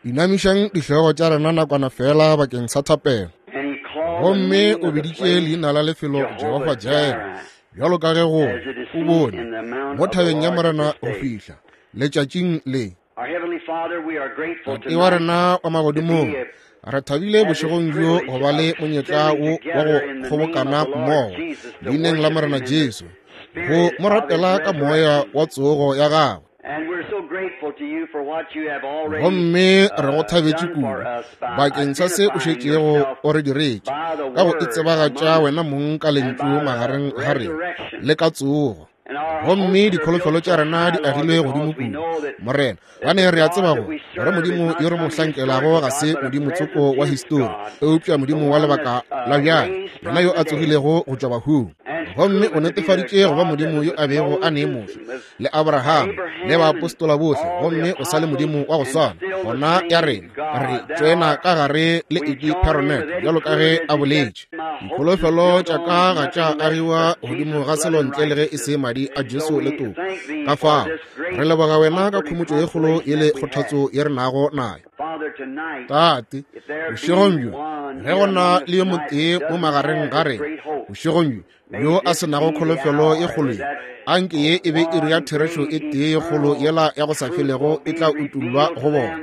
Inamišang dihlogo tša rena nakwana feela bakeng sa thapelo. Gomme o biditše leina la lefelo Jehofa Jireh, bjalo ka ge go o bone mo thabeng ya Morena go fihla letšatšing le. Tate wa rena wa magodimong, re thabile bošegong bjo go ba le monyetla wo wa go kgobokana mmogo leineng la Morena Jesu, go mo rapela ka moya wa tsogo ya gagwe. Gomme re go thabetše kudu bakeng sa se o šetšego o re diretše ka go itsebagatša wena mong ka lentšu magareng ga rena le ka tsogo. Gomme dikholofelo tša rena di agilwe godimo kudu, Morena, gane re a tseba go gore Modimo yo re mo hlankelago ga se Modimo tsoko wa histori, eupša Modimo wa lebaka la bjale, yena yo a tsogilego go tšwa bahung. Gomme o netefaditše go ba Modimo yo a bego a ne Moshe le Abraham le baapostola bohle, gomme o sa le Modimo wa go swana. Gona ya rena re tšoena ka gare le Eddie Perronet, bjalo ka ge a boletše, Dikholofelo tša ka ga tša agiwa godimo ga selo ntle le ge e se madi a Jesu le toko. Ka fao re leboga wena ka khomotšo ye kgolo ye le kgothatso ye re nago nayo. Tate, bošegong bjo, ge go na le yo motee mo magareng ga rena bošegong bjo yo a se nago kholofelo ye kgolo ye, anke ye e be iri ya therešo e tee ye kgolo yela ya go sa felego e tla utollwa go bona.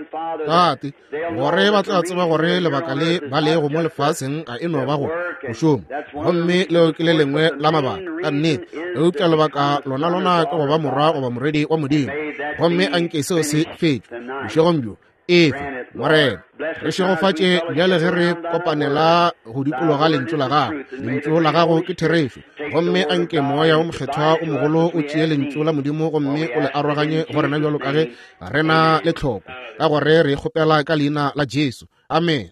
Tate, gore ba tla tseba gore lebaka le ba lego mo lefaseng ga e no ba go go šoma, gomme leo ke le lengwe la mabaka ka nnete, eupša lebaka lona lona ke go ba morwa goba morwedi wa Modimo. Gomme anke seo se fetšwe bošegong bjo. Efe, Morena, re šegofatše bjale ge re kopanela go dikologa Lentšu la Gago. Lentšu la Gago ke therešo. Gomme anke Moya wo Mokgethwa o mogolo o tšee Lentšu la Modimo gomme o le aroganye go rena bjalo ka ge re na le tlhoko, ka gore re kgopela ka Leina la Jesu. Amen.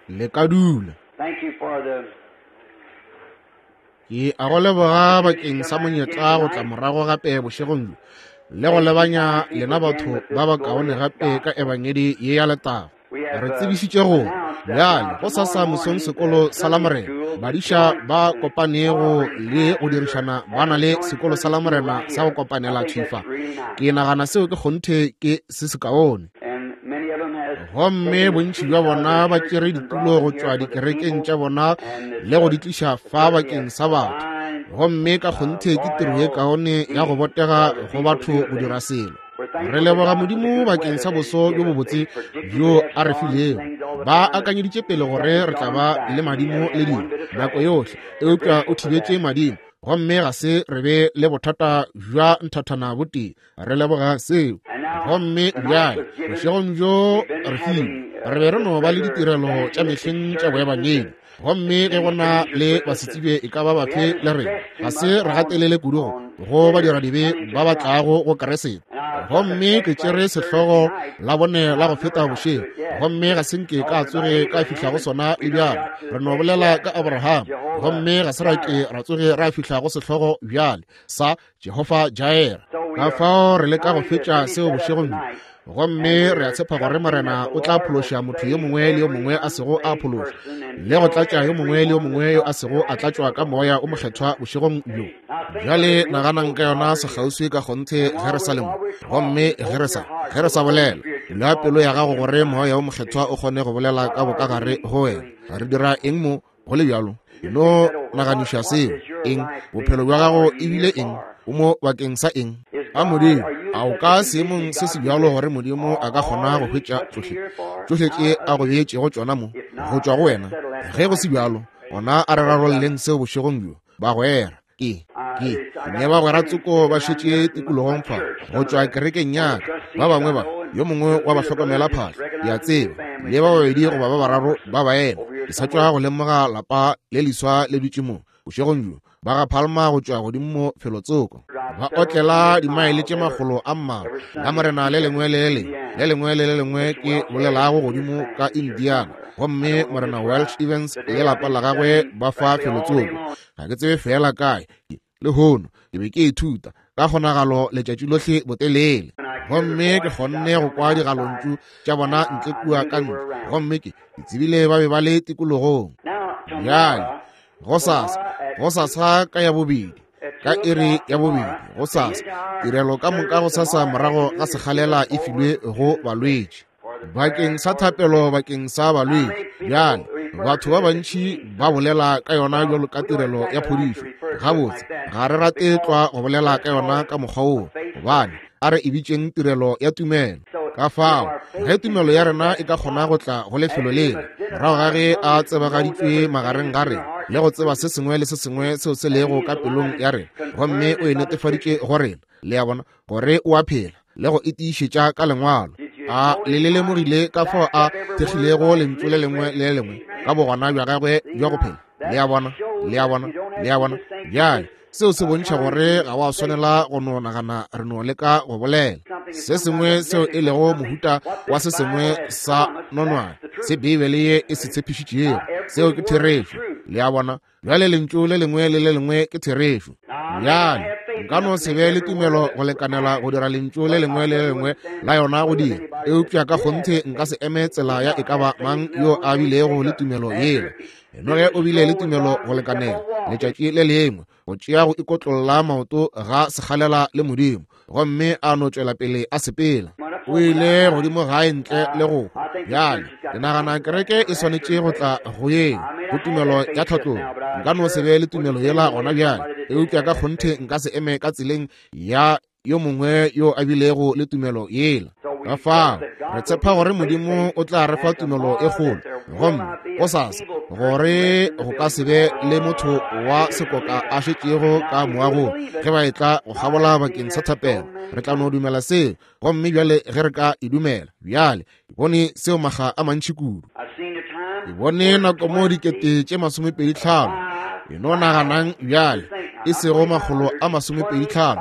Le ka dula. Ke a go leboga bakeng sa monyetla go tla morago gape bošegong bjo le go lebanya lena batho ba ba kaone gape ka ebangedi ye ya letago. Re tsebišitše gore bjale go sasa mosong sekolo sa Lamorena, badiša ba kopanego le go dirišana ba na le sekolo sa Lamorena sa go kopanela thwi fa. Ke nagana seo ke kgonthe ke se sekaone. Gomme bontši bja bona ba tšere ditulo go tšwa dikerekeng tša bona le go di tliša fa bakeng sa batho. Gomme ka kgonthe ke tiro ye kaone ya go botega go batho go dira selo. Re leboga Modimo bakeng sa boso bjo bobotse bjo a re filego. Ba akanyeditše pele gore re tla ba le madimo le dilo nako yohle, eupša o thibetše madimo, gomme ga se re be le bothata bja nthathana botee. Re leboga seo. Gomme bjale bošegong bjo re filwe, re be re no ba le ditirelo tša mehleng tša boebangedi, gomme ge go na le basetsebje e ka ba bafe le rena, ga se re gatelele kudu go badiradibe ba ba tlago go Keresete. Gomme ke tšere sehlogo la bone la go feta bošego, gomme ga se nke ka tsoge ka fihla go sona le bjale. Re no bolela ka Abraham, gomme ga se ra ke ra tsoge ra fihla go sehlogo bjale sa Jehofa Jireh. Ka fao re leka go fetša seo bošegong bjo, gomme re a tshepa gore Morena o tla phološa motho yo mongwe le yo mongwe a sego a phološwa, le go tlatša yo mongwe le yo mongwe yo a sego a tlatšwa ka Moya o Mokgethwa bošegong bjo. Bjale naganang ka yona sekgauswi ka kgonthe ge re sa le mo, gomme ge re sa, ge re sa bolela. Bula pelo ya gago gore Moya wo Mokgethwa o kgone go bolela ka bokagare go wena. Re dira eng mo? Go le bjalo, e no naganiša seo. Eng? Bophelo bja gago e bile eng? O mo bakeng sa eng? A Modimo, a o ka seemong se se bjalo gore Modimo a ka kgona go hwetša tšohle, tšohle tše a go beetšego tšona mo, go tšwa go wena? Ge go se bjalo, gona a re rarolleng seo bošegong bjo, bagwera. Ke, ke, ne bagwera tsoko ba šetše tikologong fa, go tšwa kerekeng ya ka, ba bangwe ba, yo mongwe wa bahlokomela phahlo, ke a tseba, le ba babedi goba ba bararo ba baena. Ke sa tšwa go lemoga lapa le leswa le dutše mo, bošegong bjo, ba ga Palma go tšwa godimo mo felotsoko, ba otlela dimaele tše makgolo a mmalwa, la Morena le lengwe le le lengwe, le lengwe le le lengwe ke bolelago godimo ka Indiana, gomme Morena Welch Evans le lapa la gagwe ba fa felotsoko. Ga ke tsebe feela kae. Lehono ke be ke ithuta ka kgonagalo letšatši lohle botelele, gomme ke kgonne go kwa digalontšu tša bona ntle kua ka ntle, gomme ke tsebile ba be ba le tikologong. Bjale, gosasa, gosasa ka ya bobedi. ka iri ya bobedi gosasa. Tirelo ka moka gosasa morago ga sekgalela e filwe go balwetši bakeng sa thapelo bakeng sa balwetši. Bjale batho ba bantši ba bolela ka yona bjalo ka tirelo ya phodišo. Gabotse ga re rate tlwa go bolela ka yona ka mokgwa woo, gobane a re e bitšeng tirelo ya tumelo. Ka fao ge tumelo ya rena e ka kgona go tla go lefelo lela morago ga ge a tsebagaditšwe magareng ga rena le go tseba se sengwe le se sengwe seo se lego ka pelong ya rena, gomme o e netefaditše go rena, le a bona, gore o a phela le go e tiišetša ka lengwalo. A le le lemogile ka fao a thekgilego lentšu le lengwe le le lengwe ka bogona bja gagwe bja go phela? Le a bona, le a bona, le a bona. Bjale seo se bontšha gore ga wa swanela go no nagana re no leka go bolela se sengwe seo e lego mohuta wa se sengwe sa nonwane se Beibele ye e se tshepišitšego. Seo ke therešo. Le a bona? Bjale lentšu le lengwe le le lengwe ke therešo. Bjale nka no se be le tumelo go lekanela go dira lentšu le lengwe le le lengwe la yona go dira, eupša ka kgonthe nka se eme tsela ya e ka ba mang yo a bilego le tumelo yela. Enoge o bile le tumelo go lekanela letšatši le lengwe go tšea go ikotlolla maoto ga sekgalela le Modimo, gomme a no tšwela pele a sepela. O ile godimo gae ntle le go hwa. Bjale ke nagana kereke e swanetše go tla go yeng go tumelo ya tlhatlogo. Nka no se be le tumelo yela gona bjale, eupša ka kgonthe nka se eme ka tseleng ya yo mongwe yo a bilego le tumelo yela. Ka fao re tshepa gore Modimo o tla re fa tumelo e kgolo, gomme gosasa gore go ka se be le motho wa sekoka a šetšego ka moagong ge ba etla go kgabola bakeng sa thapelo. Re tla no dumela seo, gomme bjale ge re ka e dumela. Bjale ke bone seo makga a mantši kudu. Ke bone nako mo 25,000, e no naganang bjale, e sego 125,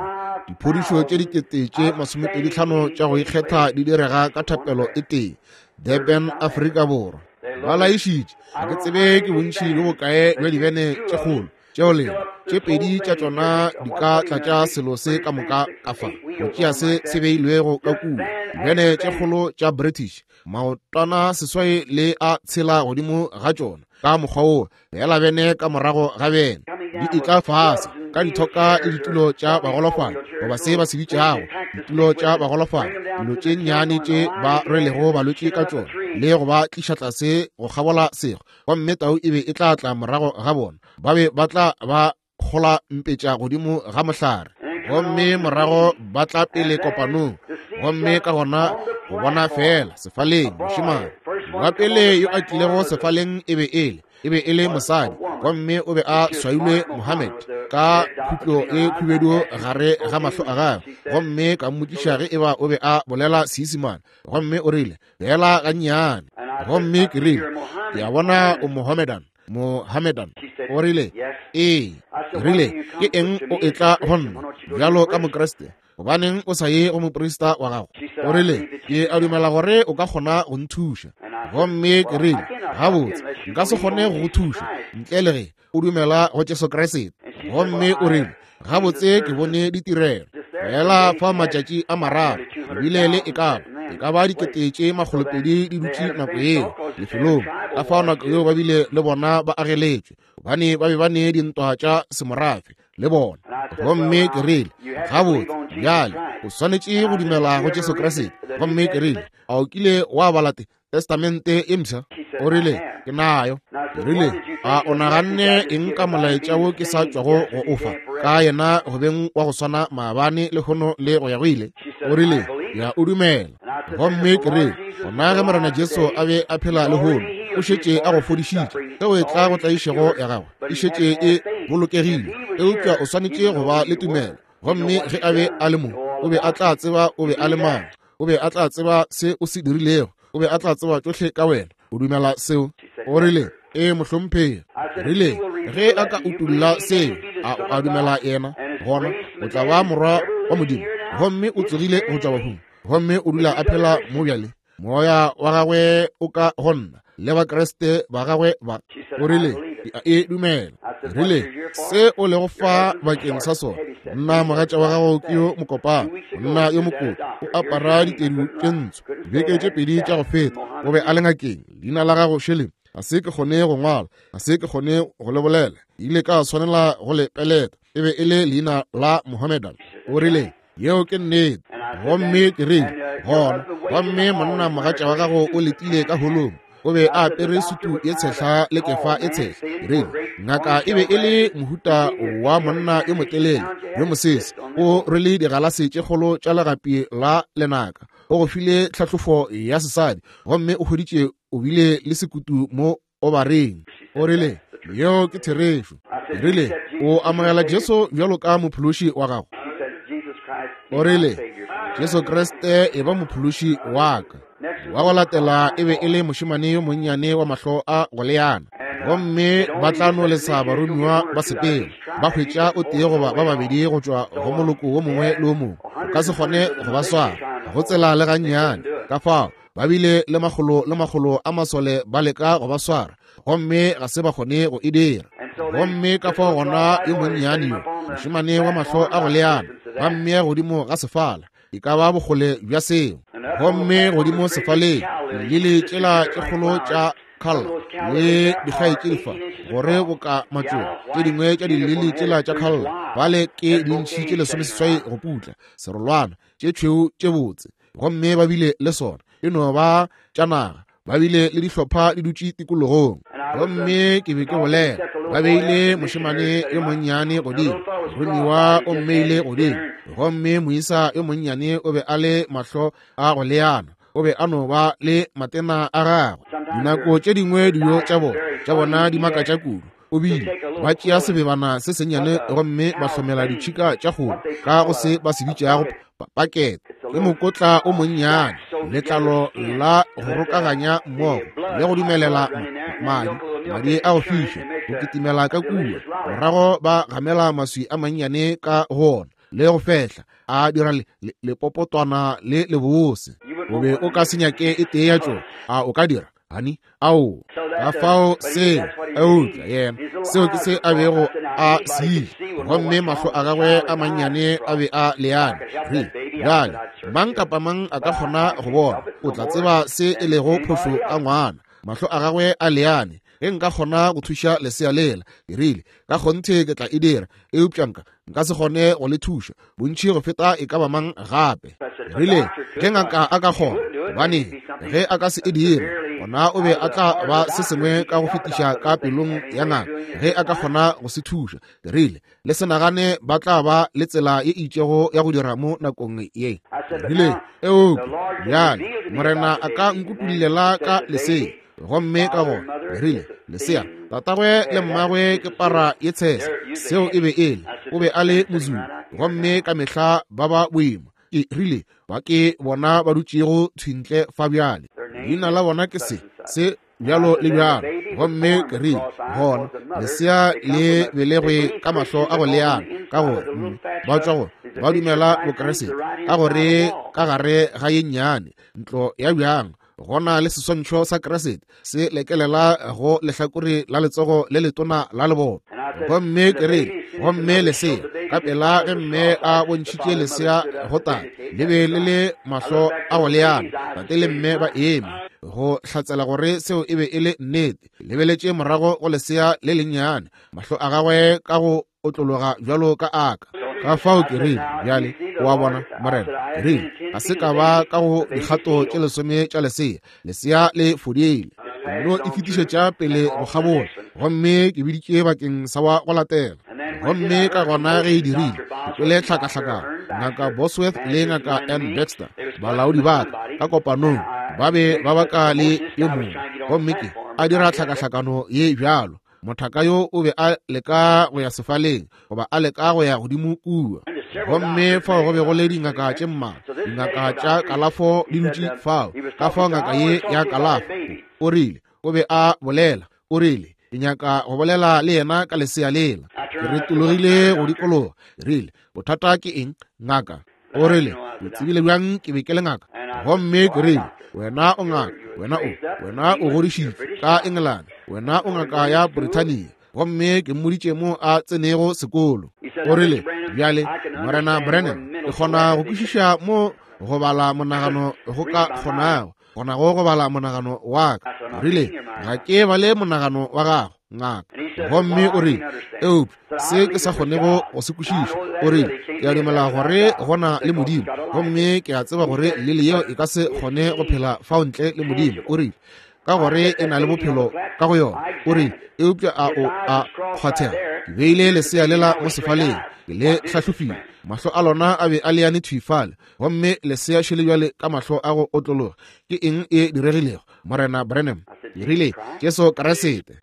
diphodišo tše 25,000 tša go ikgetha di direga ka thapelo e tee Durban, Afrika Borwa. Ba laišitše, ga ke tsebe ke bontši bjo bokae bja dibene tše kgolo tšeo lena tše pedi tša tšona di ka tlatša selo se ka moka ka fa go tšea se se beilwego ka kua. Dibene tše kgolo tša British, maotwana seswai le a tshela godimo ga tšona ka mokgwa wo, feela bene ka morago ga bene di etla fase ka dithoka le ditulo tša bagolofadi, goba se ba se bitšago ditulo tša bagolofadi, dilo tše nnyane tše ba rwelego balwetši ka tšona le go ba tliša tlase go kgabola sego, gomme tau e be e tla tla morago ga bona, ba be ba tla ba kgola mpetša godimo ga mohlare, gomme morago ba tla pele kopanong, gomme ka gona go bona feela sefaleng mošemane wa pele yo a tlilego sefaleng e be e le e be e le mosadi, gomme o be a swailwe Mohammed ka khutlo e khubedu gare ga mahlo a gagwe, gomme ka mmotšiša ge eba o be a bolela Seisemane, gomme o rile feela gannyane, gomme ke rile, ke a bona o Mohammedan. Mohammedan. O rile, ee. Ke rile, ke eng o etla go nna bjalo ka Mokriste? Gobaneng o sa ye go moprista wa gago? O rile, ke a dumela gore o ka kgona go nthuša. Gomme ke rile, gabotse, nka se kgone go go thuša ntle le ge o dumela go Jesu Kriste. Gomme o rile, gabotse, ke bone ditirelo fela fa matšatši a mararo, ebile le e ka ba 220 di dutše nako yeo lefelong. Ka fao nako yeo ba bile le bona ba ageletšwe, gobane ba be ba ne dintwa tša semorafe le bona. Gomme ke rile, gabotse, bjale o swanetše go dumela go Jesu Kriste. Gomme ke rile, a o kile wa bala Testamente e mpsha? O rile, ke nayo. Ke rile, a o naganne eng ka molaetša wo ke sa tšwago go o fa ka yena go beng wa go swana maabane, lehono le go ya go ile? O rile, ya o dumela. Gomme ke rile, gona ge Morena Jesu a be a phela lehono, o šetše a go fodišitše. Ge o etla go tlaišego ya gago, e šetše e bolokegile, eupša o swanetše go ba le tumelo. Gomme ge a be a le mo, o be a tla tseba o be a le mang. O be a tla tseba se o se dirilego. O be a tla tseba tšohle ka wena. O dumela seo? O rile, ee, mohlomphegi. Rile, ge a ka utolla seo, a o a dumela yena? Gona o tla ba morwa wa Modimo. Gomme o tsogile go tšwa bahung, gomme o dula a phela mo bjale. Moya wa gagwe o ka go nna le Bakriste ba gagwe ba. O rile, ke a e dumela. Rile, se o lego fa bakeng sa sona, monna mogatša wa gago ke yo mokopana, monna yo mokoto, o apara ditedu tše ntsho. Dibeke tše pedi tša go feta o be a le ngakeng, leina la gago Shirley. Ga se ke kgone go ngwala, ga se ke kgone go le bolela. Ke ile ka swanela go le peleta. E be e le leina la Mohammedan. O rile, Yeo ke nnete. Gomme ke rile, Gona, gomme monna mogatša wa gago o letile ka holong. O be a apere sutu ye tshehla le kefa e tshehla. Ke rile, Ngaka e be e le mohuta wa monna yo motelele, yo mosese. O rwele digalase tše kgolo tša legapi la lenaka. O go file tlhahlofo ya sesadi, gomme o hweditše o bile le sekutu mo obareng. O rile, Yeo ke therešo. Ke rile, O amogela Jesu bjalo ka mophološi wa gago? O rile, Jesu Kriste e ba mophološi wa ka. Wa go latela e be e le mošemane yo monnyane wa mahlo a go leana. Gomme ba tla no lesa baromiwa ba sepela, ba hwetša o tee goba ba babedi go tšwa go moloko wo mongwe le wo mongwe. O ka se kgone go ba swara, go tsela le gannyane. Ka fao ba bile le makgolo le makgolo a masole ba leka go ba swara, gomme ga se ba kgone go e dira. Gomme ka fao gona yo monnyane yo, mošemane wa mahlo a go leana, ba mmea godimo ga sefala, e ka ba bokgole bja seo. Gomme godimo sefaleng, dilili tšela tše kgolo tša Kalla le dikgaetšedi fa, gore boka matšoba, tše dingwe tša dilili tšela tša Kalla, bale ke dintšhi tše 18 go putla, serolwana, tše tšhweu tše botse. Gomme ba bile le sona, e no ba tša naga. Ba bile le dihlopha di dutše tikologong. Gomme ke be ke bolela, ba beile mošemane yo monnyane godimo, moromiwa o mmeile godimo, gomme moisa yo monnyane o be a le mahlo a go leana, o be a no ba le matena a gagwe. Dinako tše dingwe dijo tša bona, tša bona di makatša kudu. O bile ba tšea sebebana se sennyane gomme ba hlomela ditšhika tša kgomo ka go se ba se bitšago pakete. Ke mokotla o monnyane, letlalo la go rokaganya mmogo le go dumelela madi, madi a go fiša go kitimela ka kua. Morago ba gamela maswi a mannyane ka go ona le go fehla, a dira lepopotwana le lebose. O be o ka se nyake e tee ya tšona, a o ka dira? Hani, ao, ka fao seo, eupša yena, seo ke se a bego a se ile, gomme mahlo a gagwe a mannyane a be a leane. Re, bjale, mang kapa mang a ka kgona go bona, o tla tseba se e lego phošo ka ngwana. Mahlo a gagwe a leane. Ge nka kgona go thuša lesea lela, ke rile, ka kgonthe ke tla e dira, eupša nka, nka se kgone go le thuša bontši go feta e ka ba mang gape. Rile, ge ngaka a ka kgona, gobane ge a ka se e dire, gona o be a tla ba se sengwe ka go fetiša ka pelong ya ngaka ge a ka kgona go se thuša. Ke rile, le se nagane ba tla ba le tsela ye itšego ya go dira mo nakong ye. Rile, eupša bjale Morena a ka nkutullela ka lesea. Gomme ka gona ke rile, lesea, tatagwe le mmagwe ke para ye tshese. Seo e be e le, o be a le mozulu, gomme ka mehla ba ba boima. Ke rile, ba ke bona ba dutšego thwintle fa bjale. Leina la bona ke se, se, bjalo le bjalo. Gomme ke rile, gona, lesea le belegwe ka mahlo a go leana, ka gore mme ba tšwa go ba dumela Bokriste, ka gore ka gare ga ye nnyane ntlo ya bjang go na le seswantšho sa Kriste se lekelela go lehlakore la letsogo le letona la leboto. Gomme ke rile, gomme lesea, ka pela ge mme a bontšhitše lesea go tate, le be le le mahlo a go leana, tate le mme ba eme go hlatsela gore seo e be e le nnete. Lebeletše morago go lesea le lennyane, mahlo a gagwe ka go otlologa bjalo ka aka. Ka fao ke rile, bjale, o a bona, Morena, ke rile, ga se ka ba ka go dikgato tše lesome tša lesea, lesea le fodile. Ke no e fetišetša pele go kgabola, gomme ke biditše bakeng sa wa go latela. Gomme ka gona ge e dirile, ke kwele tlhakahlakano. Ngaka Bosworth le Ngaka Ann Baxter, balaodi ba ka, ka kopanong, ba be ba baka le yo mongwe, gomme ke a dira tlhakahlakano ye bjalo. Mothaka yo o be a leka go ya sefaleng, goba a leka go ya godimo kua. Gomme fao go be go le dingaka tše mmalwa, dingaka tša kalafo di dutše fao. Ka fao ngaka ye ya kalafo, o rile, o be a bolela, o rile, ke nyaka go bolela le yena ka lesea lela. Ke retologile go dikologa, ke rile, bothata ke eng, ngaka? O rile, o tsebile bjang ke be ke le ngaka? Gomme ke rile, wena o ngaka, wena o, wena o godišitšwe ka Engelane, wena o ngaka ya Brithania. Gomme ke mmoditše mo a tsenego sekolo. O rile, bjale, Morena Branham, ke kgona go kwešiša mo go bala monagano go ka kgonago, kgonago go bala monagano wa ka. Rile, ga ke bale monagano wa gago, ngaka. Gomme o rile, eupša se ke sa kgonego go se kwešiša, o rile, ke a dumela gore go na le Modimo, gomme ke a tseba gore lili yeo e ka se kgone go phela fao ntle le Modimo. O rile, ka gore e na le bophelo ka go yona. O rile, eupša a o a kgwathega? Ke beile lesea lela mo sefaleng, ke le hlahlofile, mahlo a lona a be a leane thwi fale, gomme lesea šele bjale ka mahlo a go otlologa. Ke eng e diregilego, Morena Branham? Ke rile, Jesu Kriste.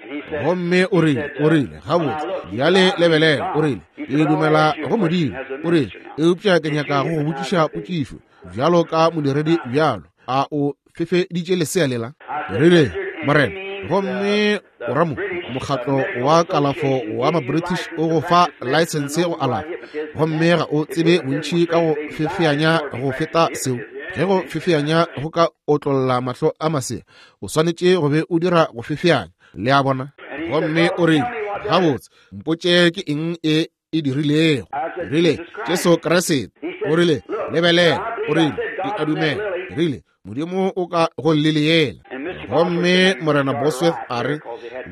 Gomme o rile, o rile, gabotse, bjale lebelela, o rile, ke dumela go Modimo. O rile, eupša ke nyaka go go botšiša potšišo, bjalo ka modiredi bjalo, a o fefeditše lesea lela? Ke rile, Morena, gomme o ra mo mokgatlo wa kalafo wa ma-British o go fa laesense go alafa, gomme ga o tsebe bontši ka go fefeanya go feta seo. Ge go fefeanya go ka otlolla mahlo a masea, o swanetše go be o dira go fefeanya, le a bona. Gomme o rile, gabotse, mpotše ke eng e e dirilego. Rile, Jesu Kriste. O rile, lebelela. O rile, ke a dumela. Rile, Modimo o ka go leleyela. Gomme Morena Bosworth a re,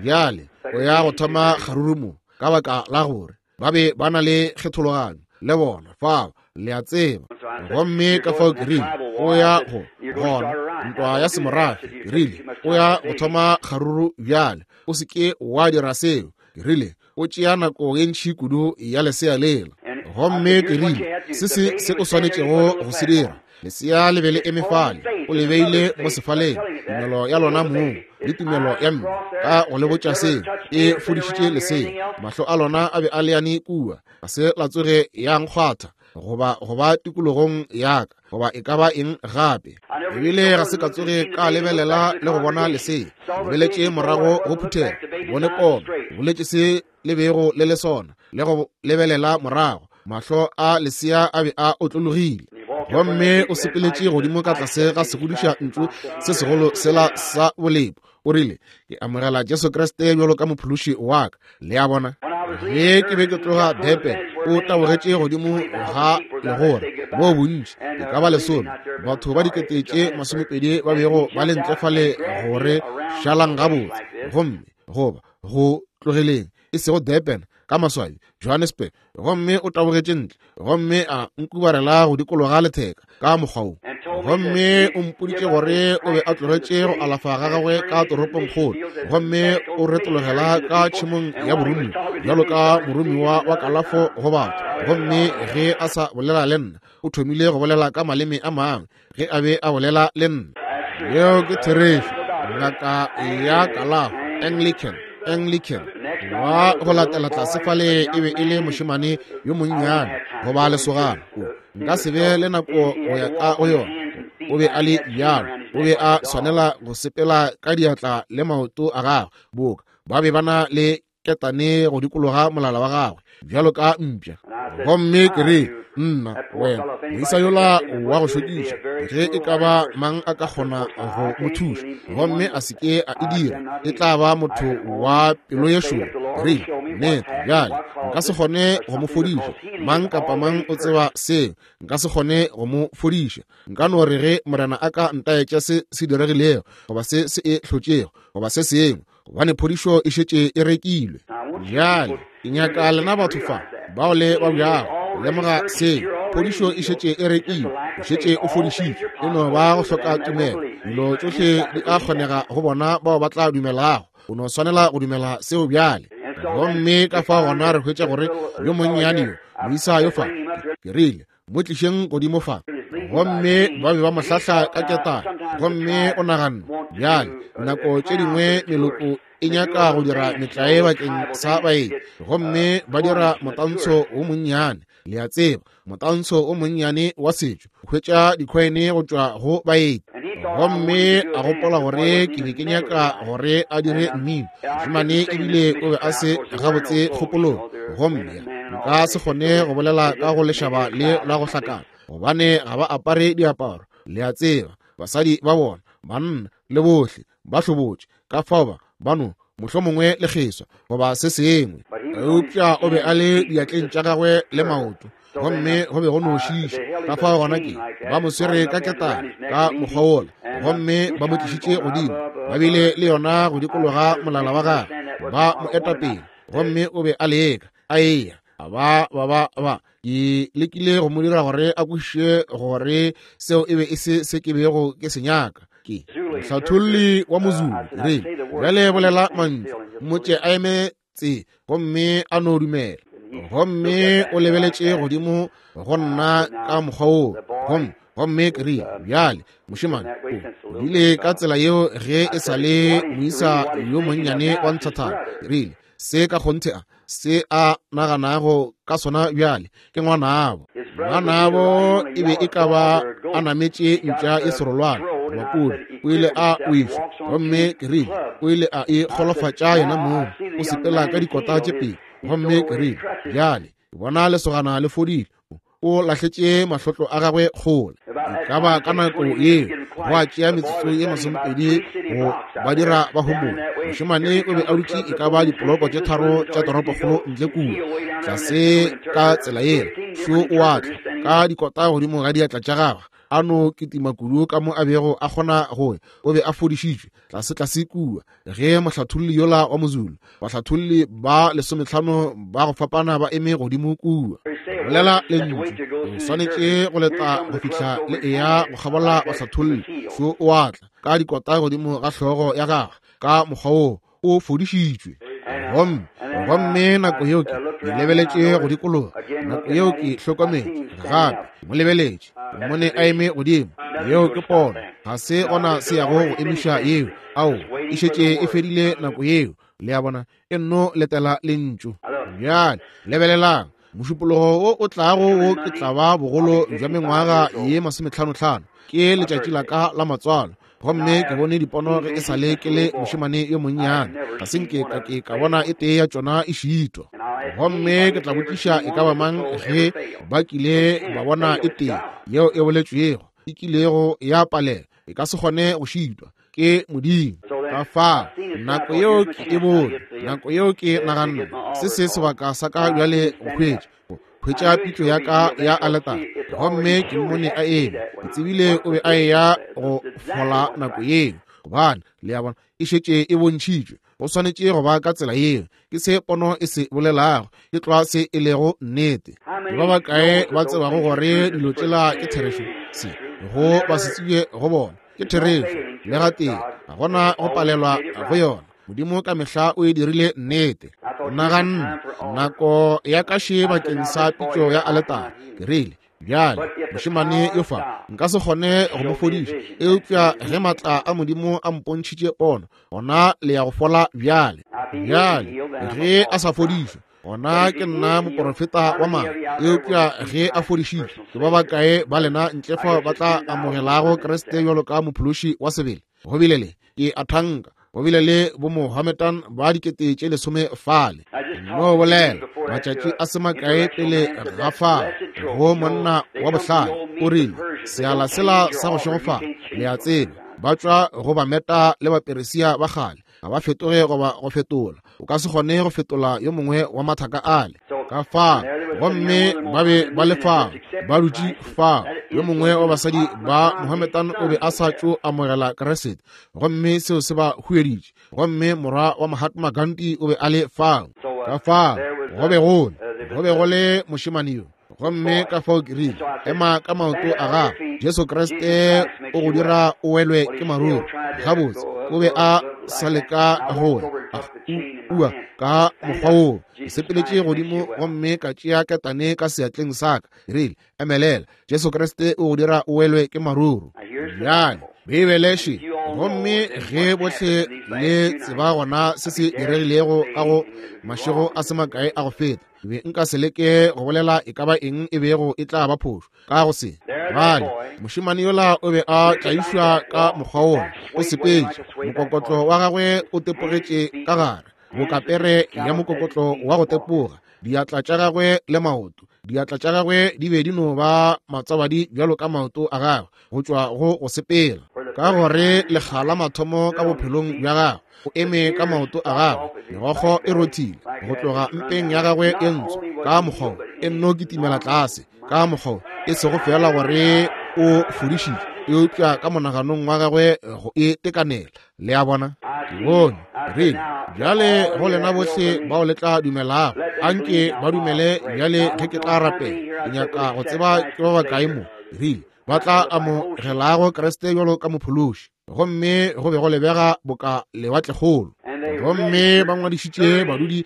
bjale o ya go thoma kgaruru mo, ka baka la gore ba be ba na le kgethologanyo le bona fao, le a tseba. Gomme ka fao ke rile, o ya go gona ntwa ya semorafe. Ke rile, o ya go thoma kgaruru bjale, o se ke wa dira seo. Ke rile, o tšea nako ye ntši kudu ya lesea lela. Gomme ke rile, se se se o swanetšego go se dira, lesea le be le eme fale, o le beile mo sefaleng, tumelo ya lona mong le tumelo ya mme ka go le botša seo, e fodišitše lesea. Mahlo a lona a be a leane kua, ga se la tsoge ya nkgwatha goba go ba tikologong ya ka goba e ka ba eng gape. Ebile ga se ka tsoge ka lebelela le go bona lesea. Lebeletše morago go phuthego, bone pono, boletše se le bego le le sona, le go lebelela morago, mahlo a lesea a be a otlologile. Gomme o sepeletše godimo ka tlase ga segodiša ntšu se segolo sela sa bolepo. O rile, ke amogela Jesu Kriste bjalo ka mophološi wa ka. Le a bona? Ge ke be ke tloga Durban, o tabogetše godimo ga legora moo bontši, e ka ba lesome, batho ba 20,000 ba bego ba le ntle fale gore šalang gabotse, gomme goba go tlogeleng, e sego Durban, ka maswabi, Johannesburg. Gomme o tabogetše ntle gomme a nkubarela go dikologa letheka ka mokgwa wo, gomme o mpoditše gore o be a tlogetše go alafa ga gagwe ka toropongkgolo, gomme o retologela ka tšhemong ya boromiwa bjalo ka moromiwa wa kalafo go batho. Gomme ge a sa bolela le nna, o thomile go bolela ka maleme a mangwe ge a be a bolela le nna. Yeo ke therešo. Ngaka ya kalafo, Anglican, Anglican. Wa go latela tlase fale e be e le mošemane yo monnyane goba lesogana. O, nka se be le nako go ya ka go yona. O be a le bjalo. O be a swanela go sepela ka diatla le maoto a gagwe, boka ba be ba na le ketane go dikologa molala wa gagwe bjalo ka mpša. Gomme ke re, nna wena moisa yola wa go šokiša, ge e ka ba mang a ka kgona go mo thuša gomme a se ke a e dira, e tla ba motho wa pelo ye šoro. Re nnete bjale nka se kgone go mo fodiša, mang kapa mang o tseba seo, nka se kgone go mo fodiša. Nka no re ge Morena a ka ntaetša se se diregilego goba se se e hlotšego goba se sengwe, gobane phodišo e šetše e rekilwe. Bjale ke nyaka lena batho fa bao le ba bjago lemoga seo, phodišo e šetše e rekilwe, o šetše o fodišitšwe, e no ba go hloka tumelo. Dilo tšohle di a kgonega go bona bao ba tla dumelago. O no swanela go dumela seo bjale. Gomme ka fa gona re hwetša gore yo monnyane yo, moisa yo fa, ke rile, mo tlišeng godimo fa. Gomme ba be ba mo hlahla ka ketane. Gomme o naganne, bjale, nako tše dingwe meloko e nyaka go dira metlae bakeng sa baeng, gomme ba dira motantsho wo monnyane, le a tseba, motantsho wo monnyane wa setšo, hwetša dikhoene go tšwa go baeng. Gomme a gopola gore ke be ke nyaka gore a dire mmino. Mošemane ebile o be a se gabotse kgopolong, gomme nka se kgone go bolela ka go lešaba le la go hlakana, gobane ga ba apare diaparo, le a tseba, basadi ba bona, banna le bohle ba hlobotše, ka fao ba no mohlomongwe le kgeswa goba se sengwe. Eupša o be a le diatleng tša gagwe le maoto, gomme go be go no šiša. Ka fao gona ke ba mo swere ka ketane ka mokgwa wola, gomme ba mo tlišitše godimo. Ba bile le yona go dikologa molala wa gagwe, ba mo eta pele, gomme o be a leka, a eya, a ba ba ba ba. Ke lekile go mo dira gore a kwešiše gore seo e be e se se ke bego ke se nyaka. Ke mohlatholli wa Mozulu, re bjale bolela mantšu, mmotše a eme tse gomme a no dumela. Gomme o lebeletše godimo go nna ka mokgwa woo, gomme gomme ke rile, bjale mošemane o bile ka tsela yeo ge e sa le moisa yo monnyane wa nthathana. Ke rile, se ka kgonthe a se a naganago ka sona bjale ke ngwanabo. Ngwanabo e be e ka ba a nametše mpša e serolwana goba pudi, o ile a wišwa, gomme ke rile o ile a e golofatša yena mong, o sepela ka dikota tše pedi. Gomme ke rile, bjale ke bona lesogana le fodile, o lahletše mahlotlo a gagwe kgole. E ka ba ka nako yeo go a tšea metsotso ye masomepedi go ba dira ba homole. Mošemane o be a dutše e ka ba dipoloko tše tharo tša toropokgolo ntle kua, tlase ka tsela yela. Šo o a tla ka dikota godimo ga diatla tša gagwe, a no kitima kudu ka mo a bego a kgona go ya. O be a fodišitšwe tlase-tlase kua ge mohlatholli yola wa Mozulu, bahlatholli ba lesometlhano ba go fapana ba eme godimo kua, bolela lentšu, o swanetše go leta go fihla le eya go kgabola bahlatholli. Šo o a tla ka dikota godimo ga hlogo ya gagwe ka mokgwa woo, o fodišitšwe. Gomme, gomme nako yeo ke lebeletše go dikologa, nako yeo ke hlokometše gape, mo lebeletše, ke mmone a eme godimo. Yeo ke pono, ga se gona se yago go emiša yeo. Ao, e šetše e fedile nako yeo. Le a bona, e nno letela lentšu. Bjale lebelelang, mošupologo wo o tlago wo ke tla ba bogolo bja mengwaga ye masometlhanotlhano, ke letšatši la ka la matswalo. Gomme ke bone dipono ge e sa le ke le mošemane yo monnyane, ga se nke ka ke ka bona e tee ya tšona e šitwa. Gomme ke tla botšiša e ka ba mang ge ba kile ba bona e tee yeo e boletšwego e kilego ya palela, e ka se kgone go šitwa ke Modimo. Ka fao nako yeo ke e bone, nako yeo ke naganne, se se sebaka sa ka bjale go hwetša, go hwetša pitšo ya ka ya aletare. Gomme ke mmone a eme, ke tsebile o be a eya go fola nako yeo, gobane le a bona e šetše e bontšhitšwe. Go swanetše go ba ka tsela yeo. Ke se pono e se bolelago, ke tlwa se e lego nnete. Ke ba bakae ba tsebago gore dilo tšela ke therešo? Se go ba se tsebje go bona ke therešo, le gatee ga gona go palelwa go yona. Modimo ka mehla o e dirile nnete. Naganne nako ya ka še bakeng sa pitšo ya aletare. Ke rile, bjale mošemane yo fa nka se kgone go mo fodiša, eupša ge maatla a Modimo a mpontšhitše pono, gona le ya go fola bjale. Bjale ge a sa fodišwe, gona ke nna moporofeta wa maaka. Eupša ge a fodišitšwe, ke ba bakae ba lena ntle fa ba tla amogelago Kriste bjalo ka mophološi wa sebele? Go bile le, ke a thanka, go bile le bomohametan ba dikete tše lesome fale. No bolela matšatši a se makae pele ga fao go monna wa bohlale, o rile, seala sela sa go šegofala, le a tseba, ba tšwa go Bameta le Baperesia ba kgale, ga ba fetoge goba go fetola. O ka se kgone go fetola yo mongwe wa mathaka ale ka fao. Gomme ba be ba le fao, ba dutše fao. Yo mongwe wa basadi ba Mohammedan o be a sa tšo amogela Kriste, gomme seo se ba hueditše. Gomme morwa wa Mahatma Gandhi o be a le fao. Ka fao go be go le, go be go le mošemane yo. Gomme ka fao ke rile, ema ka maoto a gago, Jesu Kriste o go dira o welwe ke maruru. Gabotse, o be a sa leka go ua ka mokgwa woo. Ke sepeletše godimo gomme ka tšea ketane ka seatleng sa ka. Ke rile, emelela, Jesu Kriste o go dira o welwe ke maruru. Bjale, Beibele še. Gomme ge bohle le tseba gona se se diregilego ka go mašego a se makae a go feta, ke be nka se leke go bolela e ka ba eng e bego e tla ba phošo ka go se. Bjale, mošemane yola o be a tlaišwa ka mokgwa wola, o sepetše, mokokotlo wa gagwe o tepogetše ka gare, boka pere ya mokokotlo wa go tepoga, diatla tša gagwe le maoto. Diatla tša gagwe di be di no ba matswabadi bjalo ka maoto a gagwe go tšwa go go sepela, ka gore lekga la mathomo ka bophelong bja gagwe o eme ka maoto a gagwe, megokgo e rothile go tloga mpeng ya gagwe e ntsho ka mokgwa e nno kitimela tlase ka mokgwa, e sego fela gore o fodišitšwe, eupša ka monaganong wa gagwe go e tekanela. Le a bona? Ke bone. Rile, Bjale go lena bohle bao le tla dumelago, anke ba dumele bjale ge ke tla rapela. Ke nyaka go tseba ke ba bakae mo, rile, ba tla amogelago Kriste bjalo ka Mophološi. Gomme go be go lebega boka lewatlekgolo. Gomme ba ngwadišitše badudi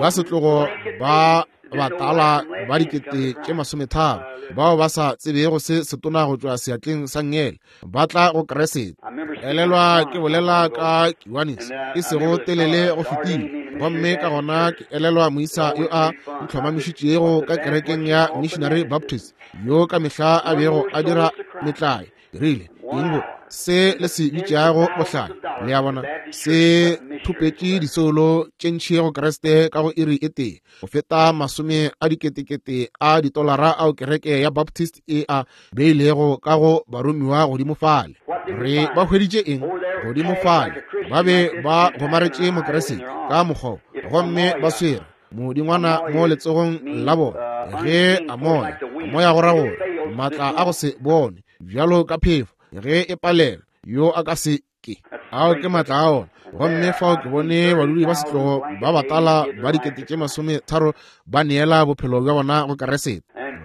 ba setlogo ba batala ba 30,000 bao ba sa tsebego se setona go tšwa seatleng sa ngele, ba tla go Kriste. Elelwa ke bolela ka Kiwanis e sego telele go fetile, gomme ka gona ke elelwa moisa yo a ntlhomamišitšego ka kerekeng ya Missionary Baptist, yo ka mehla a bego a dira metlae. Rile, eng bo se le se bitšago bohlale, le a bona, se thopetše disoulo tše ntši go Kriste ka go iri e tee go feta 10 000 a ditolara ao kereke ya Baptist e a beilego ka go baromiwa godimo fale. Re ba hweditše eng godimo fale? Ba be ba gomaretše Mokriste ka mokgwa, gomme ba swere modingwana mo letsogong la bona. Ge a moya, moya go ra gore maatla a go se bone bjalo ka phefo ge e palelwa, yo a ka se ke. Ao ke maatla a ona. Gomme fao ke bone badudi ba setlogo ba batala ba 30,000 ba neela bophelo bja bona go Kriste.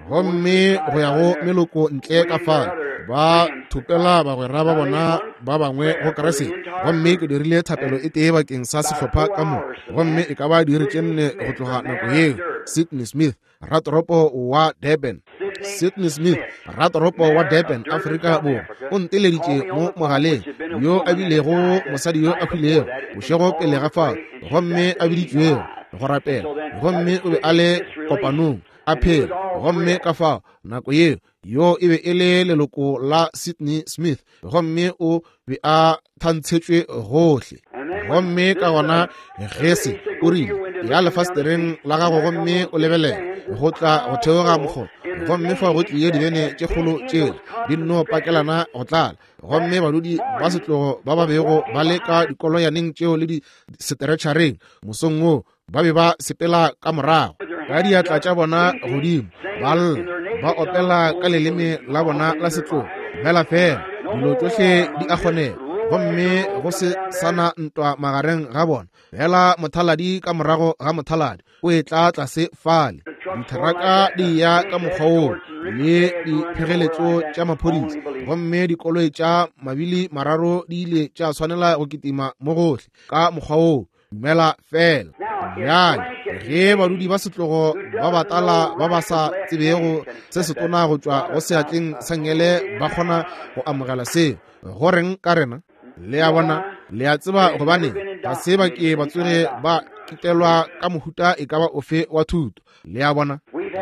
Gomme go ya go meloko ntle ka fale, ba thopela bagwera ba bona ba bangwe go Kriste. Gomme ke dirile thapelo e tee bakeng sa sehlopha ka mo, gomme e ka ba diiri tše 4 go tloga nako yeo. Sidney Smith, ratoropo wa Durban. Sidney Smith, ratoropo wa Durban, Afrika Borwa, o nteleditše mo mogaleng, yo a bilego mosadi yo a hwilego bošego pele ga fao, gomme a biditšwego go rapela, gomme o be a le kopanong a phela. Gomme ka fao nako yeo, yo e be e le leloko la Sidney Smith, gomme o be a thantshetšwe gohle. Gomme ka gona Gese o rile, ya lefastereng la gago gomme o lebelele go tla go theoga mokgoba, gomme fao go tlie dibene tše kgolo tšela di nno pakelana go tlala, gomme badudi ba setlogo ba ba bego ba le ka dikoloyaneng tšeo le di seteretšhareng mosong wo ba be ba sepela ka morago ka diatla tša bona godimo, ba lla, ba opela ka leleme la bona la setlogo. Fela fela dilo tšohle di a kgonega, gomme go se sana ntwa magareng ga bona. Fela mothaladi ka morago ga mothaladi o etla tlase fale, ditheraka di ya ka mokgwa woo le diphegeletšo tša maphodisa, gomme dikoloi tša mabili mararo di ile tša swanela go kitima mo gohle ka mokgwa woo. Dumela fela. Bjale ge badudi ba setlogo ba batala ba ba sa tsebego se setona go tšwa go seatleng sa ngele ba kgona go amogela seo, go reng ka rena? Le a bona, le a tseba gobane ga se ba ke ba tsoge ba kitelwa ka mohuta e ka ba ofe wa thuto. Le a bona,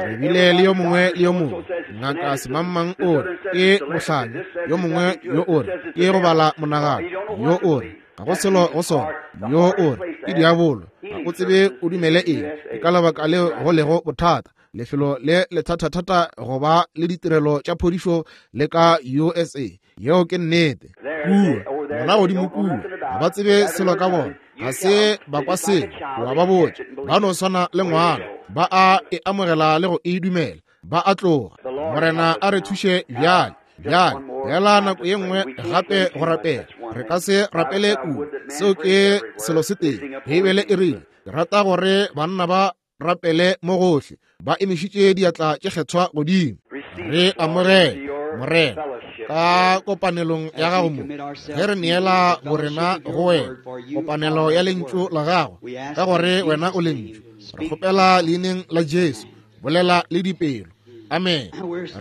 re bile le yo mongwe le yo mongwe, ngaka semangmang o re ke bohlanya, yo mongwe yo o re ke go bala monagano, yo o re ga go selo go sona, yo o re ke diabolo, ga o tsebe o dumele eng. Ke ka lebaka leo go lego bothata, lefelo le lethathathata go ba le ditirelo tša phodišo le ka USA. Yeo ke nnete. Kua, bona godimo kua, ga ba tsebe selo ka bona, ga se ba kwa selo, wa ba botša, ba no swana le ngwana, ba a e amogela le go e dumela, ba a tloga. Morena a re thuše bjale. Bjale, bjala nako ye nngwe gape go rapela. Re ka se rapele kudu, seo ke selo se tee. Beibele e rile, ke rata gore banna ba rapele mo gohle, ba emišitše diatla tše kgethwa godimo. Re amogele, Morena, ka kopanelong ya gago mo, ge re neela borena go wena, kopanelo ya lentšu la gago, ka gore wena o lentšu. Re kgopela leineng la Jesu, bolela le dipelo. Amen.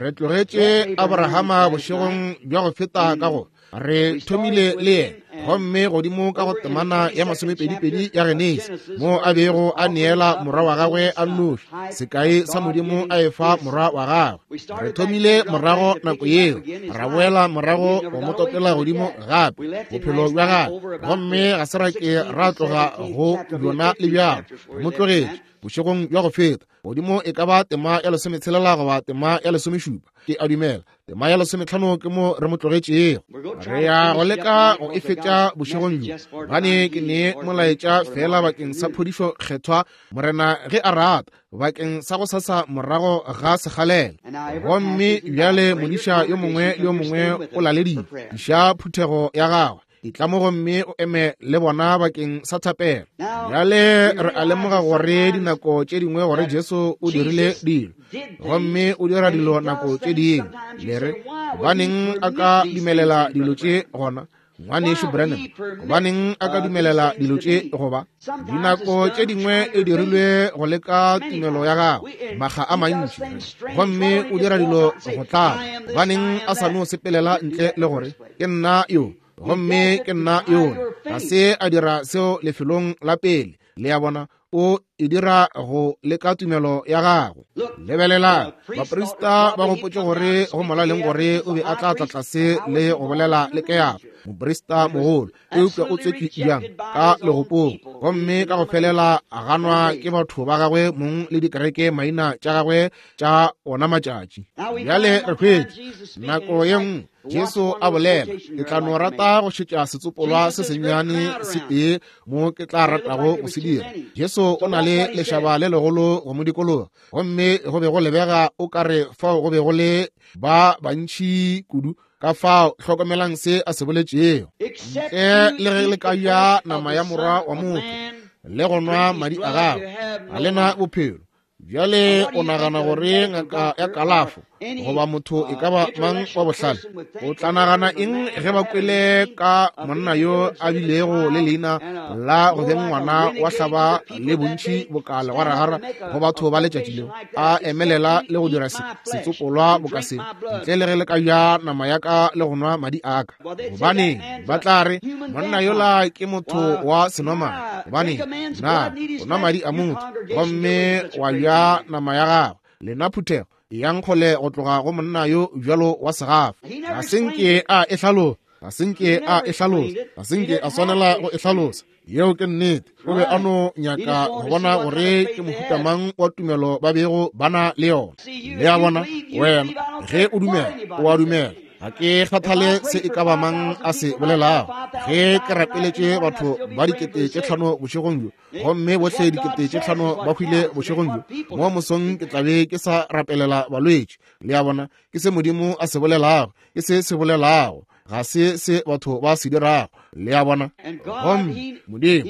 Re tlogetše Abrahama bošegong bja go feta ka go re thomile le yena, gomme godimo ka go temana ya 22 ya Genesi, mo a bego a neela morwa wa gagwe a nnoši, sekai sa Modimo a efa morwa wa gagwe. Re thomile morago nako yeo, ra boela morago go mo topela godimo gape bophelo bja gagwe, gomme ga se ra ke ra tloga go bjona le bjalo. Re mo tlogetše bošegong bja go feta godimo e ka ba tema ya 16 goba tema ya 17, ke a dumela tema ya 15 ke mo re mo tlogetšego. Re ya go leka go e fetša molaetša bošegong bjo, gobane ke ne molaetša feela bakeng sa phodišo kgethwa, Morena ge a rata, bakeng sa go sasa morago ga sekgalela. Gomme bjale modiša yo mongwe le yo mongwe o laleditšwe, iša phuthego ya gagwe etla mo gomme o eme le bona bakeng sa thapelo. Bjale re a lemoga gore dinako tše dingwe gore Jesu o dirile dilo, gomme o dira dilo nako tše dingwe. Le re, gobaneng a ka dumelela dilo tše gona, Ngwanešu Branham? Gobaneng a ka dumelela dilo tše goba? Dinako tše dingwe e dirilwe go leka tumelo ya gago, makga a mantši, gomme o dira dilo go tlaba. Gobaneng a sa no sepelela ntle le gore, Ke nna yo, gomme ke nna yola? Ga se a dira seo lefelong la pele. Le a bona, o e dira go leka tumelo ya gago. Lebelelang, baprista ba gopotše gore go molaleng gore o be a tla tla tlase le go bolela le Keafa, moprista mogolo, eupša o tswetšwe bjang ka legopong, gomme ka go felela a ganwa ke batho ba gagwe mong le dikereke maina tša gagwe tša ona matšatši. Bjale re hwetše nako ye nngwe Jesu a bolela, ke tla no rata go šetša setsopolwa se sennyane se tee mo ke tla ratago go se dira. Jesu o na le lešaba le legolo go mo dikologa, gomme go be go lebega o ka re fao go be go le ba bantši kudu. Ka fao hlokomelang se a se boletšego, ntle le ge le ka ja nama ya morwa wa motho le go nwa madi a gagwe, ga le na bophelo. Bjale o nagana gore ngaka ya kalafo goba motho e ka ba mang wa bohlale o tla nagana eng ge ba kwele ka monna yo a bilego le leina la go beng ngwana wa hlaba le bontši boka legwaragara go batho ba letšatši leo, a emelela le go dira setsopolwa boka se, ntle le ge le ka ja nama ya ka le go nwa madi a ka? Gobaneng, ba tla re, monna yola ke motho wa senomane. Gobaneng, na o nwa madi a motho gomme wa ja nama ya gagwe? Lena phuthego, eyang kgole go tloga go monna yo bjalo wa segafa. Ga se nke a e hlalosa, ga se nke a e hlalosa, ga se nke a swanela go e hlalosa. Yeo ke nnete. O be a no nyaka go bona gore ke mohuta mang wa tumelo ba bego ba na le yona. Le a bona, wena, ge o dumela, o a dumela. Ga ke kgathale se e ka ba mang a se bolelago. Ge ke rapeletše batho ba 5000 bošegong bjo, gomme bohle 5000 ba hwile bošegong bjo, mo mosong ke tla be ke sa rapelela balwetši. Le a bona, ke se Modimo a se bolelago, ke se se bolelago, ga se se batho ba se dirago. Le a bona? Gomme Modimo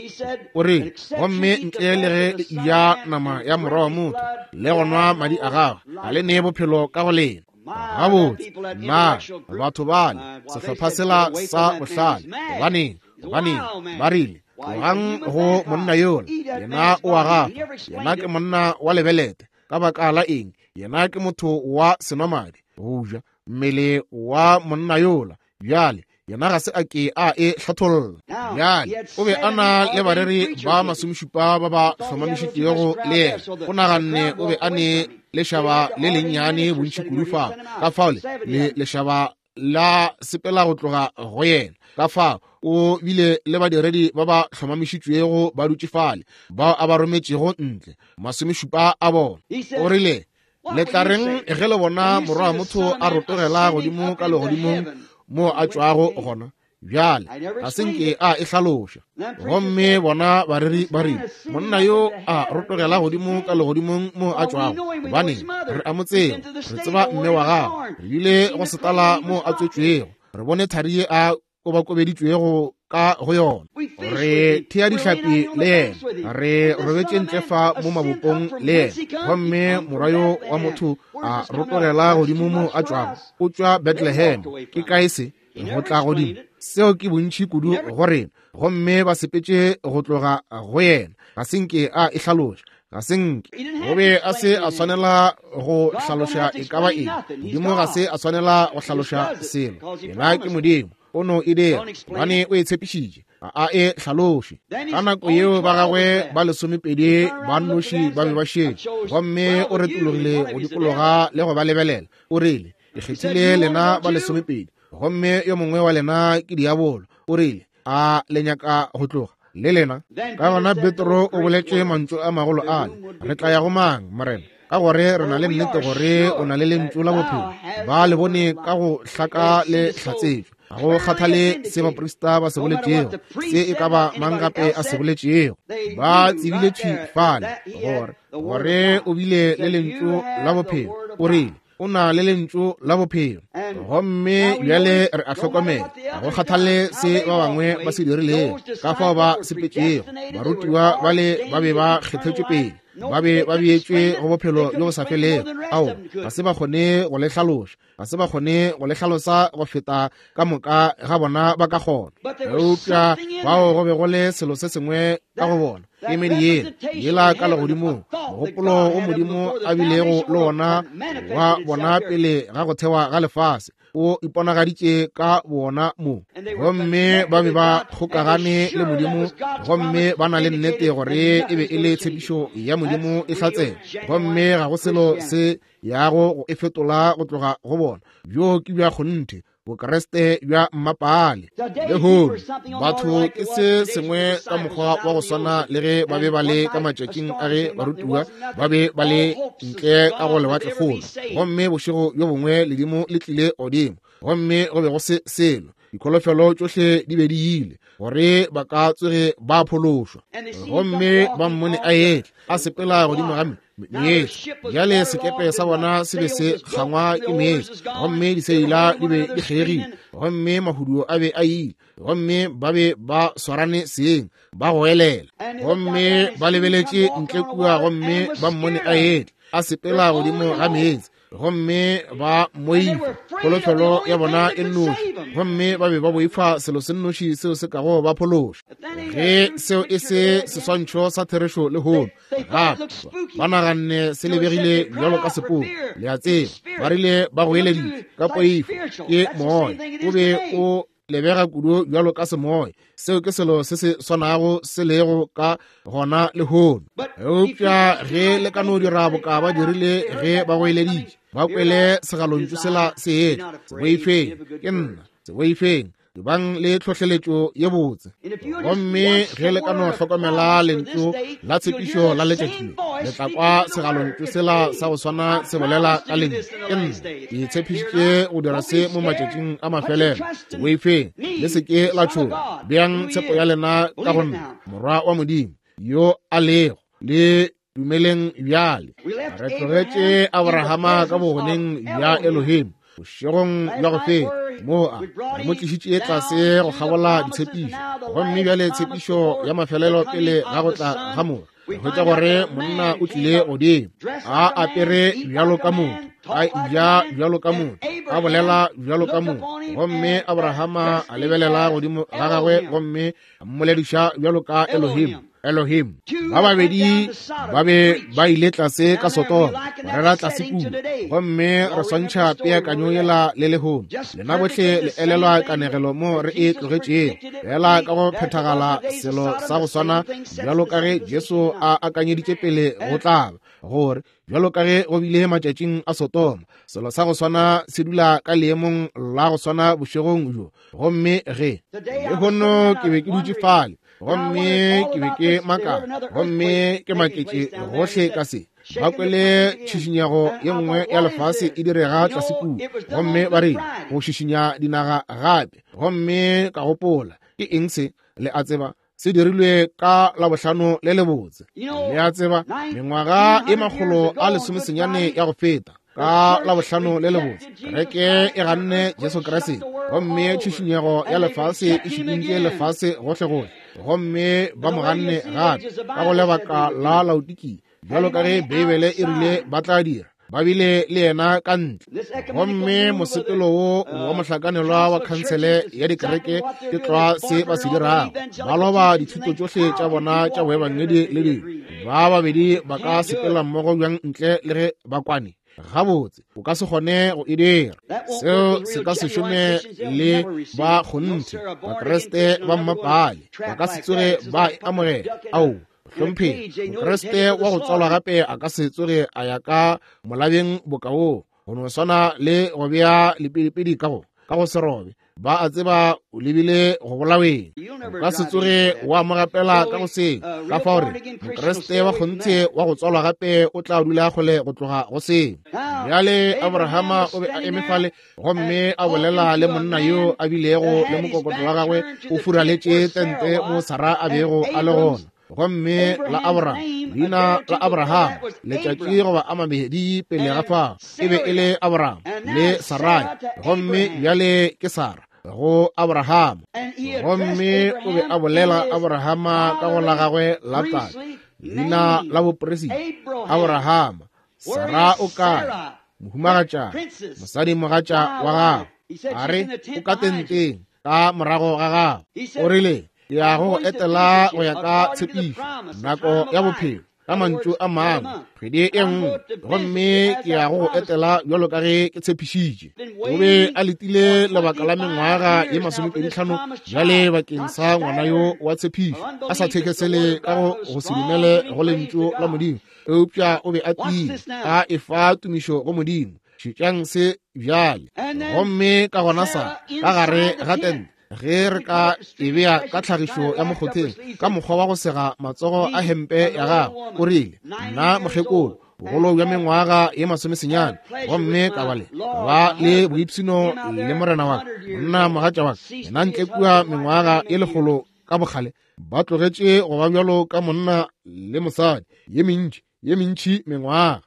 o re, gomme ntle le ge le eja nama ya morwa wa motho le go nwa madi a gagwe, ga le nee bophelo ka go lena. Gabotse, na batho bale, sehlopha sela sa bohlale, gobaneng, gobaneng ba rile, tlogang go monna yola, yena o a gafa, yena ke monna wa lebelete. Ka baka la eng? Yena ke motho wa senwamadi, go ja mmele wa monna yola. Bjale yena ga se a ke a e hlatholla. Bjale o be a na le bareri ba 70 ba ba hlomamišitšego le yena. O naganne o be a ne lešaba le lennyane bontši kudu fao, ka fao le lešaba la sepela go tloga go yena. Ka fao o bile le badiredi ba ba hlomamišitšwego ba dutše fale, bao a ba rometšego ntle, 70 a bona. O rile, Le tla reng ge le bona morwa wa motho a rotogela godimo ka legodimong moo a tšwago gona? Bjale ga se nke a e hlaloša. Gomme bona bareri ba rile, monna yo a rotogela godimo ka legodimong moo a tšwago, gobaneng, re a mo tseba, re tseba mme wa gagwe, re bile go setala moo a tswetšwego, re bone thari ye a kobakobeditšwego ka go yona, re thea dihlapi le yena, re robetše ntle fa mo mabopong le yena. Gomme morwa yo wa motho a rotogela godimo mo a tšwago, o tšwa Bethlehem. Ke kae se? Go tla godimo. Seo ke bontši kudu go rena. Gomme ba sepetše go tloga go yena. Ga se nke a e hlaloša. Ga se nke. O be a se a swanela go hlaloša e ka ba eng. Modimo ga se a swanela go hlaloša selo. Yena ke Modimo. O no e dira gobane o e tshepišitše. Ga a e hlaloše. Ka nako yeo ba gagwe ba 12 ba nnoši ba be ba šetše, gomme o retologile go dikologa le go ba lebelela. O rile, Ke kgethile lena ba 12, gomme yo mongwe wa lena ke diabolo. O rile, A le nyaka go tloga le lena? Ka gona Petro o boletše mantšu a magolo ale, Re tla ya go mang, Morena? Ka gore re na le nnete gore o na le lentšu la bophelo. Ba le bone ka go hlaka le hlatsetšwe. Ga go kgathale se baprista ba se boletšego, se e ka ba mang gape a se boletšego, ba tsebile thwi fale gore gore o bile le lentšu la bophelo. O rile o na le lentšu la bophelo. Gomme bjale re a hlokomela, ga go kgathale se ba bangwe ba se dirilego, ka fao ba sepetšego, barutiwa bale ba be ba kgethetšwe pele, ba be ba beetšwe go bophelo bjo bo sa felego. Ao, ga se ba kgone go le hlaloša, ga se ba kgone go le hlalosa go feta ka moka ga bona ba ka kgona. Eupša bao go be go le selo se sengwe ka go bona, kemedi yela yela ka legodimong, mogopolo wo Modimo a bilego le wona wa bona pele ga go thewa ga lefase, o iponagaditše ka bona mo. Gomme ba be ba kgokagane le Modimo, gomme ba na le nnete gore e be e le tshepišo ya Modimo e hlatsela, gomme ga go selo se yago go e fetola go tloga go bona. Bjo ke bja kgonthe Bokreste bja mmapaale. Lehono batho ke se sengwe ka mokgwa wa go swana le ge ba be ba le ka matšatšing a ge barutiwa ba be ba le ntle ka go lewatlekgolo, gomme bošego bjo bongwe ledimo le tlile godimo, gomme go be go se selo, dikholofelo tšohle di be di ile gore ba ka tsoge ba phološwa. Gomme ba mmone a etla a sepela godimo ga meetse. Bjale sekepe sa bona se be se kgangwa ke meetse, gomme diseila di be di kgeegile, gomme mahuduo a be a ile, gomme ba be ba swarane seng, ba goelela. Gomme ba lebeletše ntle kua, gomme ba mmone a etla a sepela godimo ga meetse, gomme ba moifa kholofelo ya bona e nnoši, gomme ba be ba boifa selo se nnoši seo se kago ba phološa. Ge seo e se seswantšho sa therešo lehono, gape ba naganne se lebegile bjalo ka sepoko. Le a tseba, ba rile ba goeleditše ka poifo, ke moya o be o lebega kudu bjalo ka semoya. Seo ke selo se se swanago se lego ka gona lehono. Eupša ge le ka no dira boka ba dirile ge ba goeleditše, ba kwele segalontšu sela se etla, se boifeng, ke nna, se boifeng, bang le tlhohleletšo ye botse. Gomme ge le ka no hlokomela lentšu la tshepišo la letšatši, le tla kwa segalontšu sela sa go swana se bolela ka lentšu, ke nna, ke tshepišitše go dira se mo matšatšing a mafelelo. Se boifeng, le se ke la tšhoga, beang tshepo ya lena ka go nna, Morwa wa Modimo yo a lego, le dumeleng bjale. Re tlogetše Abrahama ka bogoneng bja Elohim bošegong bja go feta, moo a re mo tlišitše tlase go kgabola ditshepišo, gomme bjale tshepišo ya mafelelo pele ga go tla ga Morwa. Re hwetša gore monna o tlile godimo a apere bjalo ka motho, a ja bjalo ka motho, a bolela bjalo ka motho, gomme Abrahama a lebelela godimo ga gagwe gomme a mmolediša bjalo ka Elohim. Elohim. Ba babedi ba be ba ile tlase ka Sodoma, ba rera tlase kua, gomme re swantšha peakanyo yela le lehono. Lena bohle le elelwa kanegelo mo re e tlogetšego, fela ka go phethagala selo sa go swana bjalo ka ge Jesu a akanyeditše pele go tla ba, gore bjalo ka ge go bile matšatšing a Sodoma, selo sa go swana se dula ka leemong la go swana bošegong bjo. Gomme ge lehono ke be ke dutše fale, gomme ke be ke makala, gomme ke maketše gohle ka se, ba kwele tšhišinyego ye nngwe ya lefase e direga tlase kua, gomme ba rile go šišinya dinaga gape. Gomme ka gopola, ke eng se? Le a tseba, se dirilwe ka Labohlano le lebotse. Le a tseba, mengwaga e 119 ya go feta, ka Labohlano le lebotse, kereke e ganne Jesu Kriste, gomme tšhišinyego ya lefase e šikintše lefase gohlegohle, gomme ba mo ganne gape ka go lebaka la Laodikia, bjalo ka ge Beibele e rile ba tla dira. Ba bile le yena ka ntle. Gomme mosepelo wo wa mohlakanelwa wa khansele ya dikereke ke tlwa se ba se dirago. Ba loba dithuto tšohle tša bona tša boebangedi le dilo. Ba babedi ba ka sepela mmogo bjang ntle le ge ba kwane? Gabotse, o ka se kgone go e dira. Seo se ka se šome le ba kgonthe, Bakriste ba mmapaale. Ba ka se tsoge ba e amogela. Ao, hlompheng, Mokriste wa go tswalwa gape a ka se tsoge a ya ka molabeng boka woo, go no swana le go bea lepidipidi ka go. ka go serobe. Ba a tseba o lebile go bolaweng. O ka se tsoge wa mo gapela ka go seo. Ka fao re Mokriste wa kgonthe wa go tswalwa gape o tla dula kgole go tloga go seo. Bjale Abrahama o be a eme fale gomme a bolela le monna yo a bilego le mokokotlo wa gagwe o furaletše tente mo Sara a bego a le gona. Gomme la Abraham, leina la Abraham, letšatši goba a mabedi pele ga fao, e be e le Abraham le Sarai, gomme bjale ke Sara go Abraham. Gomme o be a bolela Abrahama ka go la gagwe la tate, leina la bopresida Abrahama. Sara o kae? Mohumagatša, mosadimogatša wa gagwe. A re, o ka tenteng ka morago ga gagwe. O rile, ke ya go etela go ya ka tshepišo, nako ya bophelo, ka mantšu a mangwe, kgwedi e nngwe, gomme ke ya go etela bjalo ka ge ke tshepišitše. O be a letile lebaka la mengwaga ye 25 bjale bakeng sa ngwana yo wa tshepišo, a sa thekesele ka go se dumele go lentšu la Modimo, eupša o be a tiile a efa tumišo go Modimo. Šetšang se bjale. Gomme ka gona sa ka gare ga tente, ge re ka e bea ka tlhagišo ya mokgotheng ka mokgwa wa go sega matsogo a hempe ya gagwe, o rile, nna mokgekolo, bogolo bja mengwaga ye 90, gomme ka ba le ba le boipshino le morena wa ka, monna mogatša wa ka, yena ntle kua mengwaga ye 100 ka bokgale, ba tlogetše go ba bjalo ka monna le mosadi ye mentši mengwaga.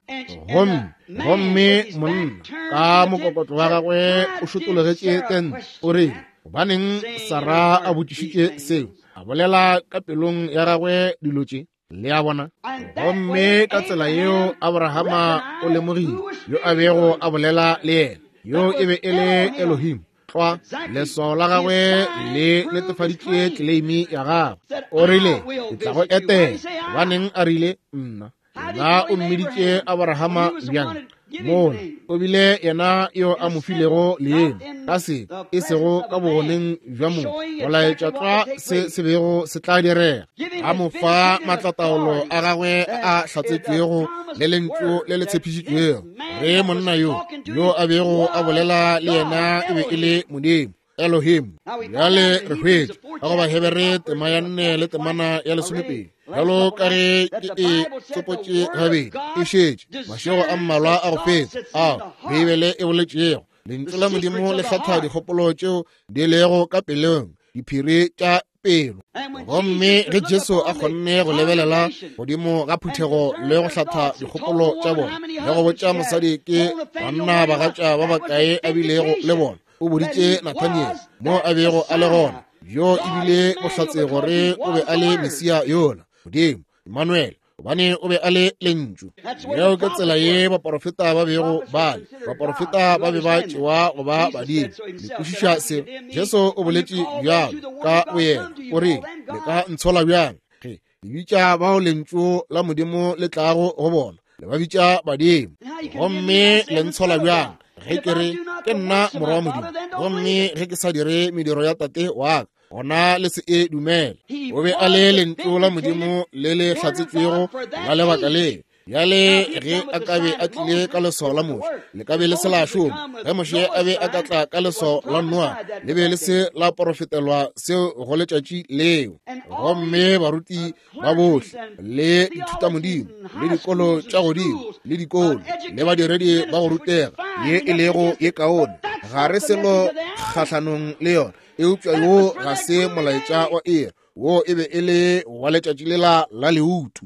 Gomme monna ka mokokotlo wa gagwe o šotologetše tente. O rile, gobaneng Sara a botšišitše seo, a bolela ka pelong ya gagwe dilo tše? Le a bona? Gomme ka tsela yeo Abrahama o lemogile yo a bego a bolela le yena, yo e be e le Elohim. Tlwa, leswao la gagwe le netefaditše tleleimi ya gagwe. O rile, ke tla go etela. Gobaneng a rile, nna? Yena o mmiditše Abrahama bjang? Mola o bile yena yo a mo filego leemo, ka se e sego ka bogoneng bja motho, go laetša tlwa se se bego se tla direga. A mo fa matlataolo a gagwe a hlatsetšwego le lentšu le le tshepišitšwego, ge monna yo yo a bego a bolela le yena e be e le Modimo Elohim. Bjale re hwetša ka go Bahebere tema ya 4 le temana ya 12, bjalo ka ge ke e tsopotše gabedi e šetše mašego a mmalwa a go feta, ao Beibele e boletšego, lentšu la Modimo le hlatha dikgopolo tšeo di lego ka pelong, diphiri tša pelo. Gomme ge Jesu a kgonne go lebelela godimo ga phuthego le go hlatha dikgopolo tša bona le go botša mosadi ke banna bagatša ba bakae a bilego le bona, o boditše Nathaniel mo a bego a le gona, yo ebile bohlatse gore o be a le Mesia yola, Modimo, Emmanuel, gobane o be a le lentšu. Yeo ke tsela ye baporofeta ba bego ba le. Baporofeta ba be ba tšewa go ba badimo. Le kwešiša se? Jesu o boletše bjalo ka boyena, o rile, le ka ntshola bjang ge le bitša bao lentšu la Modimo le tlago go bona, le ba bitša badimo? Gomme le ntshola bjang ge ke re ke nna morwa wa Modimo, gomme ge ke sa dire mediro ya Tate wa ka? Gona le se e dumele. O be a le lentšu la Modimo le le hlatsetšwego la lebaka le. Bjale ge a ka be a tlile ka leswao la Moshe, le ka be le se la šoma. Ge Moshe a be a ka tla ka leswao la Noa, le be le se la porofetelwa seo go letšatši leo. Gomme baruti ba bohle le dithutamodimo le dikolo tša godimo le dikolo le badiredi ba go rutega ye e lego ye kaone, ga re selo kgahlanong le yona, eupša yo ga se molaetša wa iri. Wo e be e le wa letšatši lela la leutu.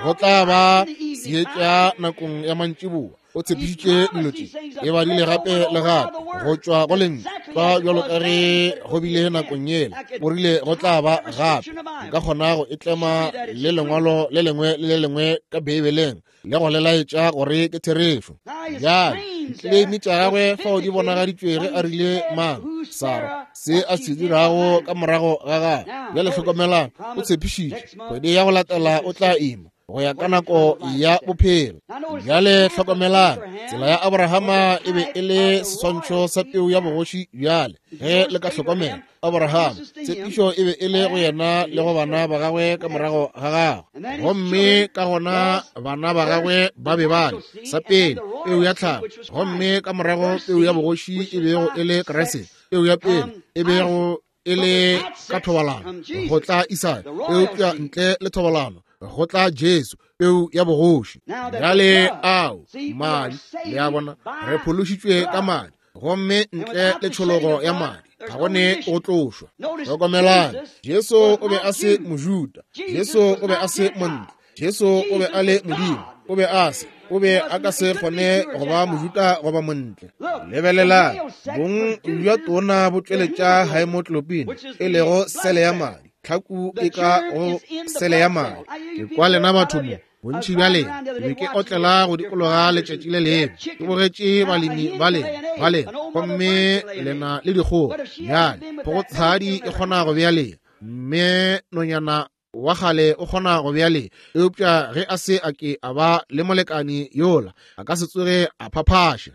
Go tla ba seetša nakong ya mantšiboa. O tshepišitše dilo tše, e badile gape le gape go tšwa go lentšu, tlwa bjalo ka ge go bile nakong yela. O rile go tla ba gape. Nka kgona go e tlema le lengwalo le lengwe le le lengwe ka Beibeleng le go le laetša gore ke therešo. Bjale ditleleimi tša gagwe fao di bonagaditšwe ge a rile mang Sara se a se dirago ka morago ga gagwe. Bjale hlokomelang, o tshepišitše kgwedi ya go latela o tla ima go ya ka nako ya bophelo. Bjale hlokomelang, tsela ya Abrahama e be e le seswantšho sa peu ya bogoši. Bjale ge le ka hlokomela, Abraham tshepišo e be e le go yena le go bana ba gagwe ka morago ga gagwe, gomme ka gona bana ba gagwe ba be ba le sa pele peu ya tlhago, gomme ka morago peu ya bogoši e bego e le Kriste. Peu ya pele e bego e le ka thobalano, go tla Isaka, eupša ntle le thobalano go tla Jesu, peu ya bogoši. Bjale ao madi, le a bona, re phološitšwe ka madi, gomme ntle le tšhologo ya madi ga go ne go tlošwa. Hlokomelang, Jesu o be a se Mojuda, Jesu o be a se montle, Jesu o be a le Modimo, o be a se, o be a ka se kgone go ba Mojuda goba montle. Lebelelang, bong bja tona bo tšweletša haemoglobin, e lego sele ya madi, tlhaku e ka go sele ya madi. Ke kwa lena batho mo, bontši bja lena, ke be ke otlela go dikologa letšatši le lengwe, ke bogetše balemi ba lena, ba lena, gomme lena le dikgogo. Bjale, phogotshadi e kgona go bea lena, mme nonyana wa kgale o kgona go bea lee, eupša ge a se a ke a ba le molekani yola, a ka se tsoge a phaphaša.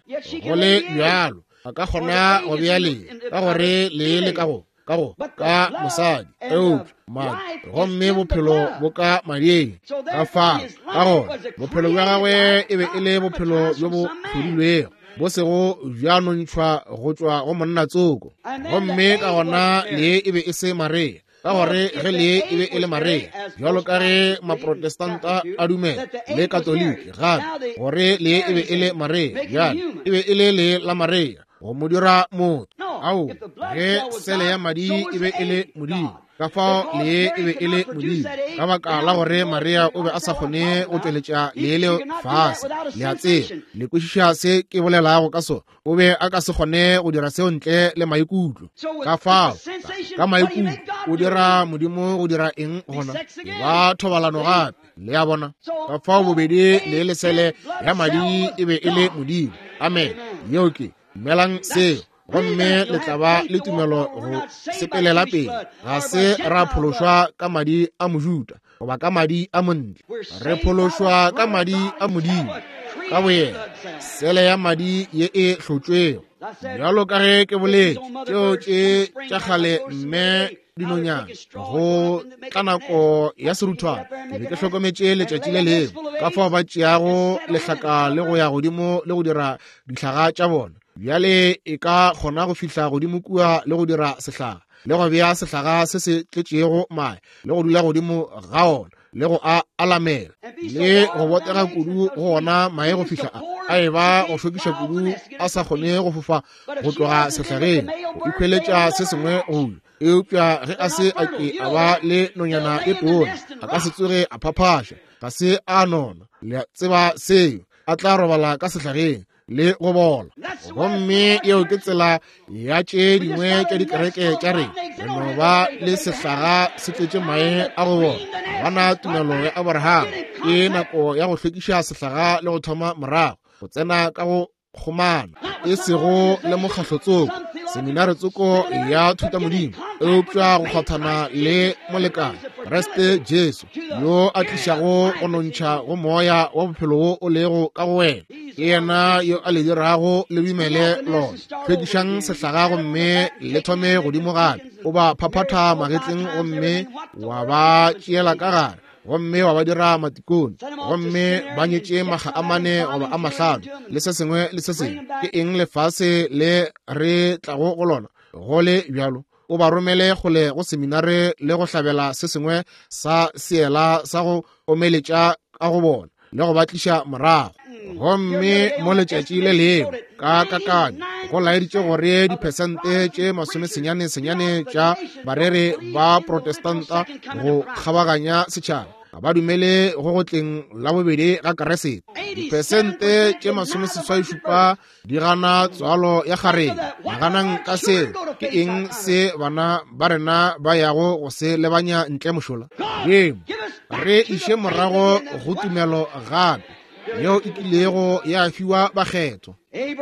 Go le bjalo, a ka kgona go bea lee, ka gore lee le ka go, ka go, ka mosadi, eupša madi, gomme bophelo bo ka mading. Ka fao, ka gona, bophelo bja gagwe e be e le bophelo bjo bo hlodilwego, bo sego bja nontšhwa go tšwa go monna tsoko. Gomme ka gona lee e be e se Maria, ka gore ge le e be e le Maria, bjalo ka ge Maprotestanta a dumela, le Katoliki gape, gore le e be e le Maria, bjale e be e le le la Maria go mo dira motho. Ao, ge sele ya madi e be e le Modimo, ka fao lee e be e le Modimo, ka baka la gore Maria o be a sa kgone go tšweletša lee leo fase. Le a tseba, le kwešiša se ke bolelago ka sona. O be a ka se kgone go dira seo ntle le maikutlo. Ka fao, ka maikutlo, o dira Modimo go dira eng gona? Ba thobalano gape, le a bona. Ka fao bobedi le lesele ya madi e be e le Modimo. Amen. Yeo ke, dumelang seo, gomme le tla ba le tumelo go sepelela pele. Ga se ra phološwa ka madi a Mojuda goba ka madi a montle, re phološwa ka madi a Modimo ka boyena, sele ya madi ye e hlotšwego. Bjalo ka ge ke boletše, tšeo tše tša kgale mme dinonyana go tla nako ya seruthwana, ke be ke hlokometše letšatši le lengwe ka fao ba tšeago lehlaka le go ya godimo le go dira dihlaga tša bona. Bjale e ka kgona go fihla godimo kua le go dira sehlaga, le go bea sehlaga se se tletšego mae, le go dula godimo ga ona, le go a alamela, le go botega kudu go ona mae go fihla a e ba go šokiša kudu, a sa kgone go fofa go tloga sehlageng, go ikhweletša se sengwe go ja. Eupša ge a se a ke a ba le nonyana e tona, a ka se tsoge a phaphaša, ga se a nona, le a tseba seo, a tla robala ka sehlageng le go bola. Gomme yeo ke tsela ya tše dingwe tša dikereke tša rena. Re no ba le sehlaga se tletše mae a go bola. Ga bana tumelo ya Abraham. Ke nako ya go hlwekiša sehlaga le go thoma morago, go tsena ka go kgomana, e sego le mokgahlo tsoko, seminare tsoko ya thutamodimo, eupša go kgwathana le molekane, Kriste Jesu, yo a tlišago go nontšha go moya wa bophelo wo o lego ka go wena. Ke yena yo a le dirago le dumele lona. Hlwekišang sehlaga gomme le thome godimo gape. O ba phaphatha magetleng gomme wa ba tšeela ka gare, gomme wa ba dira matikone, gomme ba nyetše makga a mane goba a mahlano, le se sengwe le se sengwe. Ke eng lefase le re tlago go lona go le bjalo? O ba romele kgole go seminare le go hlabela se sengwe sa seela sa go omeletša ka go bona, le go ba tliša morago. Gomme mo letšatši le lengwe ka kakanyo go laeditše gore diphesente tše 99 tša bareri ba Protestanta go kgabaganya setšhaba ga ba dumele go go tleng la bobedi ga Keresete. Diphesente tše 87 di gana tswalo ya kgarebe. Naganang ka seo. Ke eng se bana ba rena ba yago go se lebanya ntle mošola? Modimo, re iše morago go tumelo gape yeo e kilego ya fiwa bakgethwa.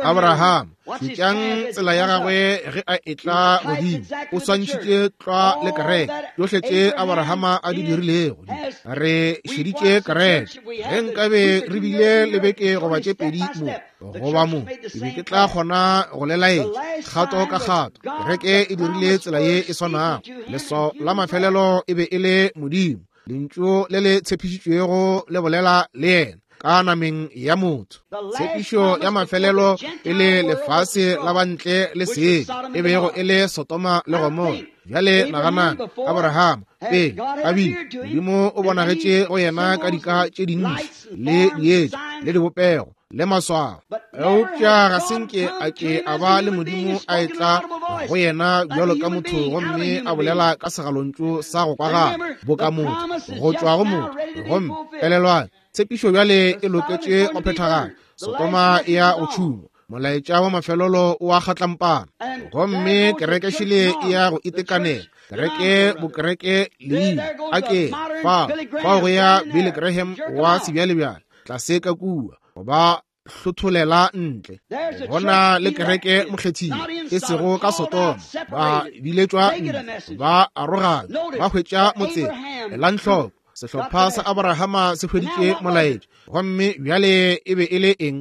Abraham, šetšang tsela ya gagwe ge a etla godimo, o swantšhitše tlwa le kereke. Tšohle tše Abrahama a di dirilego, re šeditše kereke. Ge nkabe re bile le beke goba tše pedi mo, goba mo, ke be ke tla kgona go le laetša kgato ka kgato. Kereke e dirile tsela ye e swanago. Leswao la mafelelo e be e le Modimo, Lentšu le le tshepišitšwego le bolela le yena. ka nameng ya motho. Tshepišo ya mafelelo pele lefase la bantle le sele e bego e le Sodoma le Gomora. Bjale naganang, Abraham pele a bile, Modimo o bonagetše go yena ka dika tše dintši le dietša le dibopego le maswao, eupša ga se nke a ke a ba le Modimo a etla go yena bjalo ka motho gomme a bolela ka segalontšu sa go kwagala boka motho go tšwa go motho. Gomme elelwang, tshepišo bjale e loketše go phethagala. Sodoma e ya go tšhungwa, molaetša wa mafelelo o a kgatlampana, gomme kereke šele e ya go itekanela. Kereke bokereke leina a ke fao go ya Billy Graham wa sebjalebjale tlase ka kua go ba hlotholela ntle. Gona le kereke mokgethile e sego ka Sodoma, ba biletšwa ntle, ba arogana, ba hwetša motseng. Elang hloko, sehlopha sa Abrahama se hweditše molaetša, gomme bjale e be e le eng?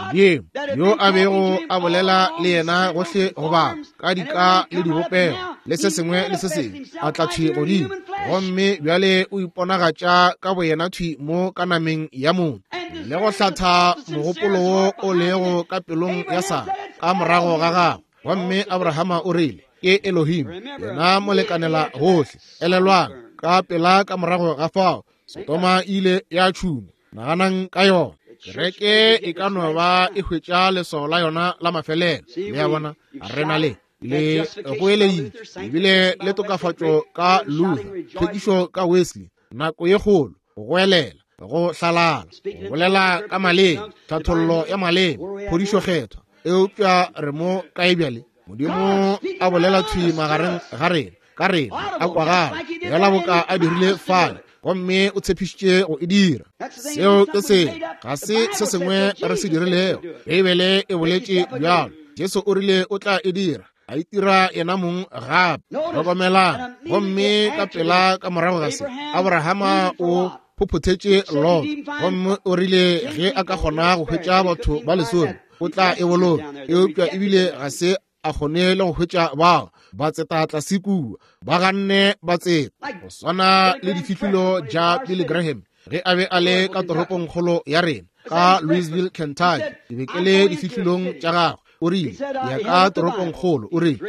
Modimo yo a bego a bolela le yena gohle go ba ka dika le dibopego le se sengwe le se sengwe, a tla thwi godimo, gomme bjale o iponagatša ka boyena thwi mo ka nameng ya motho, le go hlatha mogopolo wo o lego ka pelong ya Sara ka morago ga gagwe. Gomme Abrahama o rile, ke Elohim, yena molekanela gohle. Elelwang, ka pela ka morago ga fao, Sodoma ile ya tšhungwa. Naganang ka yona. Kereke e ka no ba e hwetša leswao la yona la mafelelo. Le a bona, re na le le goeleditše, ebile le tokafatšo ka Luther, tlhwekišo ka Wesley, nako ye kgolo, go goelela, go hlalala, go bolela ka maleme, tlhathollo ya maleme, phodišo kgethwa. Eupša re mo kae bjale? Modimo a bolela thwi magareng ga rena, ka rena, a kwagala bjala boka a dirile fale, gomme o tshepišitše go e dira. Seo ke se, ga se se sengwe re se dirilego. Beibele e boletše bjalo. Jesu o rile o tla e dira, a itira yena mong gape. Hlokomelang, gomme ka pela ka morago ga se, Abrahama o phophothetše Lot, gomme o rile ge a ka kgona go hwetša batho ba lesome, o tla e boloka. Eupša ebile ga se a kgone le go hwetša bao ba tseta tlase kua, ba ganne ba tseta, go swana le difihlolo tša Billy Graham ge a be a le ka toropongkgolo ya rena ka Louisville, Kentucky. Ke be ke le difihlolong tša gagwe. O rile, ya ka toropongkgolo, o rile,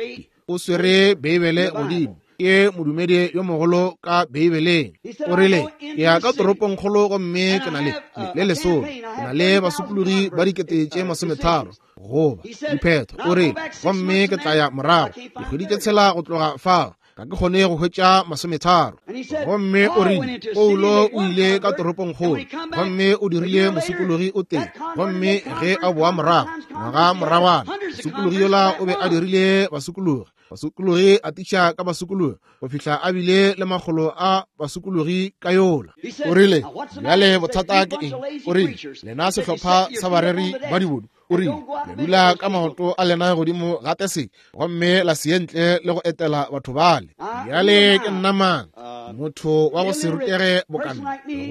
o swere Beibele godimo, ke modumedi yo mogolo ka Beibeleng. O rile, ke ya ka toropongkgolo gomme ke na le le lesolo, ke na le basokologi ba 30,000 goba diphetho. O rile, gomme ke tla ya morago dikgwedi tše 6 go tloga fao, ga ke kgone go hwetša 30. Gomme o rile, Paulo o ile ka toropongkgolo gomme o dirile mosokologi o tee, gomme ge a boa morago ngwaga moragwana, mosokologi yola o be a dirile basokologi, basokologi a tiša ka basokologi go fihla a bile le makgolo a basokologi ka yola. O rile, bjale bothata ke eng? O rile, lena sehlopha sa bareri ba dibodu, o rile, le dula ka maoto a lena godimo ga tese gomme la se ye ntle le go etela batho bale. Bjale ke nna mang, motho wa go se rutege bokana,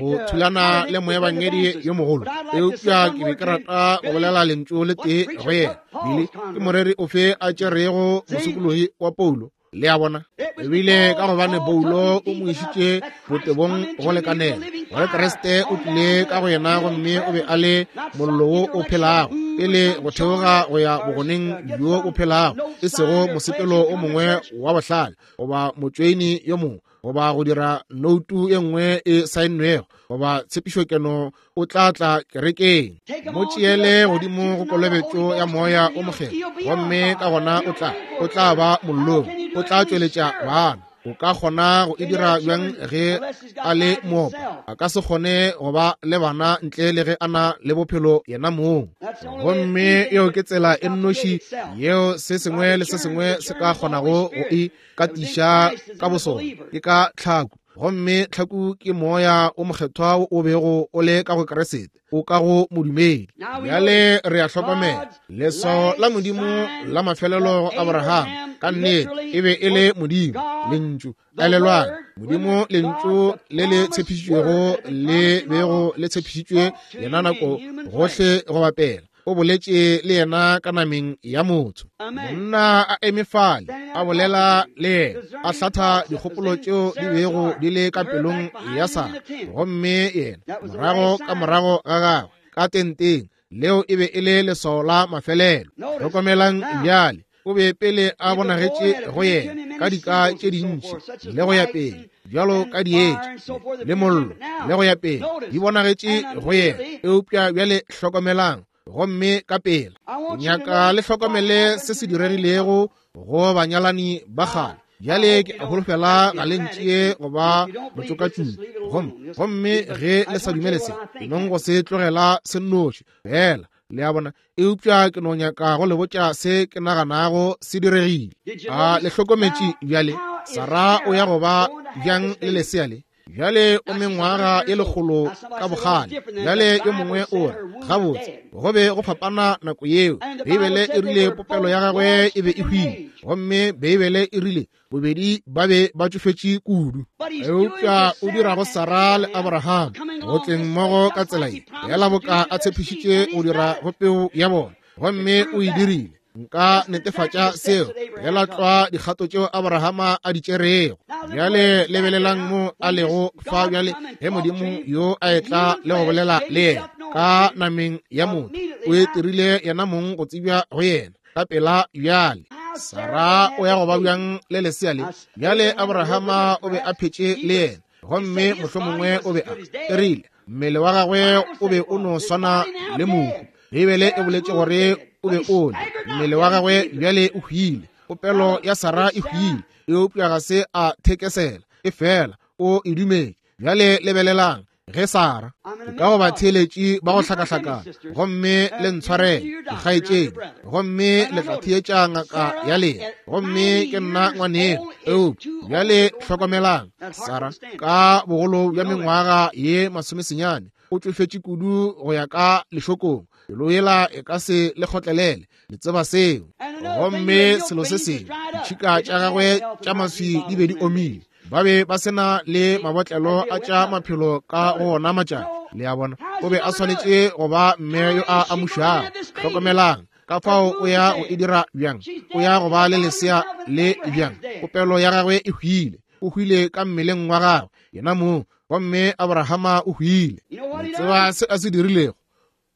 go thulana le moebangedi yo mogolo? Eupša ke be ke rata go bolela lentšu le tee go yena. Bile ke moreri ofe a tšerego mosokologi wa Paulo? Le a bona, ebile ka gobane Paulo o mo išitše botebong go lekanela gore Kriste o tlile ka go yena, gomme o be a le mollo wo o phelago pele go theoga go ya bogoneng bjo o phelago, e sego mosepelo o mongwe wa bohlale goba motšweini yo mongwe goba go dira noutu e nngwe e saennwego goba tshepišokeno o tla tla kerekeng. Mo tšeele godimo go kolobetšo ya Moya o Mokgethwa, gomme ka gona o tla ba mollong, o tla tšweletša bana. O ka kgona go e dira bjang ge a le moopa? A ka se kgone go ba le bana ntle le ge a na le bophelo yena mong. Gomme yeo ke tsela e nnoši yeo se sengwe le se sengwe se ka kgonago go e katiša ka bosona, ke ka tlhaku. Gomme tlhaku ke Moya o Mokgethwa o bego o le ka go Kriste, o ka go modumedi. Bjale re a hlokomela leswao la Modimo la mafelelo go Abraham, ka nnete e be e le Modimo, Lentšu. Elelwang, Modimo, Lentšu le le tshepišitšwego le bego le tshepišitšwe yena nako gohle go bapela. O boletše le yena ka nameng ya motho. Monna a eme fale, a bolela le yena, a hlatha dikgopolo tšeo di bego di le ka pelong ya Sara, gomme yena morago ka morago ga gagwe ka tenteng. Leo e be e le leswao la mafelelo. Hlokomelang bjale, o be pele a bonagetše go yena ka dika tše dintši le go ya pele, bjalo ka dietša le mollo le go ya pele, di bonagetše go yena. Eupša bjale hlokomelang, gomme ka pela ke nyaka le hlokomele se se diregilego go banyalani ba kgale. Bjale ke a holofela ga le ntšee go ba motšokatšupi, gomme ge le sa dumele se, ke nong go se tlogela se nnoši fela, le a bona. Eupša ke no nyaka go le botša se ke naganago se diregile. A le hlokometše bjale? Sara o ya go ba bjang le lesea le? Bjale o mengwaga e lekgolo ka bogale. Bjale yo mongwe o re, gabotse, go be go fapana nako yeo. Beibele e rile popelo ya gagwe e be e hwile, gomme Beibele e rile bobedi ba be ba tšofetše kudu. Eupša o dira go Sara le Abraham go tleng mmogo ka tsela ye, fela boka a tshepišitše go dira go peu ya bona, gomme o e dirile. Nka netefatša seo fela tlwa dikgato tšeo Abrahama a di tšerego. Bjale lebelelang mo a lego fa bjale, ge Modimo yo a etla le go bolela le yena ka nameng ya motho, o e dirile yena mong go tsebja go yena ka pela. Bjale Sara o ya go ba bjang le lesea le? Bjale Abrahama o be a phetše le yena, gomme mohlomongwe o be a rile mmele wa gagwe o be o no swana le mohu. Beibele e boletše gore o be o le mmele wa gagwe bjale o hwile. Popelo ya Sara e hwile, eupša ga se a thekesela, e fela o e dumetše. Bjale lebelelang ge Sara, ke ka go ba theeletše ba go hlakahlakana, gomme le ntshwarele dikgaetšedi, gomme le tla theetša ngaka ya lena, gomme ke nna ngwaneno. Eupša bjale hlokomelang, Sara ka bogolo bja mengwaga ye masomesenyane o tšofetše kudu go ya ka lešokong, pelo yela e ka se le kgotlelele, le tseba seo. Gomme selo se sengwe, ditšhika tša gagwe tša maswi di be di omile, ba be ba se na le mabotlelo a tša maphelo ka go ona matšatši, le a bona. O be a swanetše go ba mme yo a amušago. Hlokomelang ka fao o ya go e dira bjang, o ya go ba le lesea le bjang. Popelo ya gagwe e hwile, o hwile ka mmeleng wa gagwe yena mong, gomme Abrahama o hwile. Le tseba se a se dirilego?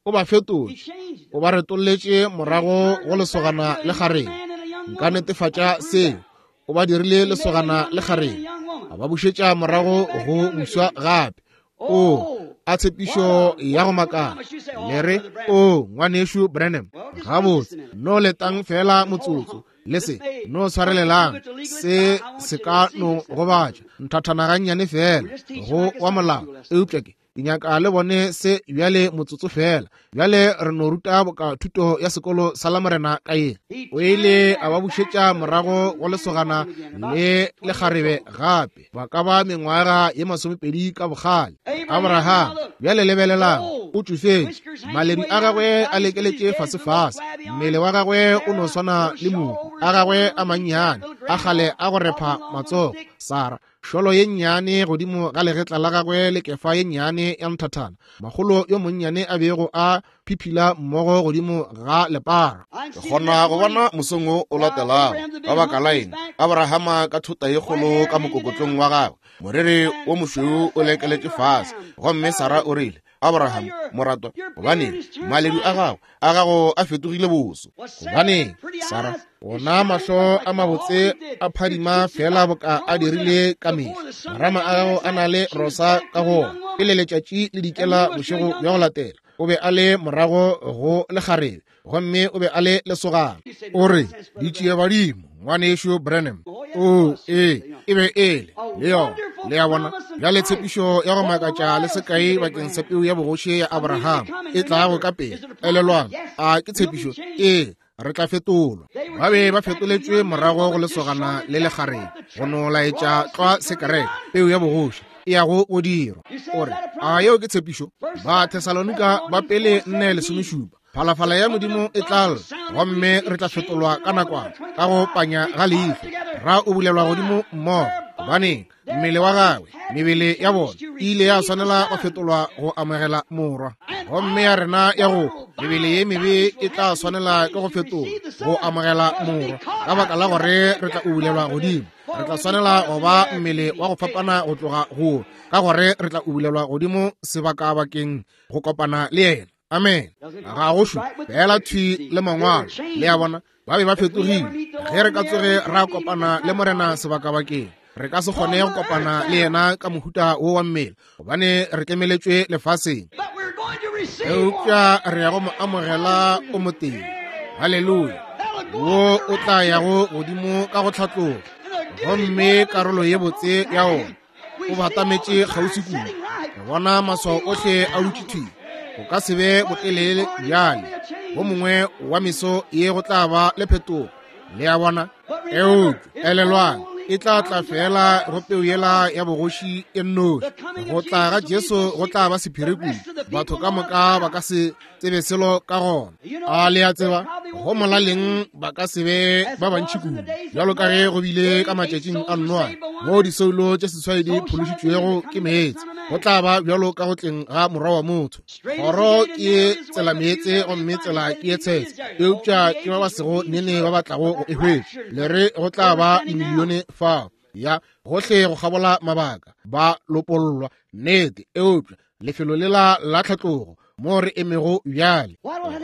O ba fetotše, o ba retolletše morago go lesogana le kgarebe. Nka netefatša seo. O ba dirile lesogana le kgarebe, a ba bušetša morago go buswa gape. O a tshepišo ya go makala. Le re, o ngwanešu Branham, gabotse, no letang fela motsotso, le se no tshwarelelang, se se ka no gobatša nthathana gannyane fela go wa molao, eupša ke nyaka le bone se bjale motsotso fela. Bjale re no ruta boka thuto ya sekolo sa Lamorena ka ye. O ile a ba bušetša morago go lesogana le lekgarebe gape, ba ka ba mengwaga ye 20 ka bogale. Abraham, bjale lebelelang, o tšofetše, maledu a gagwe a lekeletše fasefase, mmele wa gagwe o no swana le mohu, a gagwe a mannyane a kgale a go repha matsogo. Sara, šolo ye nnyane godimo ga legetla la gagwe le kefa ye nnyane ya nthathana, makgolo yo monnyane a bego a phiphila mmogo godimo ga lepara. Ke kgona go bona mosong wo o latelago, ka baka la eng, Abrahama ka thota ye kgolo ka mokokotlong wa gagwe, moriri wo mošweu o lekeletše fase, gomme Sara o rile, Abraham, moratwa, gobaneng maledu a gago a gago a fetogile boso? Gobaneng, Sara, ona mahlo a mabotse a phadima fela boka a dirile ka mehla, marama a gago a na le rosa ka go ona. Pele letšatši le dikela bošego bja go latela, o be a le morago go lekgarebe, gomme o be a le lesogana. O re, ditšiebadimo, ngwanešu Branham. O, ee, e be e le, le yona, le a bona. Bjale tshepišo ya go makatša le sekai bakeng sa peu ya bogoši ya Abraham e tlago ka pele. Elelwang, a ke tshepišo? Ee, re tla fetolwa. Ba be ba fetoletšwe morago go lesogana le lekgarebe, go no laetša tlwa sekereke, peu ya bogoši e yago go dirwa. O re, a yeo ke tshepišo? Ba Thesalonika ba pele 4:17, phalafala ya Modimo e tla lla, gomme re tla fetolwa ka nakwana, ka go panya ga leihlo, ra o bulelwa godimo mmogo. Gobaneng? Mmele wa gagwe, mebele ya bona e ile ya swanela go fetolwa go amogela morwa. Gomme ya rena ya go mebele ye mebe e tla swanela ke go fetoga go amogela Morwa, ka baka la gore re tla ubulelwa godimo. Re tla swanela go ba mmele wa go fapana go tloga go, ka gore re tla ubulelwa godimo sebakabakeng go kopana le yena. Amen. Ga go šupe fela thwi le mangwalo. Le a bona, ba be ba fetogile. Ge re ka tsoge ra kopana le Morena sebakabakeng, re ka se kgone go kopana le yena ka mohuta wo wa mmele, gobane re tlemeletšwe lefaseng. Eupša re ya go mo amogela o motee. Haleluya! Wo o tla yago godimo ka go hlatloga, gomme karolo ye botse ya ona o batametše kgauswi kudu. Re bona maswao ohle a dutše thwi. Go ka se be botelele bjale, bo mongwe wa meso ye go tla ba le phetogo. Le a bona? Eupša elelwang, e tla tla fela go peu yela ya bogoši e nnoši. Go tla ga Jesu go tla ba sephiri kudu, batho ka moka ba ka se tsebe selo ka gona. A le a tseba, go molaleng ba ka se be ba bantši kudu, bjalo ka ge go bile ka matšatšing a Noa, moo disoulo tše seswai di phološitšwego ke meetse. Go tla ba bjalo ka go tleng ga Morwa wa motho. Kgoro ke ye tsela meetse, gomme tsela ke ye tshetse, eupša ke ba ba sego nene ba ba tlago go e hwetša. Le re go tla ba dimilione fao, ya gohle go kgabola mabaka, ba lopollwa, nnete, eupša lefelo lela la tlhatlogo mo re emego bjale,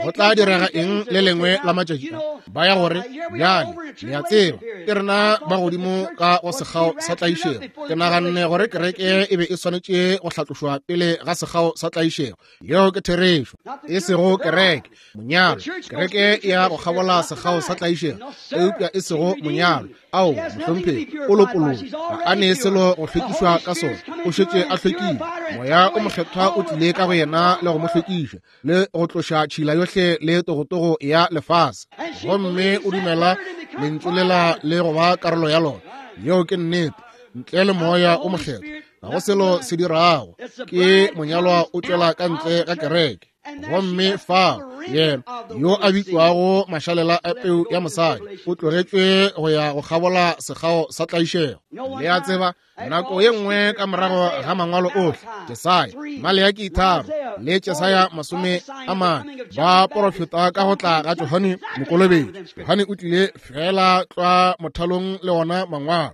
go tla direga eng le lengwe la matšatši a? Ba ya gore bjale, le a tseba, ke rena ba godimo ka go sekgao sa tlaišego. Ke naganne gore kereke e be e swanetše go hlatlošwa pele ga sekgao sa tlaišego. Yeo ke therešo. E sego kereke, monyalo. Kereke e ya go kgabola sekgao sa tlaišego, eupša e sego monyalo. Ao, mohlomphegi, o lopolotšwe. Ga a ne selo go hlwekišwa ka sona. O šetše a hlwekile. Moya o Mokgethwa o tlile ka go yena le go mo hlwekiša, le go tloša tšhila yohle le togotogo ya lefase. Gomme o dumela Lentšu lela le go ba karolo ya lona. Yeo ke nnete. Ntle le Moya o Mokgethwa, ga go selo se dirago. Ke monyalwa o tšwela ka ntle ga kereke. Gomme fao yena yo a bitšwago mašalela a peu ya mosadi o tlogetšwe go ya go kgabola sekgao sa tlaišego. Le a tseba, nako ye nngwe ka morago ga mangwalo ohle, Jesaya, Maleaki 3 le Jesaya 40 ba porofeta ka go tla ga Johane Mokolobetši. Johane o tlile fela tlwa mothalong le ona mangwalo.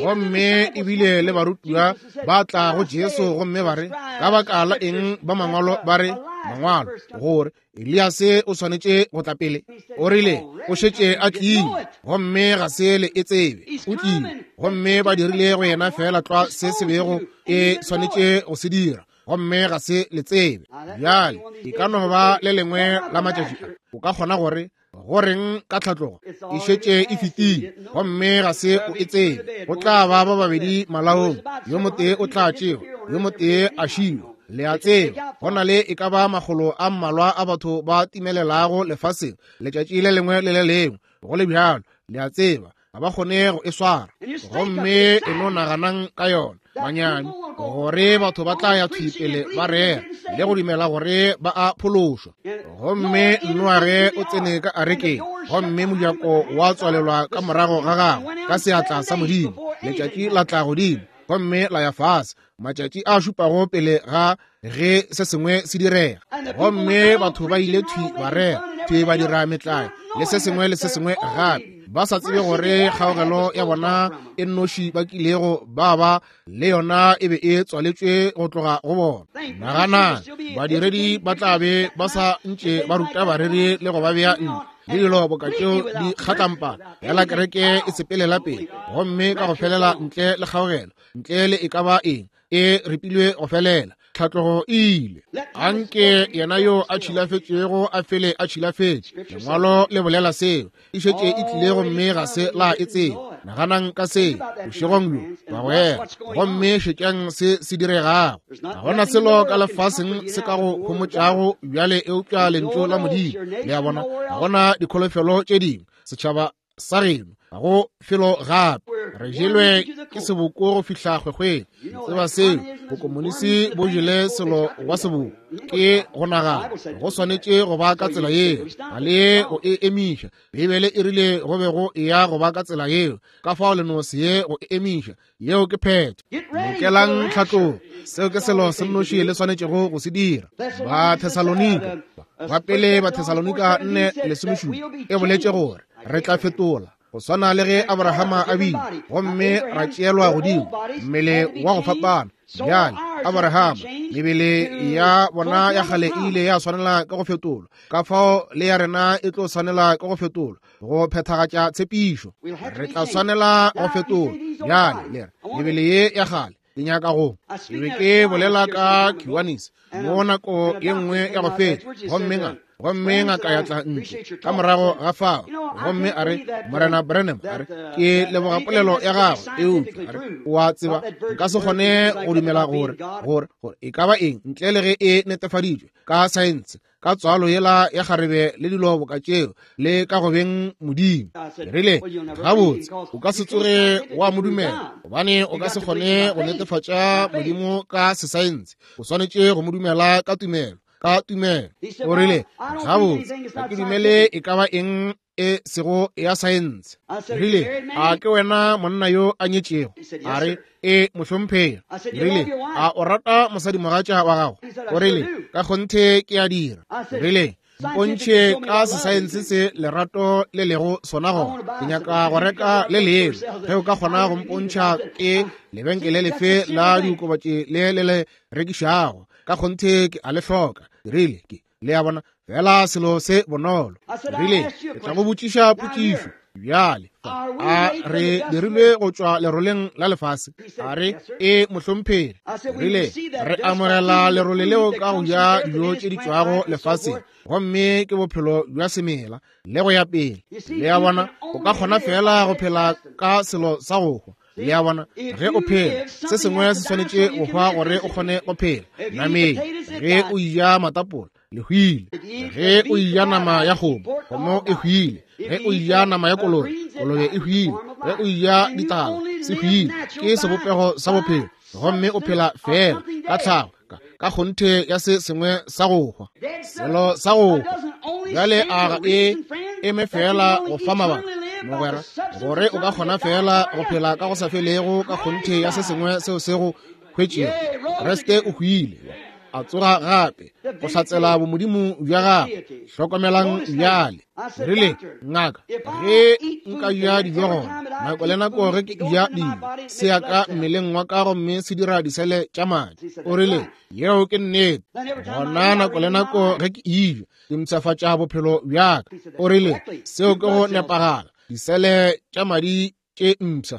Gomme ebile le barutiwa ba tla go Jesu gomme ba re, ka baka la eng ba mangwalo ba re, mangwalo, gore Eliase o swanetše go tla pele? O rile, o šetše a tlile, gomme ga se le e tsebe. O tlile, gomme ba dirile go yena feela tlwa se se bego e swanetše go se dira, gomme ga se le tsebe. Bjale, e ka no ba le lengwe la matšatši a, o ka kgona gore, Go reng ka tlhatlogo? E šetše e fetile, gomme ga se o e tsebe. Go tla ba ba babedi malaong, yo motee o tla tšewa, yo motee a šiwa. Le a tseba, go na le e ka ba makgolo a mmalwa a batho ba timelelago lefaseng letšatši le lengwe le le lengwe. Go le bjalo, le a tseba, ga ba kgone go e swara. Gomme e no naganang ka yona, manyami, gore batho ba tla ya thwi pele ba rera le go dumela gore ba a phološwa. Gomme Noage o tsene ka arekeng, gomme mojako wa tswalelwa ka morago ga gagwe ka seatla sa Modimo. Letšatši la tla godimo gomme la ya fase, matšatši a šupago pele ga ge se sengwe se direga. Gomme batho ba ile thwi ba rera, thwi ba dira metlae le se sengwe le se sengwe gape, ba sa tsebe gore kgaogelo ya bona e nnoši ba kilego ba ba le yona e be e tswaletšwe go tloga go bona. Naganang, badiredi ba tla be ba sa ntše ba ruta bareri le go ba bea ntle le dilo boka tšeo di kgatlampana, fela kereke e sepelela pele gomme ka go felela ntle le kgaogelo, ntle le e ka ba eng, e ripilwe go felela. Tlhatlogo e ile. Anke yena yo a tšhilafetšego a fele a tšhilafetše. Lengwalo le bolela seo. E šetše e tlile gomme ga se la e tseba. Naganang ka se bošegong bjo, bagwera, gomme šetšang se se diregago. Ga gona selo ka lefaseng se ka go homotšago bjale eupša Lentšu la Modimo. Le a bona? Ga gona dikholofelo tše dingwe. Setšhaba sa geno ga go felo gape. Re jelwe ke seboko go fihla kgwekgweng. Tseba seo, bokomonisi bo jele selo wa seboko. Ke go nagana go swanetše go ba ka tsela yeo, ga le go e emiša. Beibele e rile go be go eya go ba ka tsela yeo, ka fao le no se ye go e emiša. Yeo ke phetho. Lokelang tlhatlogo. Seo ke selo se nnoši le swanetšego go se dira. Ba Thesalonika, ba pele ba Thesalonika 4:17 e boletše gore re tla fetola go swana le ge Abrahama a bile, gomme ra tšeelwa godimo mmele wa go fapana. Bjale Abrahama, mebele ya bona ya kgale e ile ya swanela ka go fetolwa, ka fao le ya rena e tlo swanela ka go fetolwa go phethagatša tshepišo. Re tla swanela go fetolwa. Bjale le re mebele ye ya kgale ke nyaka go ke be ke bolela ka Kiwanis mo nako ye nngwe ya go feta, gomme ngaka ya tla ntle ka morago ga fao, gomme a re, Morena Branham, a re, ke leboga polelo ya gago, eupša a re, o a tseba nka se kgone go dumela gore e ka ba eng ntle le ge e netefaditšwe ka saense, ka tswalo yela ya kgarebe le dilo boka tšeo, le ka go beng Modimo. Ke rile, gabotse, o ka se tsoge wa mo dumela, gobane o ka se kgone go netefatša Modimo ka sesaense. O swanetše go mo dumela ka tumelo, ka tumelo. O rile, gabotse, ga ke dumele e ka ba eng e sego ya saense. Rile, a ke wena monna yo a nyetšego? A re, e mohlomphegi. Rile, a o rata mosadimogatša wa gago? O rile, ka kgonthe ke a dira. Rile, mpontšhe ka sesaense se lerato le lego sona gona. Ke nyaka go reka le lengwe. Ge o ka kgona go mpontšha ke lebenkele lefe la diokobatši le le le rekišago, ka kgonthe ke a le hloka. Rile, ke le a bona, fela selo se bonolo. Rile, ke tla go botšiša potšišo bjale. A re dirilwe go tšwa leroleng la lefase? A re, e mohlomphegi. Rile, re amogela lerole leo ka go ja dijo tše di tšwago lefaseng, gomme ke bophelo bja semela le go ya pele. Le a bona, o ka kgona fela go phela ka selo sa go hwa. Le a bona, ge o phela, se sengwe se swanetše go hwa gore o kgone go phela. Nameng, ge o ja matapola, le hwile. Ge o ja nama ya kgomo, kgomo e hwile. Ge o ja nama ya kolobe, kolobe e hwile. Ge o ja ditala, se hwile. Ke sebopego sa bophelo, gomme o phela fela ka tlhago, ka kgonthe ya se sengwe sa go hwa, selo sa go hwa. Bjale a ga e eme fela go fa mabaka, mogwera, gore o ka kgona fela go phela ka go sa felego ka kgonthe ya se sengwe seo se go hwetšego. Kriste o hwile, a tsoga gape go hlatsela bomodimo bja gagwe. Hlokomelang bjale. Rile, ngaka, ge nka ja dijo gona nako le nako ge ke ja dijo, se ya ka mmeleng wa ka gomme se dira disele tša madi. O rile, yeo ke nnete. Gona nako le nako ge ke eja, ke mpshafatša bophelo bja ka. O rile, seo ke go nepagala, disele tša madi tše mpsha.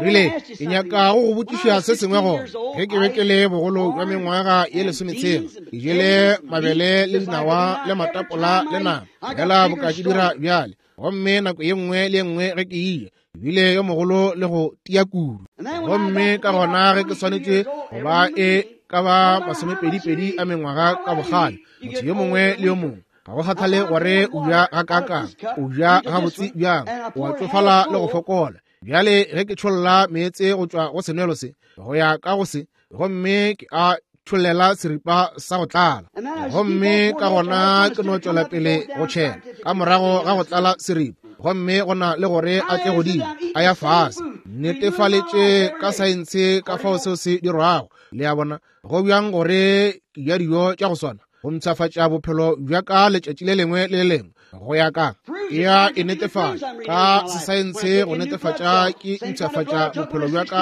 Rile, ke nyaka go go botšiša se sengwe gona. Ge ke be ke le bogolo bja mengwaga ye 16, ke jele mabele le dinawa le matapola le nama, fela boka ke dira bjale. Gomme nako ye nngwe le ye nngwe ge ke ile, ke bile yo mogolo le go tia kudu. Gomme ka gona ge ke swanetše go ba e ka ba 22 a mengwaga ka bogale, motho yo mongwe le yo mongwe, ga go kgathale gore o ja gakaakang, o ja gabotse bjang, o a tšofala le go fokola. Bjale ge ke tšholla meetse go tšwa go senwelo se go ya ka go se, gomme ke a tšhollela seripa sa go tlala, gomme ka gona ke no tšwela pele go tšhela ka morago ga go tlala seripa, gomme go na le gore a tle godimo a ya fase. Netefaletše ka saense ka fao seo se dirwago. Le a bona, go bjang gore ke ja dijo tša go swana go mpshafatša bophelo bja ka letšatši le lengwe le le lengwe go ya ka ya e netefatša ka sesaense go netefatša ke mpshafatša bophelo bja ka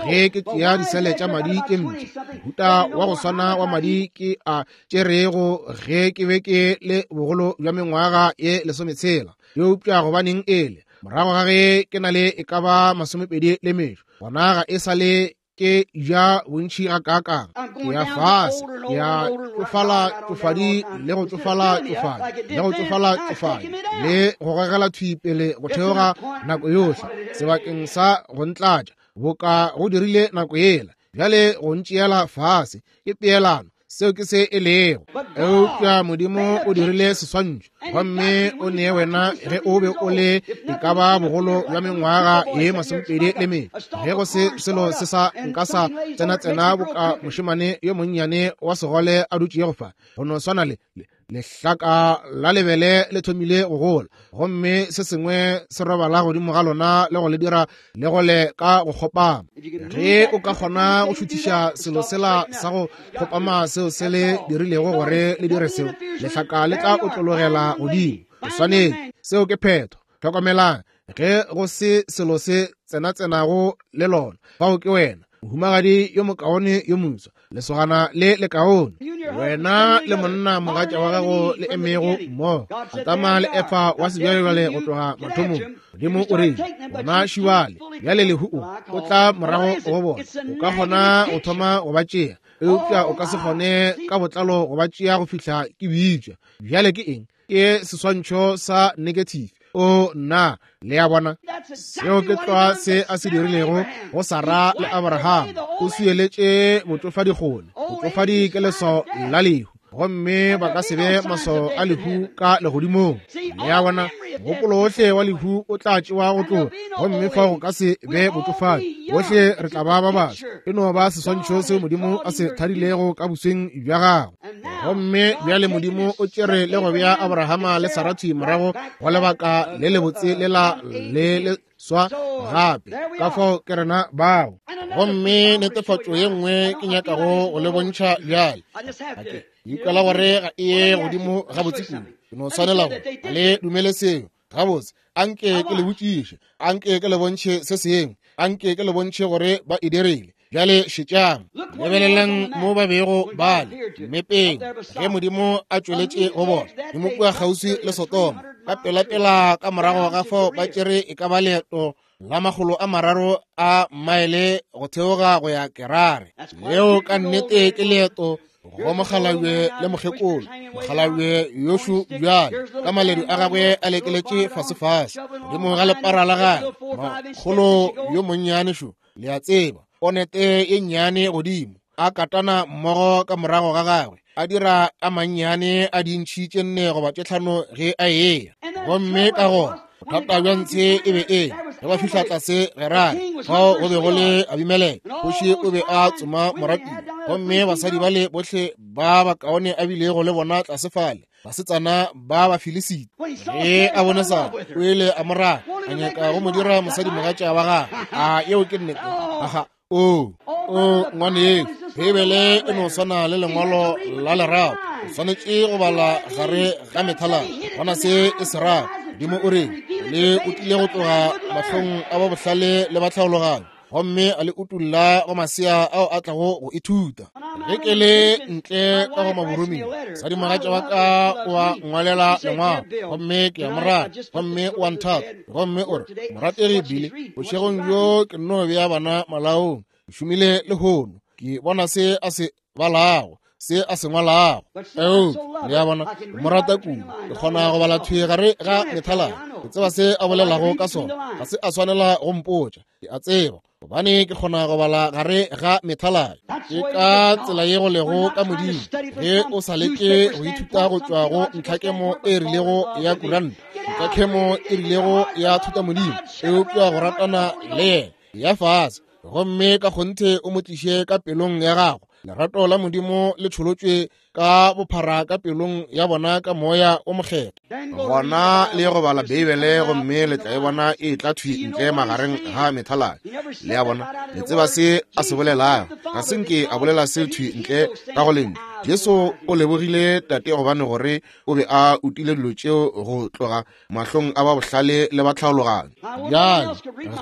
ge ke tšea disele tša madi ke mpsha. Mohuta wa go swana wa madi ke a tšerego ge ke be ke le bogolo bja mengwaga ye 16. Eupša gobaneng ele morago ga ge ke na le e ka ba 25 le metšo, gona ga e sa le ke ja bontši gakaakang, ke ya fase, ke ya tšofala tšofadi le go tšofala tšofadi le go tšofala tšofadi le go gogela thwi pele go theoga nako yohle sebakeng sa go ntlatša boka go dirile nako yela. Bjale go ntšeela fase ke peelano. Seo ke se e lego. Eupša Modimo o dirile seswantšho, gomme o nee wena ge o be o le e ka ba bogolo bja mengwaga ye 24, ge go se selo se sa nka sa tsenatsena boka mošemane yo monnyane wa segole a dutšego fa, go no swana le lehlaka la lebele le thomile go gola, gomme se sengwe se robala godimo ga lona le go le dira le gole ka go kgopama. Ge o ka kgona go šuthiša selo sela sa go kgopama seo se le dirilego gore le dire seo, lehlaka le tla otlologela godimo. O swanetše. Seo ke phetho. Hlokomelang, ge go se selo se tsenatsenago le lona, fao ke wena, mohumagadi yo mokaone yo moswa, lesogana le lekaone, wena le monna mogatša wa gago le emego mmogo, Adama le Efa wa sebjalebjale go tloga mathomong. Modimo o rile, bona šibale, bjale lehu o tla morago go bona. O ka kgona go thoma go ba tšea, eupša o ka se kgone ka botlalo go ba tšea go fihla ke bitša. Bjale ke eng? Ke seswantšho sa negative. O nna, le a bona, seo ke tlwa se a se dirilego go Sara le Abraham. O swieletše botšofadi kgole. Botšofadi ke leswao la lehu, gomme ba ka se be maswao a lehu ka legodimong. Le a bona, mogopolo ohle wa lehu o tla tšewa go tloga, gomme fao go ka se be botšofadi. Bohle re tla ba ba baswa. E no ba seswantšho seo Modimo a se thadilego ka bosweng bja gagwe. Gomme bjale Modimo o tšere le go bea Abrahama le Sarathi morago go lebaka le lebotse lela le le swa gape. Ka fao ke rena bao. Gomme netefatšo ye nngwe ke nyakago go le bontšha bjale. Ke ikwela gore ga e ye godimo gabotse kudu. Ke no swanela go le dumele seo. Gabotse, anke ke le botšiše, anke ke le bontšhe se sengwe, anke ke le bontšhe gore ba e dirile. Bjale šetšang, lebelelang mo ba bego ba le mmepeng ge Modimo a tšweletše go bona Modimo kua kgauswi le Sodoma. Ka pelapela ka morago ga fao ba tšere e ka ba leeto la 300 a maele go theoga go ya Gerare. Leo ka nnete ke leeto go mokgalabje le mokgekolo. Mokgalabje yošu bjale ka maledu a gagwe a lekeletše fasefase godimo ga lepara la gagwe. Makgolo yo monnyane šo, le a tseba, ponete ye nnyane godimo, a katana mmogo ka morago ga gagwe, a dira a mannyane a dintšhi tše 4 goba tše 5 ge a eya. Gomme ka gona bothata bja ntshe e be e ge ba fihla tlase Gerare, fao go be go le Abimeleke, kgoši o be a tsoma moratiwa, gomme basadi bale bohle ba bakaone a bilego le bona tlase fale, basetsana ba Bafilisiti. Ge a bone Sara, o ile a mo rata, a nyaka go mo dira mosadimogatša wa gagwe. A yeo ke nnete? Aha. O, o, ngwanešu, Beibele e no swana le lengwalo la lerato. O swanetše go bala gare ga methalana, gona se e se rago. Modimo o re, le o tlile go tloga mahlong a ba bohlale le ba tlhaologanyo, gomme a le utulla go masea ao a tlago go ithuta. Ge ke le ntle ka go maboroming, mosadimogatša wa ka o a ngwalela lengwalo, gomme ke a mo rata, gomme o a nthata, gomme o re, morategi Billy, bošegong bjo ke nno bea bana malaong, ke šomile lehono, ke bona se a se balago, se a se ngwalago. Eupša le a bona, ke mo rata kudu, ke kgona go bala thwi gare ga methalana, ke tseba se a bolelago ka sona, ga se a swanela go mpotša, ke a tseba gobane ke kgona go bala gare ga methalana. Ke ka tsela ye go lego ka Modimo. Ge o sa leke go ithuta go tšwa go ntlhakemo e rilego ya kuranta, ntlhakemo e rilego ya thutamodimo, eupša go ratana le yena ya fase, gomme ka kgonthe o mo tliše ka pelong ya gago. Lerato la Modimo le tšholotšwe ka bophara ka pelong ya bona ka moya o mokgethwa. Gona le ye go bala Beibele gomme le tla e bona e tla thwi ntle magareng ga methaladi. Le a bona, le tseba se a se bolelago. Ga se nke a bolela se thwi ntle ka go lentšu. Jesu o lebogile Tate gobane gore o be a utile dilo tšeo go tloga mahlong a ba bohlale le ba tlhaologanyo. Bjale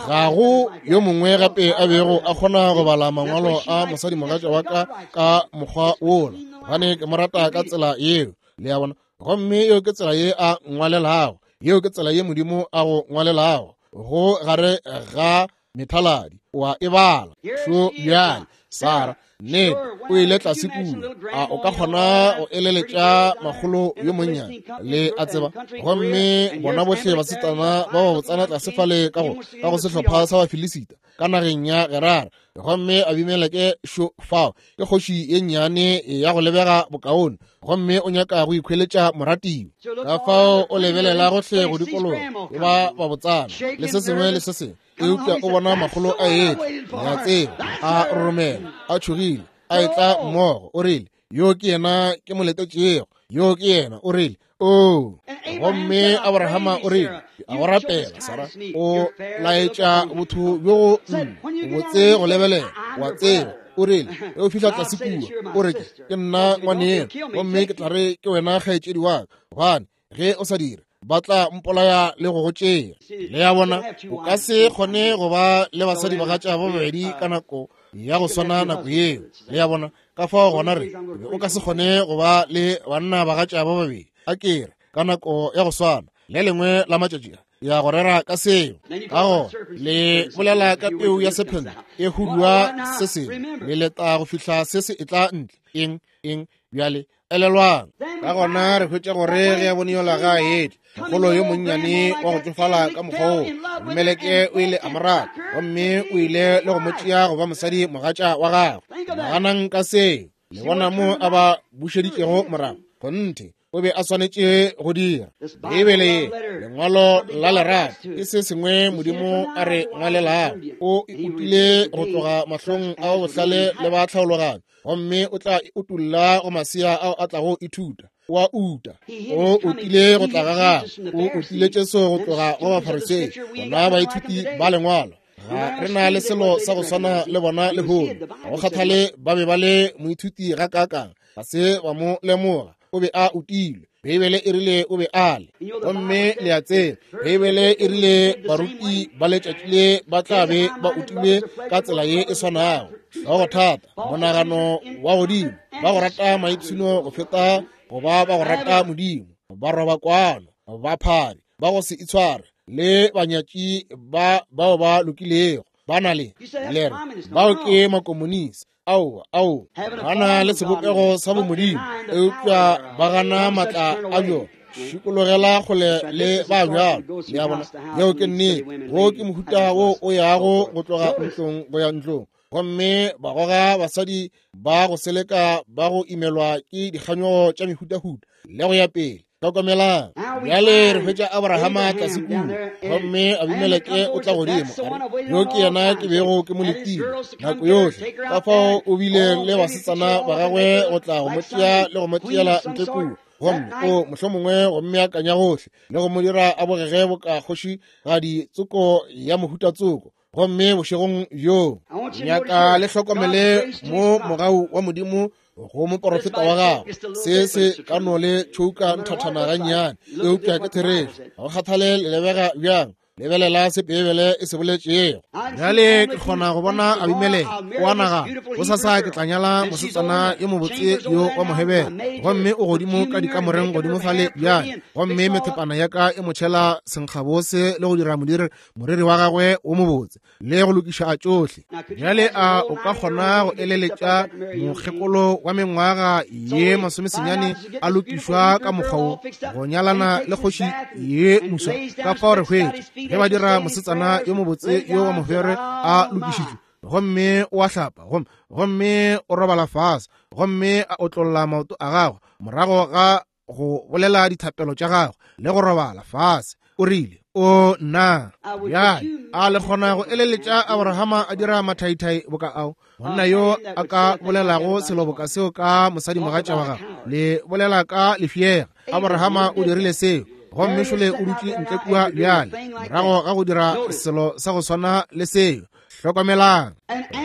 ga go yo mongwe gape a bego a kgona go bala mangwalo a mosadimogatša wa ka ka mokgwa wola, gobane ke mo rata ka tsela yeo. Le a bona? Gomme yeo ke tsela ye a ngwalelago, yeo ke tsela ye Modimo a go ngwalelago, go gare ga methaladi. O a e bala. Šo bjale, Sarah, nnete, o ile tlase kua. A o ka kgona go eleletša makgolo yo monnyane, le a tseba? Gomme bona bohle basetsana ba ba botsana tlase fale ka go sehlopha sa Bafilisita ka nageng ya Gerara. Gomme Abimeleke šo fao, ke kgoši ye nnyane ya go lebega bokaone, gomme o nyaka go ikhweletša moratiwa. Ka fao o lebelela gohle go dikologa le ba ba botsana le se sengwe le se sengwe, eupša o bona makgolo a etla, le a tseba, a roromela, a tšhogile, a etla mmogo. O rile, yo ke yena ke mo letetšego, yo ke yena. O rile, oo. Gomme Abrahama o rile, a go rapela, Sara, o laetša botho bjo go nna, o botse go lebelela, wa tseba. O rile, ge o fihla tlase kua, o re ke nna ngwaneno, gomme ke tla re ke wena kgaetšedi wa ka, gobane ge o sa dire, ba tla mpolaya le go go tšea. Le ya bona, o ka se kgone go ba le basadi bagatša ba babedi ka nako ya go swana nako yeo. Le ya bona, ka fao gona re o ka se kgone go ba le banna bagatša ba babedi, a kere, ka nako ya go swana. Le lengwe la matšatši ya go rera ka seo. Ka gona le bolela ka peu ya sephente e hudua se sengwe, le leta go fihla se se etla ntle. Eng, eng, bjale elelwang. Ka gona re hwetša gore ge a bone yola ga a etla, mogolo yo monnyane wa go tšofala ka mokgwa woo, Abimeleke o ile a mo rata, gomme o ile le go mo tšea go ba mosadi mogatša wa gagwe. Naganang ka seo. Le bona mo a ba bušeditšego morago? Kgonthe, o be a swanetše go dira. Beibele ye, lengwalo la lerato, ke se sengwe Modimo a re ngwalelago. O e utile go tloga mahlong a bohlale le ba tlhaologanyo, gomme o tla e utolla go masea ao a tlago ithuta. O a uta. O utile go tla ga gagwe. O utile Jesu go tloga go Bafarisei, bona baithuti ba lengwalo. Ga re na le selo sa go swana le bona lehono. Ga go kgathale ba be ba le moithuti ga kaakang, ga se ba mo lemoga. O be a utilwe. Beibele e rile o be a le. Gomme le a tseba, Beibele e rile baruti ba letšatši le ba tla be ba utilwe ka tsela ye e swanago. Hlogo thata, monagano wa godimo, ba go rata maipshino go feta go ba ba go rata Modimo, ba roba kwano, ba phadi, ba go se itshware, le banyatši ba bao ba lokilego. Ba na le le re bao ke makomonisi. Aowa, aowa, ba na le sebopego sa bomodimo, eupša ba gana maatla a bjona. Šikologela kgole le ba bjalo. Le a bona? Yeo ke nnete. Wo ke mohuta wo o yago go tloga ntlong go ya ntlong, gomme ba goga basadi ba go seleka ba go imelwa ke dikganyogo tša mehutahuta le go ya pele. Hlokomelang, bjale re hwetša Abrahama tlase kua, gomme Abimeleke o tla godimo, a re, yo ke yena ke bego ke mo letile nako yohle. Ka fao o bile le basetsana ba gagwe go tla go mo tšea le go mo tšeela ntle kua, gomme o mohlomongwe go mmeakanya gohle le go mo dira a bogege boka kgošigadi tsoko ya mohuta tsoko. Gomme bošegong bjo nyaka le hlokomele mo mogau wa Modimo go moporofeta wa gagwe. Se se ka no le tšhouka nthathana gannyane, eupša ke therešo. Ga go kgathale le lebega bjang, lebelela se Beibele e se boletšego. Bjale ke kgona go bona Abimeleke o a nagana, gosasa ke tla nyala mosetsana yo mobotse yo wa Mohebere, gomme o godimo ka dikamoreng godimo fale bjale, gomme methepana ya ka e mo tšhela senkgabose le go dira moriri wa gagwe wo mobotse le go lokiša tšohle. Bjale a o ka kgona go eleletša mokgekolo wa mengwaga ye 19 a lokišwa ka mokgwa wo go nyalana le kgoši ye moswa? Ka fao re hwetša ge ba dira mosetsana yo mobotse yo wa Mohebere a lokišitšwe, gomme o a hlapa, gomme o robala fase, gomme a otlolla maoto a gagwe morago ga go bolela dithapelo tša gagwe le go robala fase. O rile, o nna bjale a le kgona go eleletša Abrahama a dira mathaithai boka ao, monna yo a ka bolelago selo boka seo ka mosadimogatša wa gagwe? Le bolela ka lefšega. Abrahama o dirile seo, gomme šole o dutše ntle kua bjale morago ga go dira selo sa go swana le seo. Hlokomelang.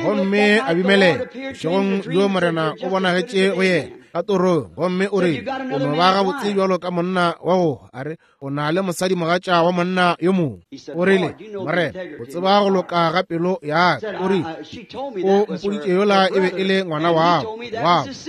Gomme Abimeleke bošegong bjo Morena o bonagetše go yena ka torong, gomme o rile, o no ba gabotse bjalo ka monna wa go hwa. A re, o na le mosadi mogatša wa monna yo mongwe. O rile, Morena, o tseba go loka ga pelo ya ka. O rile, o mpoditše yola e be e le ngwana wabo,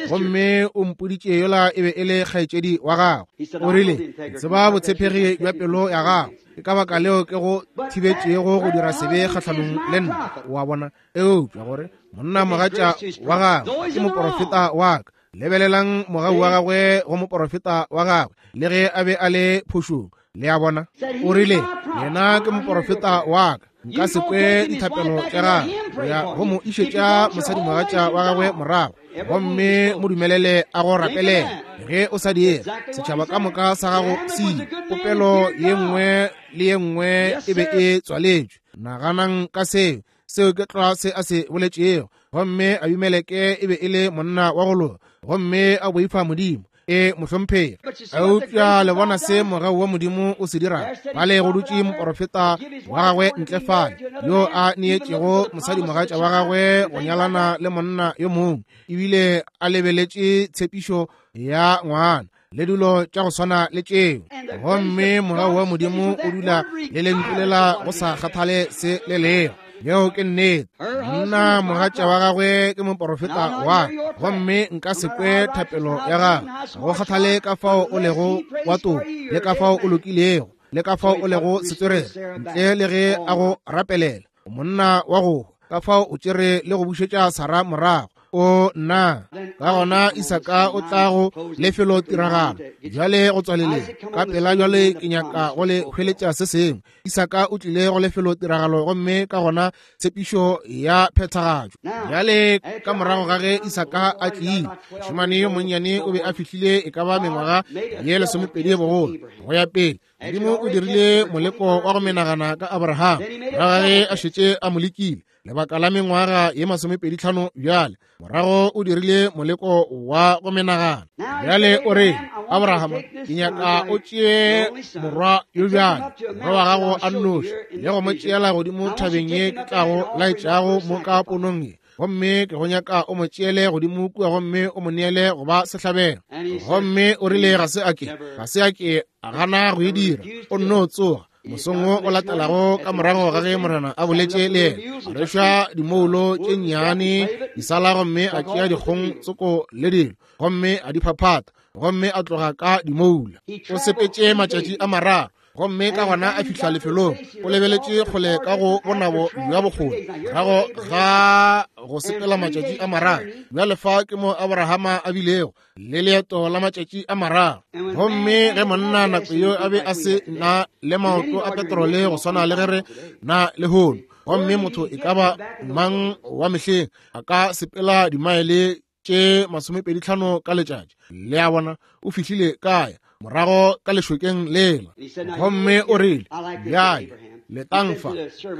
gomme o mpoditše yola e be e le kgaetšedi wa gagwe. O rile, tseba botshepegi bja pelo ya gago. Ke ka baka leo ke go thibetšego go dira sebe kgahlanong le nna. O a bona? Eupša gore monna mogatša wa gagwe ke moporofeta wa ka. Lebelelang mogau wa gagwe go moporofeta wa gagwe, le ge a be a le phošong. Le a bona? O rile, yena ke moporofeta wa ka, nka se kwe dithapelo tša gagwe. O ya go mo išetša mosadimogatša wa gagwe morago, gomme mo dumelele a go rapelele. Ge o sa dire, setšhaba ka moka sa gago se ile. Popelo ye nngwe le ye nngwe e be e tswaletšwe. Naganang ka seo. Seo ke tlwa se a se boletšego. Gomme Abimeleke e be e le monna wa go loka, gomme a boifa Modimo. E mohlomphegi. Eupša le bona se mogau wa Modimo o se dirago. Fale go dutše moporofeta wa gagwe ntle fale, yo a neetšego mosadimogatša wa gagwe go nyalana le monna yo mongwe, ebile a lebeletše tshepišo ya ngwana le dilo tša go swana le tšeo. Gomme mogau wa Modimo o dula le lentšu lela go sa kgathale se le lego. Yeo ke nnete. Monna mogatša wa gagwe ke moporofeta wa, gomme nka se kwe thapelo ya gagwe, go kgathale ka fao o lego wa toka, le ka fao o lokilego, le ka fao o lego setswerere, ntle le ge a go rapelela. Monna wa go ka fao o tšere le go bušetša Sara morago. O nna ka gona Isaka o tla go lefelo tiragalo bjale go tswaleleng ka pela. Bjale ke nyaka go le hweletša se sengwe. Isaka o tlile go lefelo tiragalo, gomme ka gona tshepišo ya phethagatšo. Bjale ka morago ga ge Isaka a tlile, mošemane yo monnyane o be a fihlile e ka ba mengwaga ye 12 bogolo go ya pele. Modimo o dirile moleko wa go menagana ka Abraham morago ga ge a šetše a mo lekile lebaka la mengwaga ye 25. Bjale morago o dirile moleko wa go menagana. Bjale o re, Abraham, ke nyaka o tšee morwa yo bjale, morwa wa gago a nnoši, le go mo tšeela godimo thabeng ye ke tlago laetšago mo ka ponong ye. Gomme ke go nyaka o mo tšeele godimo kua gomme o mo neele go ba sehlabelo. Gomme o rile ga se a ke, ga se a ke a gana go e dira. O nno tsoga mosong wo o latelago ka morago ga ge Morena a boletše le yena, a rešwa dimoulo tše nnyane disala, gomme a tšea dikgong tsoko le dilo, gomme a di phaphata, gomme a tloga ka dimoula. O sepetše matšatši a mararo, gomme ka gona a fihla lefelong. O lebeletše kgole ka go bonabo bja bokgoni morago ga go sepela matšatši a mararo. Bjale fa ke mo Abrahama a bilego le leeto la matšatši a mararo. Gomme ge monna nako yeo a be a se na le maoto a petrole go swana le ge re na lehono, gomme motho e ka ba mang wa mehleng a ka sepela dimaele tše 25 ka letšatši. Le a bona, o fihlile kae morago ka lešokeng lela. Gomme o rile, bjale letang fa,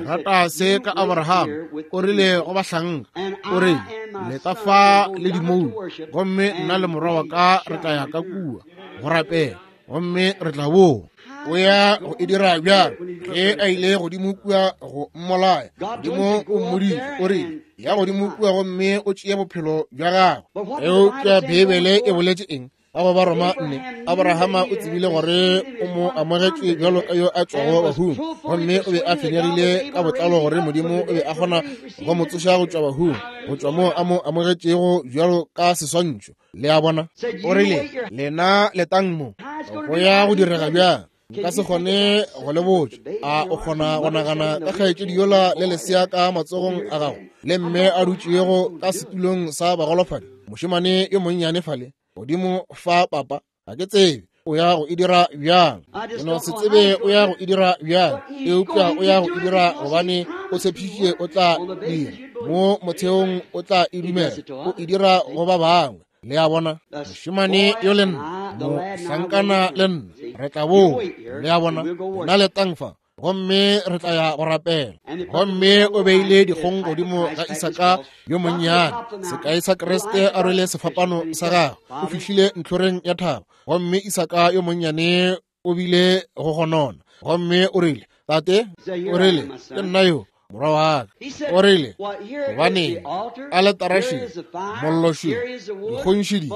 rata se ka Abraham. O rile go bahlanka, o rile, leta fa le dimoulu, gomme nna le morwa wa ka re tla ya ka kua go rapela, gomme re tla boa. O ya go e dira bjalo. Ge a ile godimo kua go mmolaya, Modimo o mmoditše, o rile, ya godimo kua gomme o tšee bophelo bja gagwe. Eupša Beibele e boletše eng? Ka go Baroma 4, Abrahama o tsebile gore o mo amogetše bjalo ka yo a tšwago bahung, gomme o be a fenyegile ka botlalo gore Modimo o be a kgona go mo tsoša go tšwa bahung, go tšwa moo a mo amogetšego bjalo ka seswantšho. Le a bona? O rile, lena letang mo, go ya go direga bjang? Nka se kgone go le botša. A o kgona go nagana ka kgaetšedi yola le lesea ka matsogong a gago, le mme a dutšego ka setulong sa bagolofadi, mošemane yo monnyane fale godimo fa, papa? Ga ke tsebe o ya go e dira bjang, ke no se tsebe o ya go e dira bjang, eupša o ya go e dira gobane o tshepišitše o tla dira. Mo motheong o tla e dumela, o e dira go ba bangwe. Le a bona, mošemane yo le nna, mohlankana le nna, re tla boa. Le a bona, nna letang fa, gomme re tla ya go rapela. Gomme o beile dikgong godimo ga Isaka yo monnyane, sekai sa Kriste a rwele sefapano sa gagwe. O fihlile ntlhoreng ya thaba, gomme Isaka yo monnyane o bile go gonona, gomme o rile, Tate, o rile, ke nna yo, morwa wa ka. O rile, gobaneng, aletara še, mollo še, dikgong še di,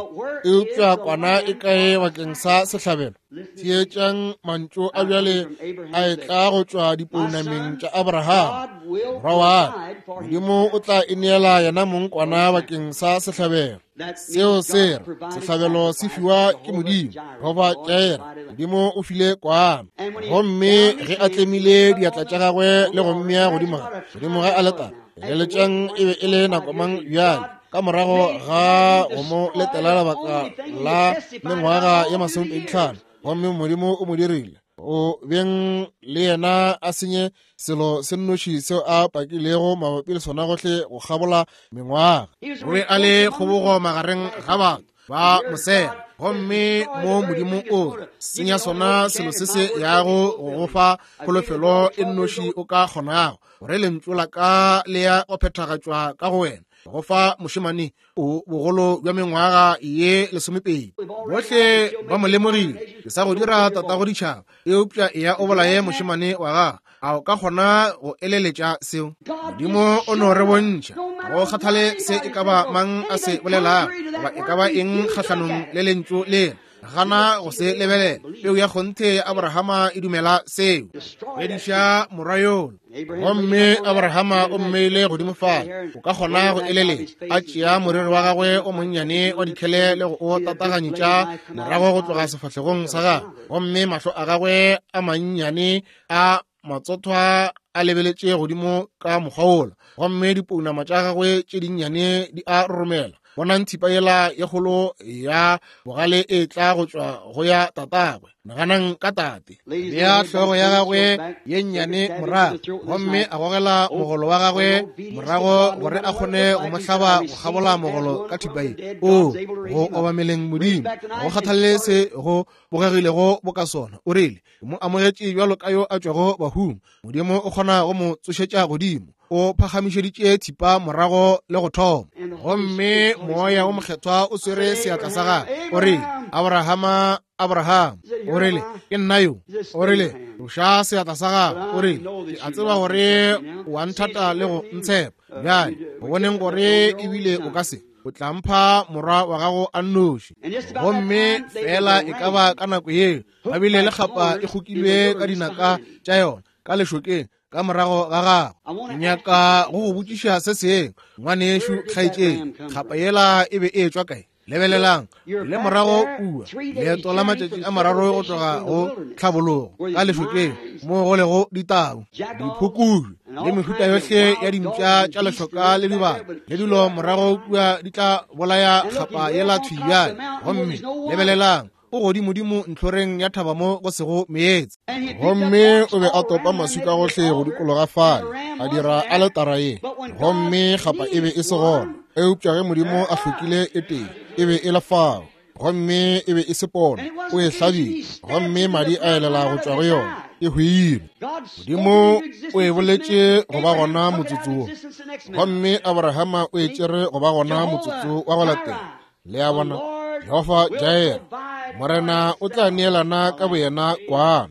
eupša kwana e kae bakeng sa sehlabelo? Theetšang mantšu a bjale a etla go tšwa dipounameng tša Abraham, morwa wa ka, Modimo o tla e neela yena mong kwana bakeng sa sehlabelo. Seo se re sehlabelo se fiwa ke Modimo, goba Jair, Modimo o file kwana. Gomme ge a tlemile diatla tša gagwe le go mmea godimo godimo ga aletara, leletšang e be e le nako mang bjale, ka morago ga go mo letela lebaka la mengwaga ye 25, gomme Modimo o mo dirile o beng le yena a senye selo se nnoši seo a pakilego mabapi le sona gohle go kgabola mengwaga. O be a le kgobogo magareng ga batho ba mosela, gomme mo Modimo o senya sona selo se se yago go go fa kholofelo e nnoši o ka kgonago, gore lentšu la ka le ya go phethagatšwa ka go wena, go fa mošemane o bogolo bja mengwaga ye 12. Bohle ba mo lemogile, ke sa go dira tatago ditšhaba, eupša eya o bolaye mošemane wa gago. A o ka kgona go eleletša seo? Modimo o no re bontšha, go kgathale se e ka ba mang a se bolelago goba e ka ba eng kgahlanong le lentšu lela, gana go se lebelela. Peu ya kgonthe ya Abrahama e dumela seo. Fediša morwa yola. Gomme Abrahama o mmeile godimo fale, o ka kgona go eleletša, a tšea moriri wa gagwe o monnyane wa dikhele le go o tataganyetša morago go tloga sefahlegong sa gagwe, gomme mahlo a gagwe a mannyane a matsothwa a lebeletše godimo ka mokgwa wola, gomme dipounama tša gagwe tše dinnyane di a roromela. Bonang thipa yela ye kgolo ya bogale e tla go tšwa go ya tatagwe. Naganang ka tate, bea hlogo ya gagwe ye nnyane morago, gomme a gogela mogolo wa gagwe morago gore a kgone go mo hlaba go kgabola mogolo ka thipa ye. O go obameleng Modimo, go kgathalele se go bogegilego boka sona. O rile, mo amogetše bjalo ka yo a tšwago bahung. Modimo o kgona go mo tsošetša godimo. O phagamišeditše thipa morago le go thoma, gomme Moya wo Mokgethwa o swere seatla sa gagwe. O rile, Abrahama, Abraham. O rile, ke nna yo. O rile, tloša seatla sa gago. O rile, ke a tseba gore o a nthata le go ntshepa. Bjale, go boneng gore ebile o ka se, o tla mpha morwa wa gago a nnoši. Gomme fela e ka ba ka nako yeo ba bile le kgapa e kgokilwe ka dinaka tša yona ka lešokeng ka morago ga gago. Ke nyaka go go botšiša se sengwe, ngwanešu kgaetšedi, kgapa yela e be e tšwa kae? Lebelelang le morago kua, leeto la matšatši a mararo go tloga go tlhabologo ka lešokeng mo go lego ditau, diphukubje le mehuta yohle ya dimpša tša lešoka le dibata le dilo morago kua di tla bolaya kgapa yela thwi bjale. Gomme lebelelang, o godimodimo ntlhoreng ya thaba mo go sego meetse, gomme o be a topa maswika gohle go dikologa fale, a dira aletara ye, gomme kgapa e be e se gona. Eupša ge Modimo a hlokile e tee, e be e le fao, gomme e be e se pono. O e hlabile, gomme madi a elela go tšwa go yona, e hwile. Modimo o e boletše go ba gona motsotso wo, gomme Abrahama o e tšere go ba gona motsotso wa go latela. Le a bona, Jehofa Jair, Morena o tla neelana ka boyena kwana.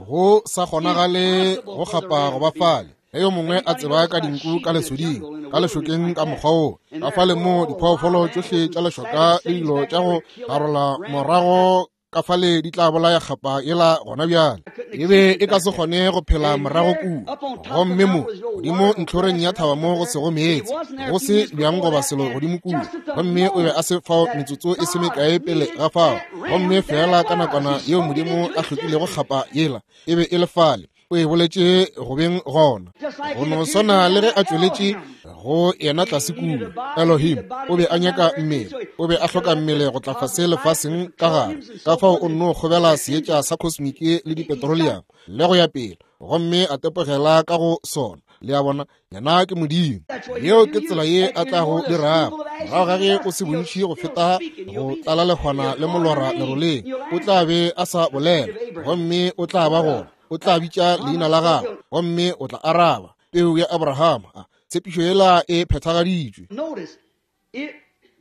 Go sa kgonagale go kgapa go ba fale. Ge yo mongwe a tseba ka dinku ka lesoding, ka lešokeng ka mokgwa wo, ka fale mo diphoofolo tšohle tša lešoka le dilo tša go garola morago ka fale di tla bolaya kgapa yela gona bjale. E be e ka se kgone go phela morago kua. Gomme mo godimo ntlhoreng ya thaba mo go sego meetse, go se bjang goba selo godimo kua, gomme o be a se fao metsotso e se mekae pele ga fao. Gomme feela ka nakwana yeo Modimo a hlokilego kgapa yela, e be e le fale, o e boletše go beng gona. Go no swana le ge a tšweletše go yena tlase kua Elohim, o be a nyaka mmele, o be a hloka mmele go tla fase lefaseng ka gare. Ka fao o nno kgobela seetša sa kosmiki le dipetroleum le go ya pele, gomme a tepogela ka go sona. Le a bona, yena ke Modimo. Yeo ke tsela ye a tla go dirago. Morago ga ge o se bontši go feta go tlala lehwana le molora leroleng, o tla be a sa bolela, gomme o tla ba gona. O tla bitša leina la gago, gomme o tla araba. Peu ya Abrahama, tshepišo yela e phethagaditšwe.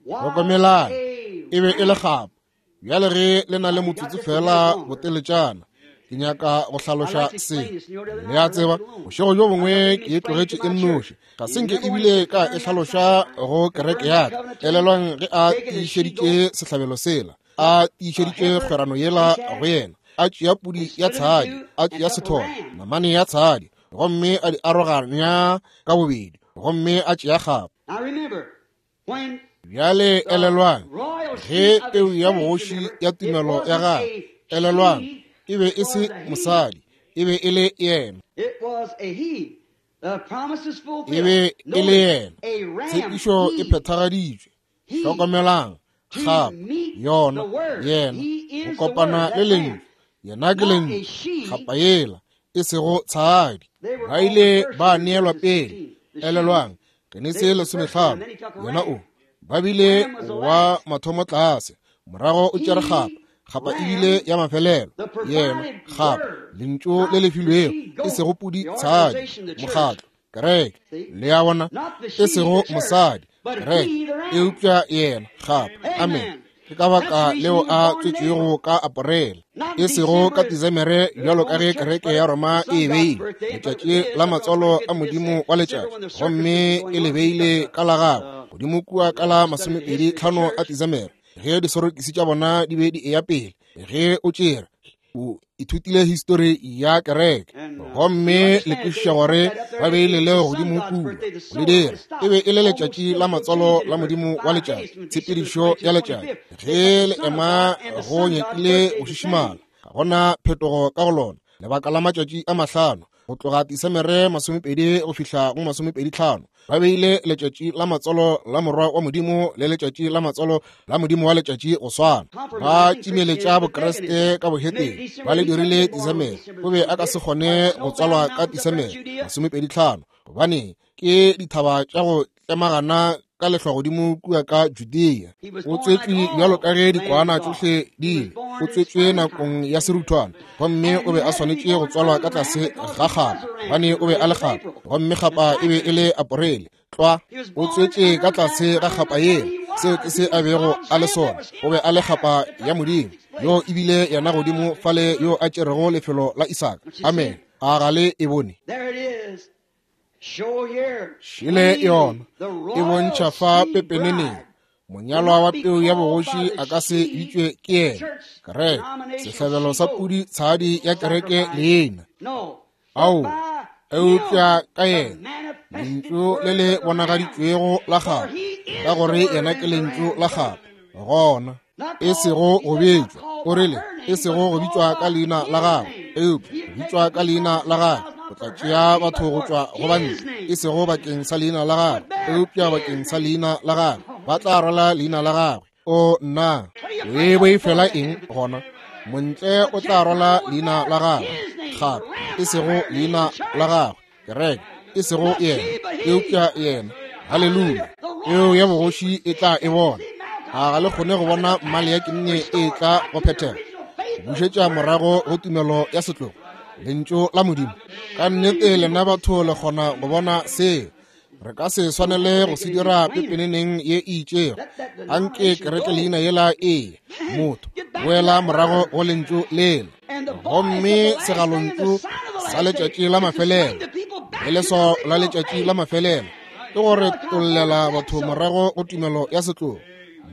Hlokomelang, e be e le kgapa. Bjale ge le na le motsotso fela boteletšana, ke nyaka go hlaloša se. Le a tseba, bošego bjo bongwe ke e tlogetše e nnoši, ga se nke ebile ka e hlaloša go kereke ya ka. Elelwang ge a tiišeditše sehlabelo sela, a tiišeditše kgwerano yela go yena, a tšea pudi ya tshadi, a tšea sethole, namane ya tshadi, gomme a di aroganya ka bobedi, gomme a tšea kgapa. Bjale elelwang, ge peu ya bogoši ya tumelo ya gagwe, elelwang, e be e se mosadi, e be e le yena. E be e le yena. Tshepišo e phethagaditšwe. Hlokomelang, kgapa, yona, yena, go kopana le Lentšu. Yena ke Lentšu, kgapa yela, e sego tshadi. Ba ile ba neelwa pele. Elelwang, Genesi 15, yena o ba bile wa mathomo tlase, morago o tšere kgapa, kgapa e bile ya mafelelo. Yena kgapa, lentšu le le filwego, e sego pudi tshadi, mokgatlo, kereke. Le a bona, e sego mosadi, kereke, eupša yena kgapa. Amen. Ke ka baka leo a tswetšwego ka Aporele, e sego ka Disemere, bjalo ka ge kereke ya Roma e e beile, letšatši la matswalo a modimo wa letšatši, gomme e le beile ka la gagwe godimo kua ka la 25 a Disemere, ge disorokisi tša bona di be di eya pele. Ge o tšere, o ithutile histori ya kereke, gomme le kwešiša gore ba beile leo godimo kua go le dira. E be e le letšatši la matswalo la modimo wa letšatši, tshepedišo ya letšatši. Ge le ema go nyakile go šišimala, ga gona phetogo ka go lona, lebaka la matšatši a 5, go tloga Disemere 20 go fihla go 25. Ba beile letšatši la matswalo la morwa wa modimo le letšatši la matswalo la modimo wa letšatši go swana. Ba timeletša Bokreste ka boheteng, ba le dirile Disemere. O be a ka se kgone go tswalwa ka Disemere 25, gobane ke dithaba tša go tlemagana ka lehlwa godimo kua ka Judea. O tswetšwe bjalo ka ge dikwana tšohle di ile. O tswetšwe nakong ya seruthwana, gomme o be a swanetše go tswalwa ka tlase ga kgapa, gobane o be a le kgapa, gomme kgapa e be e le Aporele. Tlwa, o tswetše ka tlase ga kgapa yela. Seo ke se a bego a le sona. O be a le kgapa ya Modimo, yo ebile yena godimo fale yo a tšerego lefelo la Isaka. Amen. A ga le e bone? Šele yona e bontšha fa pepeneneng, monyalwa wa peu ya bogoši a ka se bitšwe ke yena kereke, sehlabelo sa pudi tshadi ya kereke leina. Ao, eupša ka yena lentšu le le bonagaditšwego la gagwe, ka gore yena ke lentšu la gagwe, gona e sego go bitšwa, o rile, e sego go bitšwa ka leina la gagwe, eupša go bitšwa ka leina la gagwe. O tla tšea batho go tšwa go bantle, e sego bakeng sa leina la gagwe, eupša bakeng sa leina la gagwe. Ba tla rwala leina la gagwe. O nna, o e boifela eng gona? Montle o tla rwala leina la gagwe gape, e sego leina la gagwe, kereke, e sego yena, eupša yena. Haleluya! Peo ya bogoši e tla e bona. A ga le kgone go bona mmale ya kinne e tla go phethega, go bušetša morago go tumelo ya setlogo, lentšu la Modimo? Ka nnete lena batho le kgona go bona seo. Re ka se swanele go se dira pepeneneng ye e itšego. Anke kereke leina yela e motho boela morago go lentšu lela, gomme segalontšu sa letšatši la mafelelo le leswao la letšatši la mafelelo ke gore tollela batho morago go tumelo ya setlogo.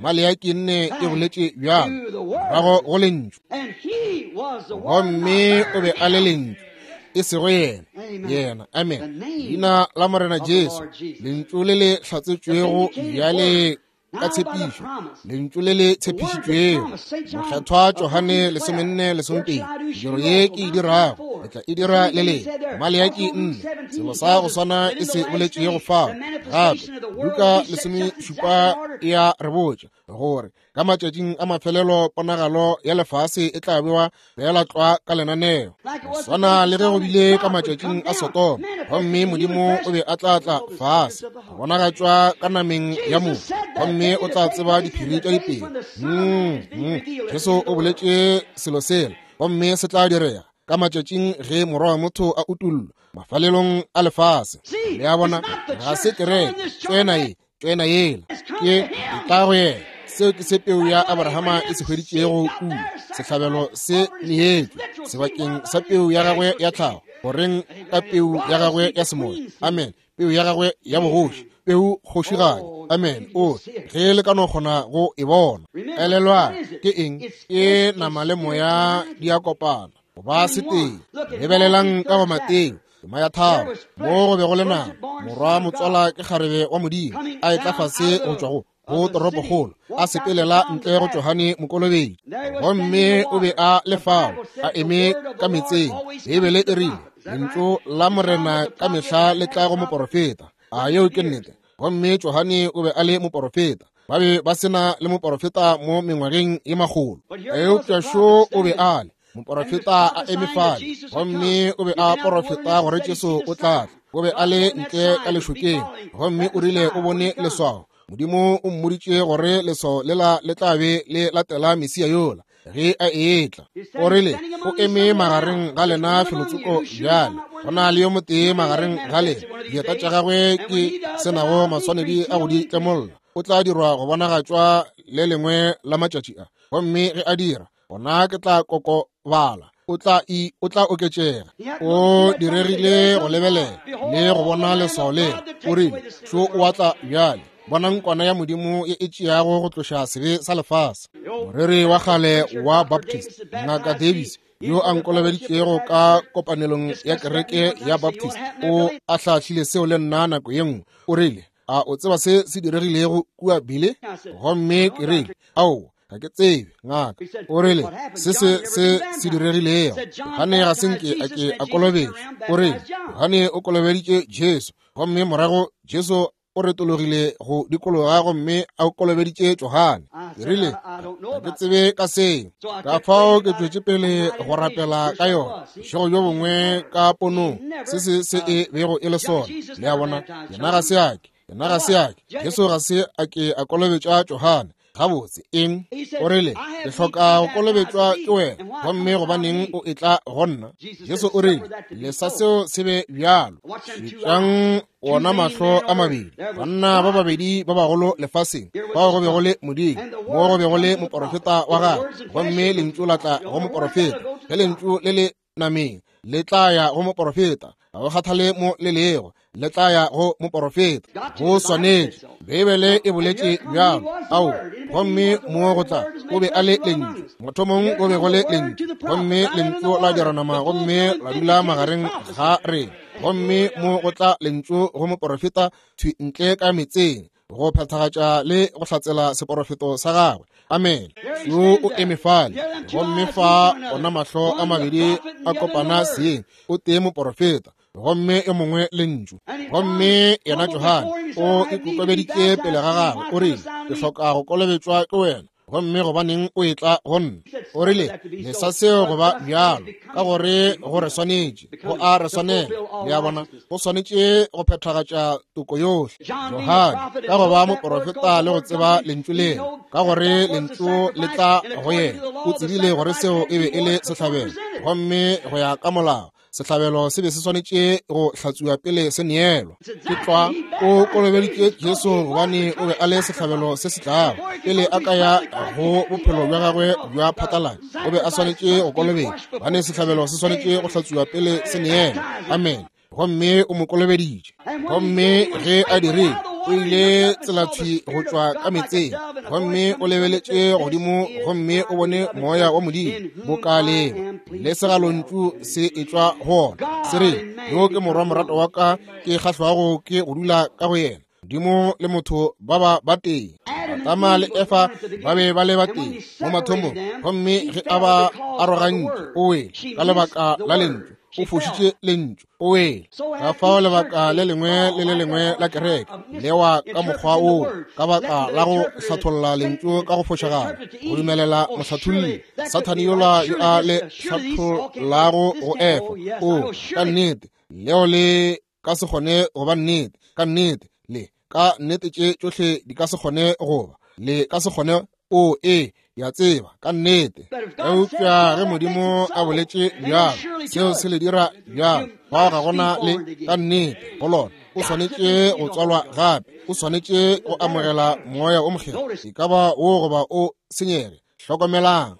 Maleaki nne e boletše bjalo, morago go lentšu, gomme o be a le lentšu, e sego yena. Yena, amen, leina la Morena Jesu, lentšu le le hlatsetšwego bjale ka tshepišo, lentšu le le tshepišitšwego. Mokgethwa Johane 14:12, mediro ye ke e dirago le tla e dira le lena. Maleaki 4, selo sa go swana e se boletšego fao. Gape Luka 17 e a re botša gore ka matšatšing a mafelelo ponagalo ya lefase e tla bewa feela tlwa ka lenaneo, go swana le ge go bile ka matšatšing a Sodoma, gomme Modimo o be a tla tla fase go bonagatšwa ka nameng ya motho, gomme o tla tseba diphiri tša dipelo. Jesu o boletše selo sela, gomme se tla direga ka matšatšing ge Morwa wa motho a utollwa mafalelong a lefase. Le a bona, ga se kereke tsena ye, tsena yela, ke tla go yena. Seo ke se peu ya Abrahama e se hweditšego kua, sehlabelo se neetšwe sebakeng sa peu ya gagwe ya tlhago, goreng ka peu ya gagwe ya semoya. Amen. Peu ya gagwe ya bogoši, peu kgošigadi. Amen. O ge le ka no kgona go e bona. Elelwa, ke eng? Ke nama le moya di a kopana go ba setee. Lebelelang ka go Mateo tema ya 3, mo go be go le nama, morwa motswala ke kgarebe wa Modimo, a etla fase go tšwa go go toropokgolo, a sepelela ntle go Johane Mokolobetši. Gomme o be a le fao, a eme ka metseng. Beibele e rile, Lentšu la Morena ka mehla le tla go moporofeta. A yeo ke nnete? Gomme Johane o be a le moporofeta. Ba be ba se na le moporofeta mo mengwageng ye makgolo. Eupša šo o be a le moporofeta a eme fale, gomme o be a porofeta gore Jesu o tla tla. O be a le ntle ka lešokeng, gomme o rile o bone leswao. Modimo o mmoditše gore leswao lela le tla be le latela Mesia yola ge a etla. O rile o eme magareng ga lena felotsoko bjale. Go na le yo motee magareng ga lena, dieta tša gagwe ke senago maswanedi a go di tlemolla. O tla dirwa go bonagatšwa le lengwe la matšatši a. Gomme ge a dira, gona ke tla kokobala, o tla oketšega. O diregile go lebelela le go bona leswao lela. O rile, šo o a tla bjale, bonang kwana ya Modimo ye e tšeago go tloša sebe sa lefase. Moreri wa kgale wa Baptist, Ngaka Davis, yo a nkolobeditšego ka kopanelong ya kereke ya Baptist, o ahlaahlile seo le nna nako ye nngwe. O rile, a o tseba se se diregilego kua Bile? Gomme ke rile, ao, ga ke tsebe, ngaka. O rile, se se se se diregilego, Johane ga se nke a ke a kolobetšwa. O rile, Johane o kolobeditše Jesu, gomme morago Jesu o retologile go dikologa gomme a kolobeditše Johane. Ke rile, ga ke tsebe ka seo. Ka fao ke tšwetše pele go rapela ka yona bošego bjo bongwe ka ponong, se se se e bego e le sona. Le a bona, yena ga se a ke, yena ga se a ke, Jesu ga se a ke a kolobetša Johane. Gabotse, eng? O rile, ke hloka go kolobetšwa ke wena, gomme gobaneng o etla go nna? Jesu o rile, lesa seo se be bjalo. Šetšang wona mahlo a mabedi, banna ba babedi ba bagolo lefaseng, bao go bego le Modimo, mo go bego le moporofeta wa gagwe, gomme lentšu la tla go moporofeta. Ge lentšu le le nameng, le tla ya go moporofeta, ga go kgathale mo le lego, le tla ya go moporofeta. Go swanetše, Beibele e boletše bjalo. Ao, gomme mo go tla, o be a le lentšu. Mathomong go be go le lentšu, gomme lentšu la dira nama gomme la dula magareng ga rena. Gomme mo go tla lentšu go moporofeta thwi ntle ka metseng, go phethagatša le go hlatsela seporofeto sa gagwe. Amen. Yo o eme fale, gomme fa ona mahlo a mabedi a kopana seeng, o tee moporofeta gomme yo mongwe lentšu. Gomme yena Johane o ikokobeditše pele ga gagwe, o rile, ke hloka go kolobetšwa ke wena, gomme gobaneng o etla go nna? O rile, lesa seo go ba bjalo, ka gore go re swanetše, go a re swanela. Le a bona, go swanetše go phethagatša toko yohle. Johane, ka go ba moporofeta le go tseba lentšu lela, ka gore lentšu le tla go yena, o tsebile gore seo e be e le sehlabelo, gomme go ya ka molao sehlabelo se be se swanetše go hlatsuwa pele se neelwa. Ke tlwa o kolobeditše Jesu gobane o be a le sehlabelo se se tlago. Pele a ka ya go bophelo bja gagwe bja phatlalatša, o be a swanetše go kolobetšwa, gobane sehlabelo se swanetše go hlatsuwa pele se neelwa. Amen. Gomme o mo kolobeditše. Gomme ge a dirile, o ile tselathwi go tšwa ka metseng, gomme o lebeletše godimo gomme o bone moya wa Modimo boka leeba le segalontšu se etšwa go ona, se re, yo ke morwa morato wa ka, ke kgahlwago ke go dula ka go yena. Modimo le motho ba ba batee. Adama le Efa ba be ba le batee mo mathomong, gomme ge a ba arogantše, o wele ka lebaka la lentšu, o fošitše lentšu, o wele. Ka fao lebaka le lengwe le le lengwe la kereke lewa ka mokgwa woo, ka baka la go hlatholla lentšu ka go fošagala, go dumelela mohlatholli Sathane yola yo a le hlathollago go Efa. O, ka nnete, leo le ka se kgone go ba nnete. Ka nnete, le ka nnete tše tšohle di ka se kgone go ba, le ka se kgone. O, ee, ya tseba, ka nnete. Eupša ge Modimo a boletše bjalo, seo se le dira bjalo. Fao ga gona le ka nnete go lona. O swanetše go tswalwa gape, o swanetše go amogela moya o mokgethwa, e ka ba wo goba o senyege. Hlokomelang,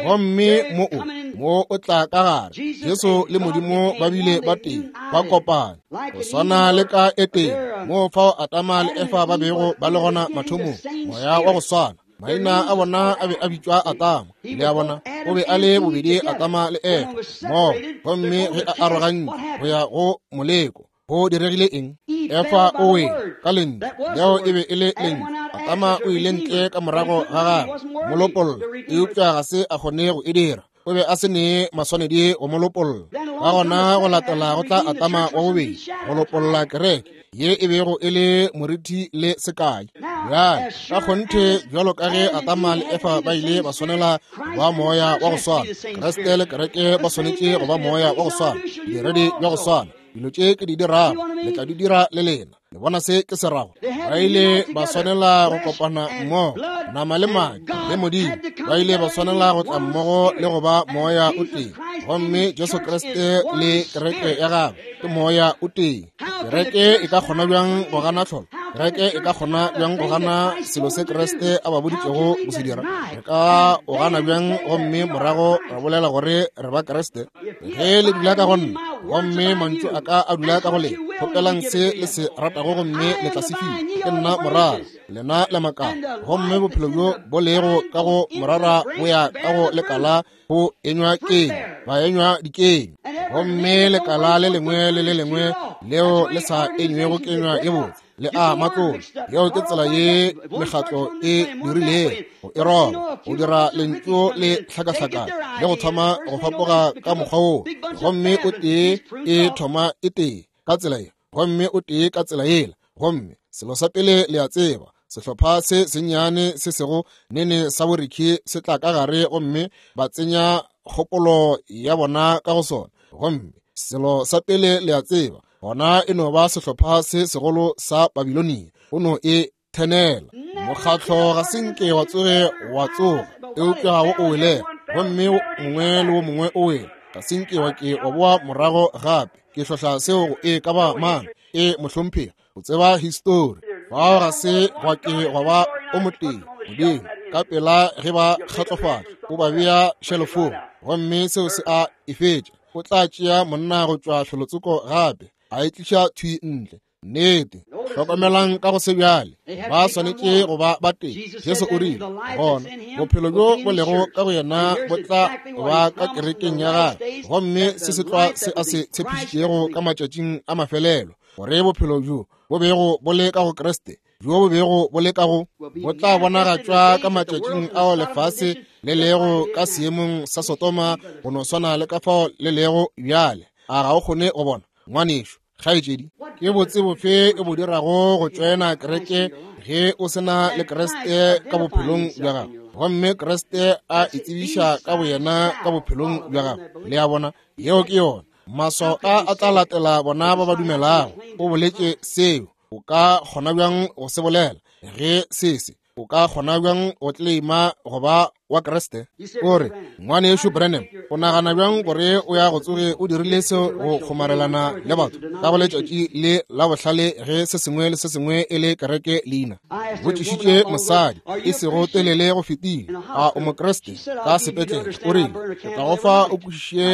gomme mo o mo o tla ka gare, Jesu le Modimo ba bile ba tee, ba kopana, go swana le ka Etene, moo fao Adama le Efa ba bego ba le gona mathomong, moya wa go swana. Maina a bona a be a bitšwa Adama, le a bona, o be a le bobedi Adama le Efa mmogo. Gomme ge a arogantšwe go ya go moleko, go diregile eng? Efa o wele ka lentšu, leo e be e le lentšu. Atama o ile ntle ka morago ga gagwe mo lopolla, eupša ga se a kgone go e dira. O be a se ne maswanedi go mo lopolla. Ka gona go latela go tla Atama wa bobedi go lopolla kereke ye e bego e le moriti le sekai. Bjale ka kgonthe bjalo ka ge Atama le Efa ba ile ba swanela go ba moya wa go swana, Kriste le kereke ba swanetše go ba moya wa go swana, diredi bja go swana. Dilo tše ke di dirago le tla di dira le lena. Le bona se ke se rago? Ba ile ba swanela go kopana mmogo, nama le madi le Modimo. Ba ile ba swanela go tla mmogo le go ba moya o tee. Gomme Jesu Kriste le kereke ya gagwe ke moya o tee. Kereke e ka kgona bjang go gana tlholo? Kereke e ka kgona bjang go gana selo se Kriste a ba boditšego go se dira? Re ka o gana bjang gomme morago ra bolela gore re ba Kriste? Ge le dula ka go nna gomme mantšu a ka a dula ka go lena, kgopelang se le se ratago gomme le tla se fiwa. Ke nna morara, lena le makala, gomme bophelo bjo bo lego ka go morara bo ya ka go lekala go enywa keng, ba enywa dikeng. Gomme lekala le lengwe le le lengwe leo le sa enywego kenywa ye botse le a matlola. Yeo ke tsela ye mekgatlo e dirilego go e roba, go dira lentšu le hlakahlakana le go thoma go fapoga ka mokgwa woo, gomme o tee e thoma e tee ka tsela ye, gomme o tee ka tsela yela, gomme selo sa pele le a tseba, sehlopha se sennyane se sego nene sa borikhi se tla ka gare gomme ba tsenya kgopolo ya bona ka go sona, gomme selo sa pele le a tseba, gona e no ba sehlopha se segolo sa Babilonia, o no e thenela. Mokgatlo ga se nke wa tsoge wa tsoga, eupša wo o welego, gomme mongwe le wo mongwe o wele, ga se nke wa ke wa boa morago gape. Ke hlohla seo go e ka ba mang? E mohlomphegi, o tseba histori. Fao ga se gwa ke gwa ba o motee Modimo ka pela ge ba kgatlofatša, o ba bea šelofong, gomme seo se a e fetša. O tla tšea monna go tšwa felotsoko gape a e tliša thwi ntle. Nnete. Hlokomelang ka go se bjale, ba swanetše go ba ba tee. Jesu o rile, gona bophelo bjo bo lego ka go yena bo tla ba ka kerekeng ya gagwe, gomme se se tlwa se a se tshepišitšego ka matšatšing a mafelelo, gore bophelo bjo bo bego bo le ka go Kriste, bjo bo bego bo le ka go, bo tla bonagatšwa ka matšatšing ao lefase le lego ka seemong sa Sodoma, go no swana le ka fao le lego bjale. A ga o kgone go bona, ngwanešu, kgaetšedi? Ke botse bofe e bo dirago go tšoena kereke ge o se na le Kriste ka bophelong bja gago, gomme Kriste a itsebiša ka boyena ka bophelong bja gago? Le a bona, yeo ke yona. Maswao a a tla latela bona ba ba dumelago. O boletše seo. O ka kgona bjang go se bolela ge se se? O ka kgona bjang go tleleima go ba wa Kriste? O re, Ngwanešu Branham, o nagana bjang gore o ya go tsoge o dirile seo go kgomarelana le batho ka go letšatši le la bohlale ge se sengwe le se sengwe e le kereke leina? Botšišitše mosadi e sego telele go fetile, a o Mokriste? Ka sepetlele o rile, ke tla go fa o kwešiše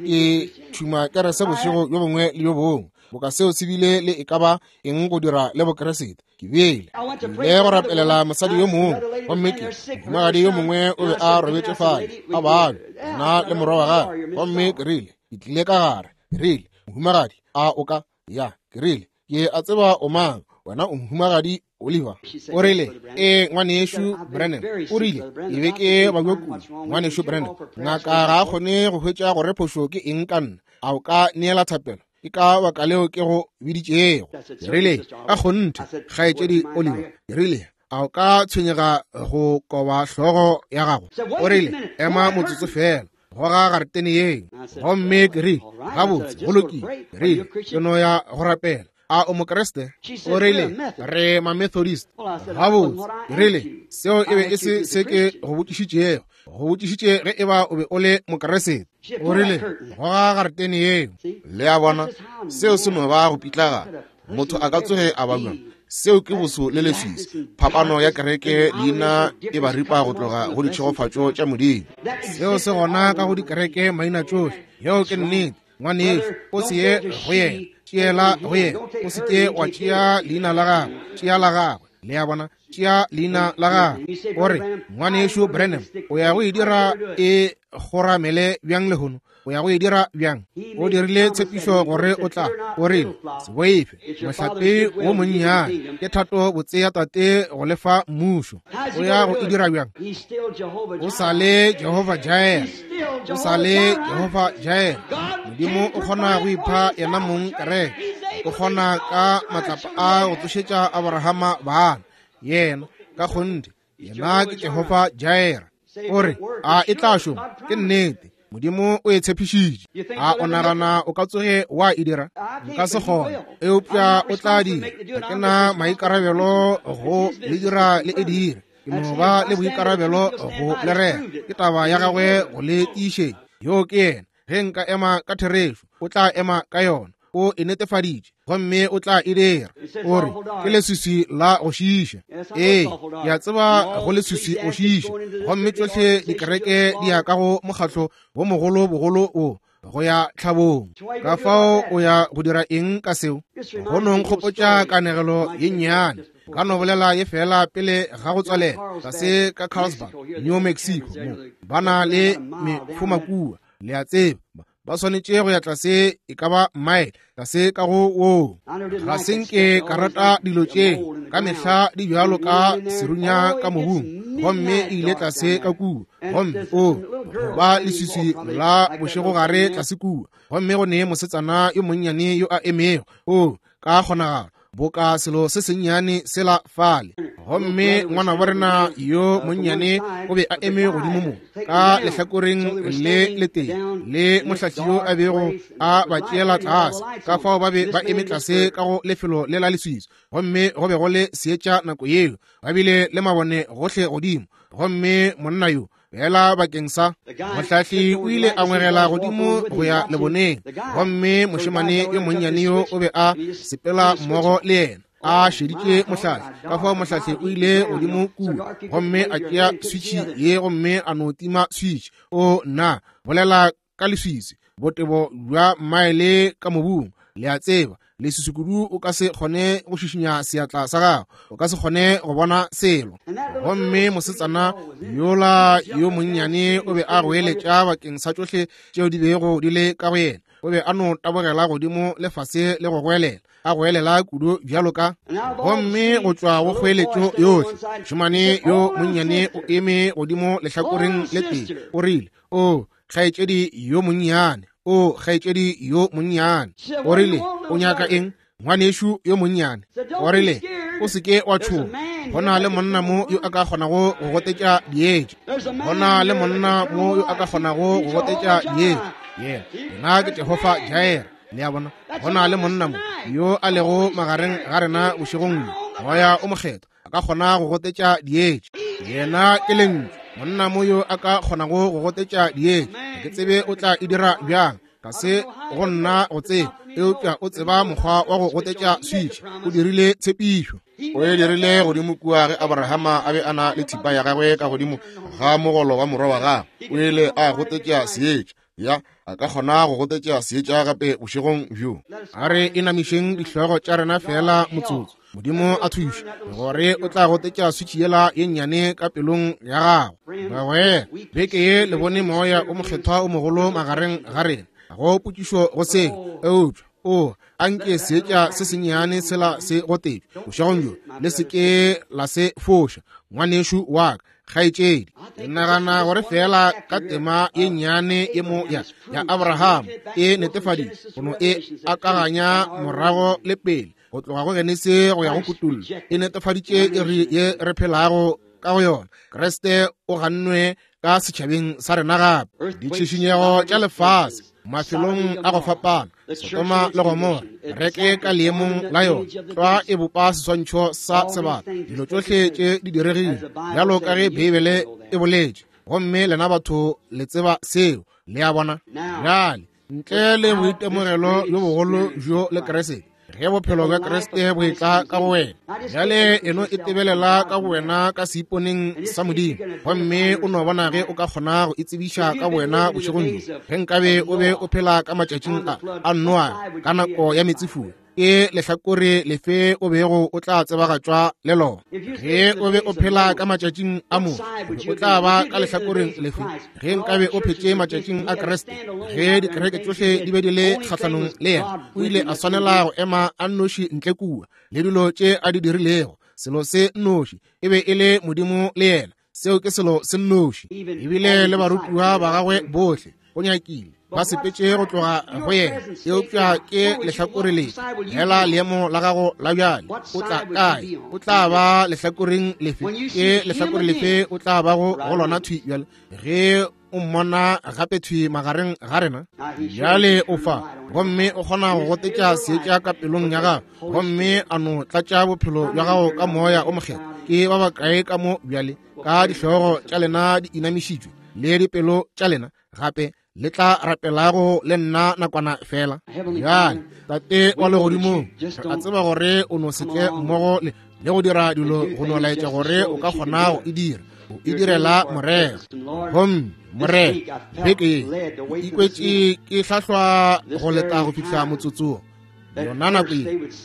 ke tšhuma kerese bošego bjo bongwe le bjo bongwe. Boka seo se bile le e ka ba eng go dira le Bokriste? Ke bile ile go rapelela mosadi yo mongwe, gomme ke mohumagadi yo mongwe o be a robetše fale a babja, nna le morwa wa gagwe, gomme ke rile, ke tlile ka gare, ke rile, mohumagadi, a o ka ya? Ke rile, ke a tseba o mang, wena o mohumagadi Oliver. O rile, ee, ngwanešu Branham. O rile, ke be ke babja kudu, ngwanešu Branham. Ngaka ga a kgone go hwetša gore phošo ke eng ka nna. A o ka neela thapelo? Ke ka baka leo ke go biditšego. Ke rile, ka kgonthe, kgaetšedi Oliver. Ke rile, a o ka tshwenyega go koba hlogo ya gago? O rile, ema motsotso feela, goga garetene yeo. Gomme ke rile, gabotse, go lokile. Ke rile, ke no ya go rapela. A o Mokriste? O rile, re Mamethodist. Gabotse, ke rile, seo e be e se se ke go botšišitšego. Go botšišitše ge e ba o be o le Mokriste. O rile, goga garetene yeo. Le a bona, seo se no ba go pitlagana. Motho a ka tsoge a ba bjang? Seo ke boso le leswiswi. Phapano ya kereke leina e ba ripa go tloga go ditšhegofatšo tša Modimo. Seo se gona ka go dikereke maina tšohle. Yeo ke nnete. Ngwanešu, o se ye go yena, tšeela go yena. O se ke wa tšea leina la gagwe, tšea la gagwe. Le a bona, tšea leina la gagwe. O re, Ngwanešu Branham, o ya go e dira e kgoramele bjang lehono? O ya go e dira bjang? O dirile tshepišo gore o tla. O rile, Se boife, mohlape wo monnyane. Ke thato botse ya Tate go le fa mmušo. O ya go e dira bjang? O sa le Jehovah Jireh. O sa le Jehovah Jireh. Modimo o kgona go ipha yena mong kereke. O kgona ka matlapa a go tsošetša Abrahama bana. Yena, ka kgonthe, yena ke Jehovah Jireh. O re, a e tla šoma? Ke nnete. Modimo o e tshepišitše. A o nagana o ka tsoge wa e dira? Nka se kgone, eupša o tla dira. Ga ke na maikarabelo go le dira le e dire. Ke no ba le boikarabelo go le rera. Ke taba ya gagwe go le tiišetša. Yoo ke yena. Ge nka ema ka therešo, o tla ema ka yona. O e netefaditše, gomme o tla e dira. O re, ke leswiswi la go šiiša. Ee, ke a tseba go leswiswi go šiiša. Gomme tšohle dikereke di ya ka go mokgatlo wo mogolo bogolo wo, go ya tlhabong. Ka fao o ya go dira eng ka seo? Go no nkgopotša kanegelo ye nnyane. Ka no bolela ye fela pele ga go tswalela, tlase ka Carlsbad, New Mexico, mo ba na le mefoma kua, le a tseba, ba swanetše go ya tlase e ka ba mile tlase ka go woo. Ga se nke ka rata dilo tše, ka mehla di bjalo ka serunya ka mobung. Gomme e ile tlase ka kua, gomme o go ba leswiswi la bošegogare tlase kua, gomme go ne mosetsana yo monnyane yo a emego, o ka kgonagalo boka selo se sennyane sela fale. Gomme ngwanabo rena yo monnyane o be a eme godimo mo ka lehlakoreng le letee le mohlahli yo a bego a ba tšeela tlase. Ka fao ba be ba eme tlase ka go lefelo le la leswiswi, gomme go be go le seetša nako yeo, ba bile le mabone gohle godimo. Gomme monna yo fela bakeng sa mohlahli o ile a ngwegela godimo go ya leboneng, gomme mošemane yo monnyane yo o be a sepela mmogo le yena a šeditše mohlahli. Ka fao mohlahli o ile godimo kua gomme a tšea switšhi ye gomme a no tima switšhi. O na bolela ka leswiswi, botebo bja maele ka mobung, le a tseba, leswiswi kudu o ka se kgone go šišinya seatla sa gago, o ka se kgone go bona selo. Gomme mosetsana yola yo monnyane o be a goeletša bakeng sa tšohle tšeo di bego di le ka go yena. O be a no tabogela godimo le fase le go goelela, a goelela kudu bjalo ka. Gomme go tšwa go kgoeletšo yohle, mošemane yo monnyane o eme godimo lehlakoreng le tee, o rile, O kgaetšedi yo monnyane, o kgaetšedi yo monnyane. O rile, O nyaka eng, ngwanešu yo monnyane? O rile, O se ke wa tšhoga. Go na le monna mo yo a ka kgonago go gotetša dietša. Go na le monna mo yo a ka kgonago go gotetša dietša. Yena, yena ke Jehofa Jireh. Le a bona? Go na le monna mo yo a lego magareng ga rena bošegong bjo, Moya o Mokgethwa, a ka kgona go gotetša dietša. Yena ke Lentšu. Monna mo yo a ka kgonago go gotetša dietša. Ga ke tsebe o tla e dira bjang, ga se go nna go tseba, eupša o tseba mokgwa wa go gotetša switšhi. O dirile tshepišo. O e dirile godimo kua ge Abrahama a be a na le thipa ya gagwe ka godimo ga mogolo wa morwa wa gagwe. O ile a gotetša seetša. Ya, a ka kgona go gotetša seetša gape bošegong bjo. A re inamišeng dihlogo tša rena feela motsotso. Modimo a thuše gore o tla gotetša switšhi yela ye nnyane ka pelong ya gago. Bagwera, beke ye le bone Moya o Mokgethwa o mogolo magareng ga rena. Ga go potšišo go seo, eupša o a nke seetša se sennyane sela se gotetšwe bošegong bjo, le se ke la se foša, ngwanešu wa ka, kgaetšedi. Ke nagana gore feela ka tema ye nnyane ye mo ya, ya Abraham e netefaditše, go no e akaganya morago le pele, go tloga go Genesi go ya go Kutullo, e netefaditše iri ye re phelago ka go yona. Kriste o gannwe ka setšhabeng sa rena gape. Ditšhišinyego tša lefase mafelong a go fapana, Sodoma le Gomora, reke ka leemong la yona, tlwa e bopa seswantšho sa sebata. Dilo tšohle tše di diregile bjalo ka ge Beibele e boletše, gomme lena batho le tseba seo. Le a bona? Bjale, ntle le boitemogelo bjo bogolo bjo le Kriste, ge bophelo bja Kriste bo etla ka go wena, bjale e no itebelela ka go wena ka seiponeng sa Modimo, gomme o no bona ge o ka kgona go itsebiša ka wena bošegong bjo. Ge nkabe o be o phela ka matšatšing a Noa ka nako ya meetsefula, Ke lehlakore lefe o bego o tla tsebagatšwa le lona? Ge o be o phela ka matšatšing a Moshe, o tla ba ka lehlakoreng lefe? Ge nkabe o phetše matšatšing a Kriste, ge dikereke tšohle di be di le kgahlanong le yena, o ile a swanela go ema a nnoši ntle kua le dilo tše a di dirilego. Selo se nnoši e be e le Modimo le yena. Seo ke selo se nnoši. Ebile le barutiwa ba gagwe bohle go nyakile ba sepetše go tloga go yena, eupša ke lehlakore le hela leemo la gago la bjale. O tla kae? O tla ba lehlakoreng lefe? Ke lehlakore lefe o tla bago go lona thwi bjale ge o mmona gape thwi magareng ga rena? Bjale o fa, gomme o kgona go gotetša seetša ka pelong ya gago, gomme a no tlatša bophelo bja gago ka Moya o Mokgethwa. Ke ba bakae ka mo bjale, ka dihlogo tša lena di inamišitšwe le dipelo tša lena gape le tla rapelago le nna nakwana fela? Bjale, Tate wa legodimong, re a tseba gore o no se tle mmogo le go dira dilo go no laetša gore o ka kgona go e dira. O e direla morero. Gomme morero beke ye ke ikwetše ke hlahlwa go leta go fihla motsotsong yona nako ye,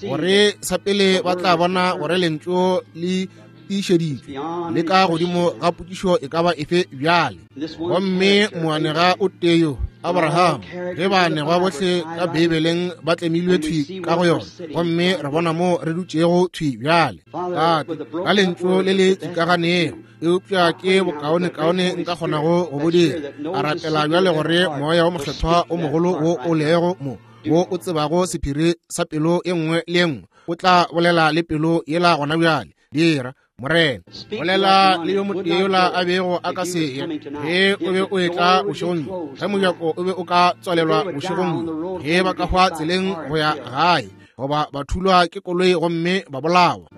gore sa pele ba tla bona gore lentšu le tiišeditšwe le ka godimo ga potšišo e ka ba efe bjale. Gomme moanega o tee yo, Abraham, ge baanegwa bohle ka Beibeleng ba tlemilwe thwi ka go yona, gomme re bona mo re dutšego thwi bjale. Tate, ka lentšu le le tšikaganego, eupša ke bokaonekaone nka kgonago go bo dira. A rapela bjale gore Moya wo Mokgethwa o mogolo wo o lego mo, wo o tsebago sephiri sa pelo e nngwe le e nngwe, o tla bolela le pelo yela gona bjale. Dira, Morena. Bolela le yo motee yola a bego a ka se ye ge o be o etla bošegong bjo, ge mojako o be o ka tswalelwa bošegong bjo, ge ba ka hwa tseleng go ya gae, goba ba thulwa ke koloi gomme ba bolawa,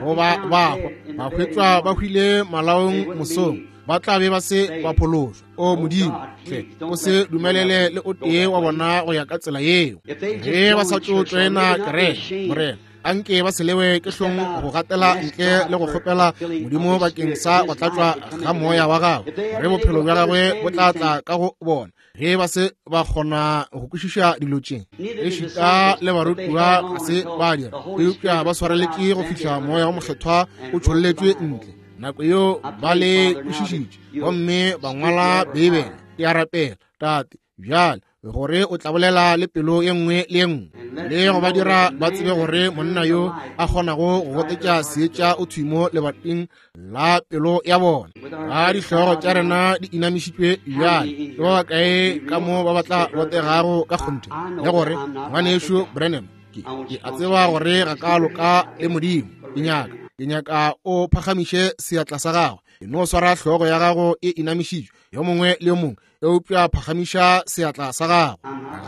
goba ba hwa ba hwetšwa ba hwile malaong mosong, ba tla be ba se ba phološwa. O Modimo, hle o se dumelele le o tee wa bona go ya ka tsela yeo. Ge ba sa tšo tšoena kereke, Morena, anke ba se lewe ke hlong go gatela ntle le go kgopela Modimo bakeng sa go tlatšwa ga Moya wa gagwe, gore bophelo bja gagwe bo tla tla ka go bona. Ge ba se ba kgona go kwešiša dilo tše, ešita le barutiwa ga se ba dira, eupša ba swareletše go fihla Moya wo Mokgethwa o tšholletšwe ntle. Nako yeo ba le kwešišitše gomme ba ngwala Beibele. Ke a rapela, Tate, bjale gore o tla bolela le pelo ye nngwe le ye nngwe, le go ba dira ba tsebe gore monna yo a kgonago go gotetša seetša o thwi mo lebating la pelo ya bona. Ga dihlogo tša rena di inamišitšwe bjale, ke ba bakae ka mo ba ba tla botegago ka kgonthe le gore, Ngwanešu Branham, ke a tseba gore ga ka loka le Modimo. Ke nyaka o phagamiše seatla sa gago. E no swara hlogo ya gago e inamišitšwe, yo mongwe le yo mongwe, eupša phagamiša seatla sa gago.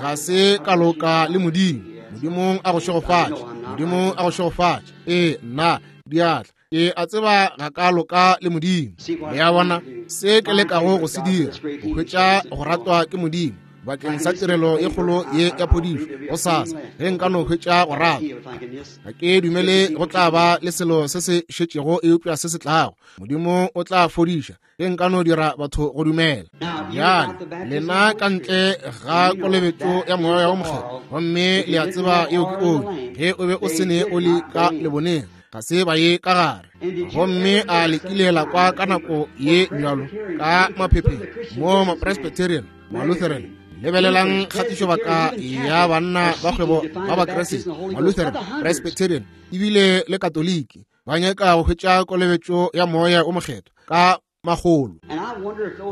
Ga se ka loka le Modimo. Modimo a go šegofatše. Modimo a go šegofatše. Ee, nna, diatla. Ke a tseba ga ka loka le Modimo. Le a bona se ke lekago go se dira, go hwetša go ratwa ke Modimo bakeng sa tirelo e kgolo ye ya phodišo gosasa, ge nka no hwetša go ratwa. Ga ke dumele go tla ba le selo se se šetšego eupša se se tlago. Modimo o tla fodiša ge nka no dira batho go dumela. Bjale lena ka ntle ga kolobetšo ya Moya wo Mokgethwa, gomme le a tseba yeo ke oli, ge o be o se ne oli ka leboneng, ga se ba ye ka gare. Gomme a le kile la kwa ka nako ye bjalo ka maphepheng mo Mapresbyterian, Malutheran, lebelelang kgatišobaka ya banna ba kgwebo ba Bakriste, Malutheran, Presbyterian, ebile le Katoliki, ba nyaka go hwetša kolobetšo ya Moya o Mokgethwa ka magolo.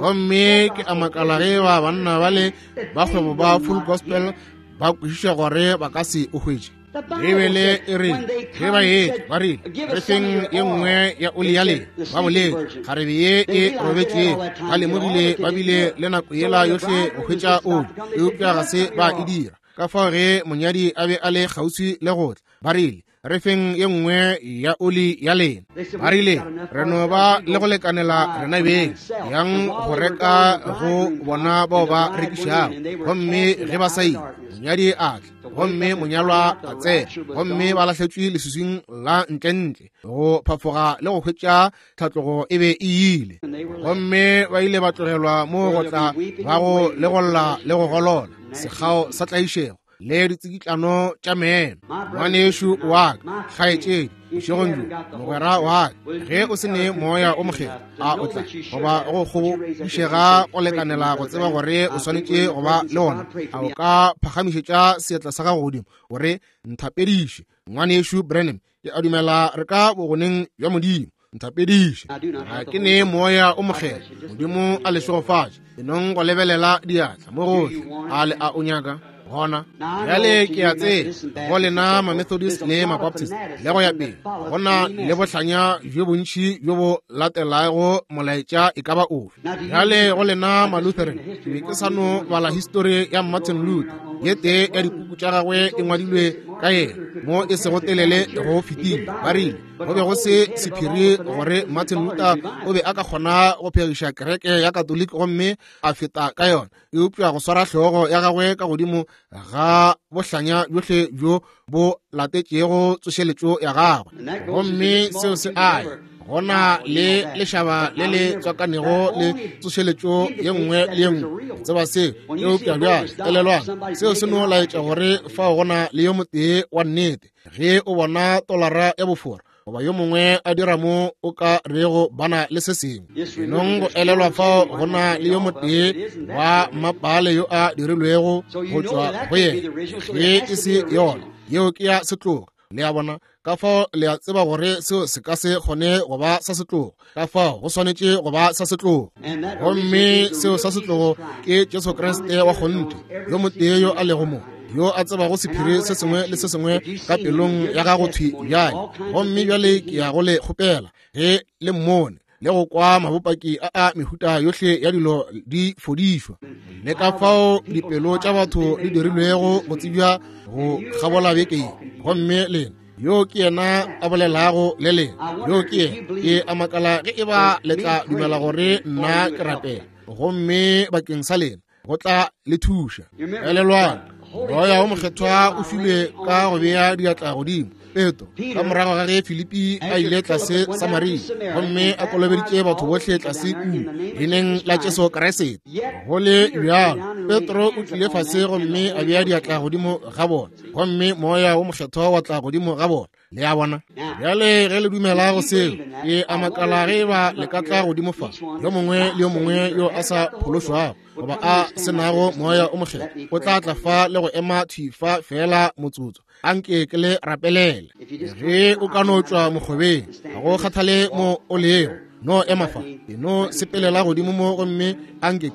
Gomme ke a makala ge ba banna ba le ba kgwebo ba Full Gospel ba kwešiša gore ba ka se o hwetše. Beibele e re ge ba etla ba rile, re feng ye nngwe ya oli ya lena. Ba boletše kgarebe ye e robetšego, ba lemogile ba bile le nako yela yohle go hwetša oli, eupša ga se ba e dira. Ka fao ge monyadi a be a le kgauswi le go tla, ba rile, re feng ye nngwe ya oli ya lena. Ba rile, re no ba le go lekanela rena beng, yang go reka go bona bao ba rekišago. Gomme ge ba sa ile, monyadi a tla, gomme monyalwa a tsena, gomme ba lahletšwe leswiswing la ntlentle go phafoga le go hwetša tlhatlogo e be e ile. Gomme ba ile ba tlogelwa mo go tla bago le go lla le go golola, sekgao sa tlaišego. le ditsikitlano tša meno. Ngwanešu wa ka, kgaetšedi, bošegong bjo, mogwera wa ka, ge o se ne Moya o Mokgethwa, a o tla goba go kgobošega go lekanela go tseba gore o swanetše go ba le ona? A o ka phagamišetša seatla sa gago godimo gore nthapediše, Ngwanešu Branham? Ke a dumela re ka bogoneng bja Modimo. Nthapediše, ga ke ne Moya o Mokgethwa. Modimo a le šegofatše. E nong go lebelela diatla mo gohle. A le a o nyaka gona bjale? Ke a tseba go lena ma-Methodist le ma-Baptist le go ya pele, go na le bohlanya bjo bontši bjo bo latelago molaetša e ka ba ofe. Bjale go lena ma-Lutheran, ke be ke sa no bala histori ya Martin Luther, ye tee ya dipuku tša gagwe e ngwadilwe ka yena mo e sego telele go fetile. Ba rile go be go se sephiri gore Martin Luther o be a ka kgona go phegiša kereke ya Katoliki gomme a feta ka yona, eupša go swara hlogo ya gagwe ka godimo ga bohlanya bjohle bjo bo latetšego tsošeletšo ya gagwe. Gomme seo se aya gona le lešaba le le tswakanego le tsošeletšo ye nngwe le ye nngwe, tseba seo. Eupša bjale elelwang, seo se no laetša gore fao gona le yo motee wa nnete. Ge o bona tolara ya bofora goba yo mongwe a dira mo o ka rego bana le se sengwe, enong go elelwa fao go na le yo motee wa mmapale yo a dirilwego go tšwa go yena. Ge e se yona, yeo ke ya setlogo. Le a bona? Ka fao le a tseba gore seo se ka se kgone go ba sa setlogo, ka fao go swanetše go ba sa setlogo. Gomme seo sa setlogo ke Jesu Kriste wa kgonthe, yo motee yo a lego mo, yo a tsebago sephiri se sengwe le se sengwe ka pelong ya gago thwi bjale. Gomme bjale ke ya go le kgopela, ge le mmone le go kwa mabopaki a a mehuta yohle ya dilo di fodišwa, le ka fao dipelo tša batho di dirilwego go tsebja go kgabola beke ye. Gomme lena, yo ke yena a bolelago le lena, yo ke yena. Ke a makala ge e ba le tla dumela gore nna ke rapela gomme bakeng sa lena go tla le thuša. Elelwang, Moya o Mokgethwa o filwe ka go bea diatla godimo Petro ka morago ga ge Filipi a ile tlase Samaria gomme a kolobeditše batho bohle tlase kua leineng la Jesu Kriste. Go le bjalo, Petro o tlile fase gomme a bea diatla godimo ga bona, gomme Moya o Mokgethwa wa tla godimo ga bona. Le a bona? Bjale ge le dumela go seo, ke a makala ge ba le ka tla godimo fa, yo mongwe le yo mongwe yo a sa phološwago goba a se nago Moya o Mokgethwa o tla tla fa le go ema thwi fa feela motsotso. Anke ke le rapelele. Ge o ka no tšwa mokgobeng, ga go kgathale mo o lego, no ema fa, e no sepelela godimo mo gomme anke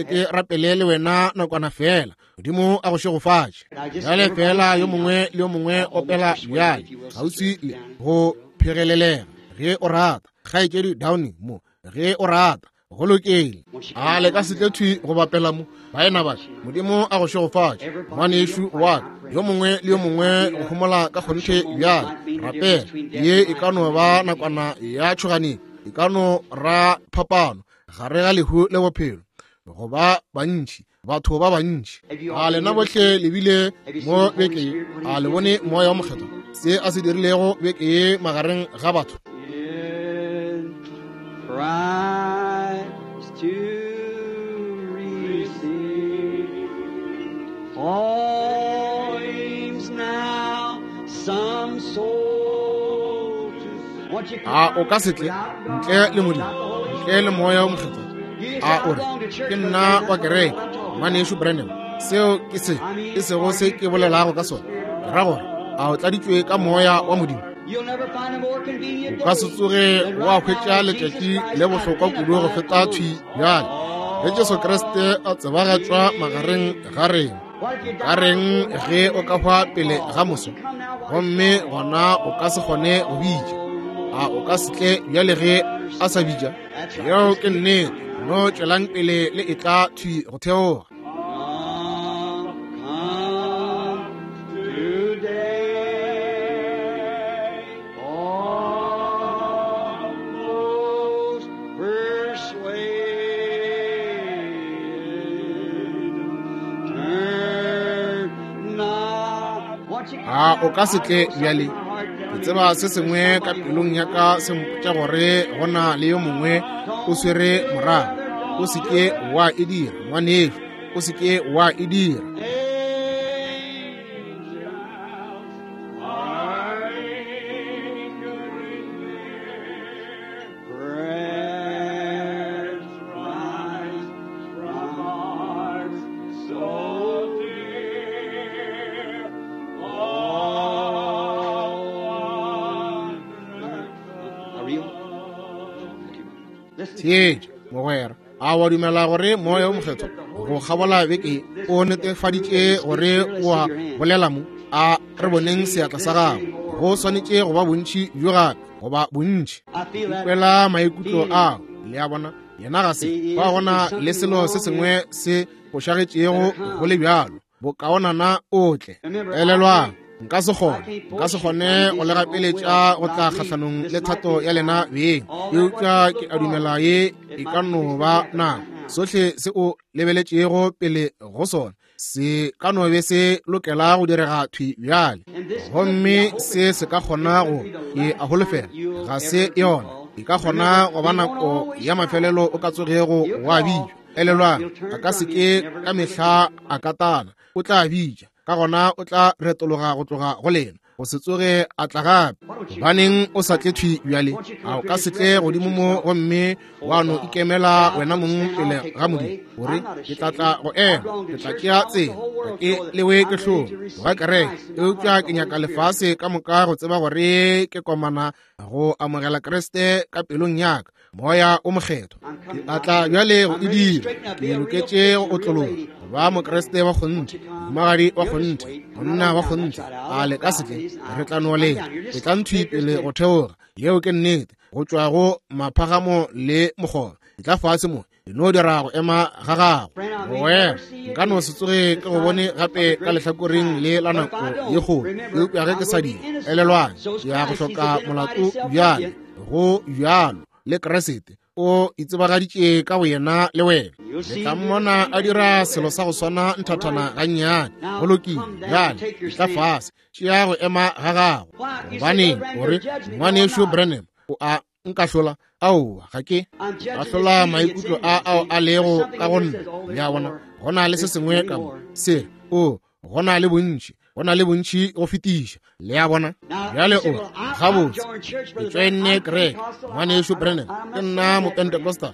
ke rapele le wena nakwana feela. Modimo a go šegofatše. Bjale feela yo mongwe le yo mongwe opela bjale kgauswi le go phegelelega ge o rata. Kgaetšedi Downing mo ge o rata. Go lokile. A le ka se tle thwi go bapela mo, baena ba? Modimo a go šegofatše, ngwanešu wa ka. Yo mongwe le yo mongwe go homola ka kgonthe bjale. Rapela. Ye e ka no ba nakwana ya tšhoganetšo, e ka no ra phapano gare ga lehu le bophelo go ba bantši, batho ba bantši. A lena bohle le bile mo beke ye? A le bone Moya wa Mokgethwa se a se dirilego beke ye magareng ga batho? Christ to receive. All aims now some soul to. Won't you A o ka se tle ntle le Modimo, ntle le Moya o Mokgethwa? A o re, ke nna wa kereke, ngwanešu Branham. Seo ke se e sego se ke bolelago ka sona. Ke ra gore a o tladitšwe ka Moya wa Modimo? You'll never find a more convenient O ka se day tsoge than wa right hwetša now as letšatši Jesus Christ le bohlokwa kudu go feta thwi bjale ge Jesu Kriste a tsebagatšwa magareng ga rena. What if you Ka die reng before ge o ka hwa pele ga moso, Won't you come now while gomme it's calling? gona o ka se kgone go bitša? A o ka se tle bjale ge a sa bitša? Yeo ke nnete. No tšwelang pele le etla thwi go theoga. Come, come today. Almost persuaded. Turn not. Won't you come A o now? ka se I tle know something bjale? in my heart Ke telling me tseba se sengwe ka somebody pelong ya ka se mpotša gore go na le yo mongwe o swere morago. O se ke wa e dira, ngwanešu. O se ke wa e dira. Amen. Theetša, mogwera, a wa dumela gore Moya wo Mokgethwa go kgabola beke o netefaditše gore o a bolela mo? A re boneng seatla sa gago. Go swanetše go ba bontši bjo gape, goba bontši. Ikwela maikutlo ao, le a bona. Yena ga se ba gona le selo se sengwe se fošagetšego go le bjalo. Bokaonana o tle. Elelwang, nka se kgone, nka se kgone go le gapeletša go tla kgahlanong le thato ya lena beng, eupša ke a dumela ye e ka no ba nako. Sohle se o lebeletšego pele go sona se ka no be se lokela go direga thwi bjale, gomme se se ka kgona go e a holofela ga se yona. E ka kgona go ba nako ya mafelelo o ka tsogego wa bitšwa. Elelwang, a ka se ke ka mehla a katana, o tla bitša, ka gona o tla retologa go tloga go lena, go se tsoge a tla gape. Gobaneng o sa tle thwi bjale? A o ka se tle godimo mo gomme wa no ikemela wena mong pele ga Modimo, gore ke tla tla go ema, ke tla tšea tsela, ga ke lewe ke hlong ga kereke, eupša ke nyaka lefase ka moka go tseba gore ke komana go amogela Kriste ka pelong ya ka, Moya o Mokgethwa. Ke a tla bjale go e dira. Ke loketše go otlologa, go ba Mokriste wa kgonthe, mohumagadi wa kgonthe, monna wa kgonthe. A le ka se tle? Re tla no leta. Ke tla nthwi pele go theoga. Yeo ke nnete. Go tšwa go maphagamo le mokgoba. Ke tla fase mo. E no dira go ema ga gago. Mogwera, nka no se tsoge ke go bone gape ka lehlakoreng le la nako ye kgolo, eupša ge ke sa dira, elelwang, ke ya go hloka molato bjale. Go bjalo le Kriste o itsebagaditše ka boyena le wena. Le tla mmona a dira selo sa go swana nthathana gannyane. Go lokile, bjale tla fase, tšea go ema ga gago. Gobaneng o re, Ngwanešu Branham, o a nkahlola? Aowa, ga ke ahlola maikutlo a ao a lego ka go nna. Le a bona, go na le se sengwe ka mo se o go na le bontši, go na le bontši go fetiša. Le a bona? Bjale o gabotse, ke tšoenne kereke, Ngwanešu Branham, ke nna Mopentecostal.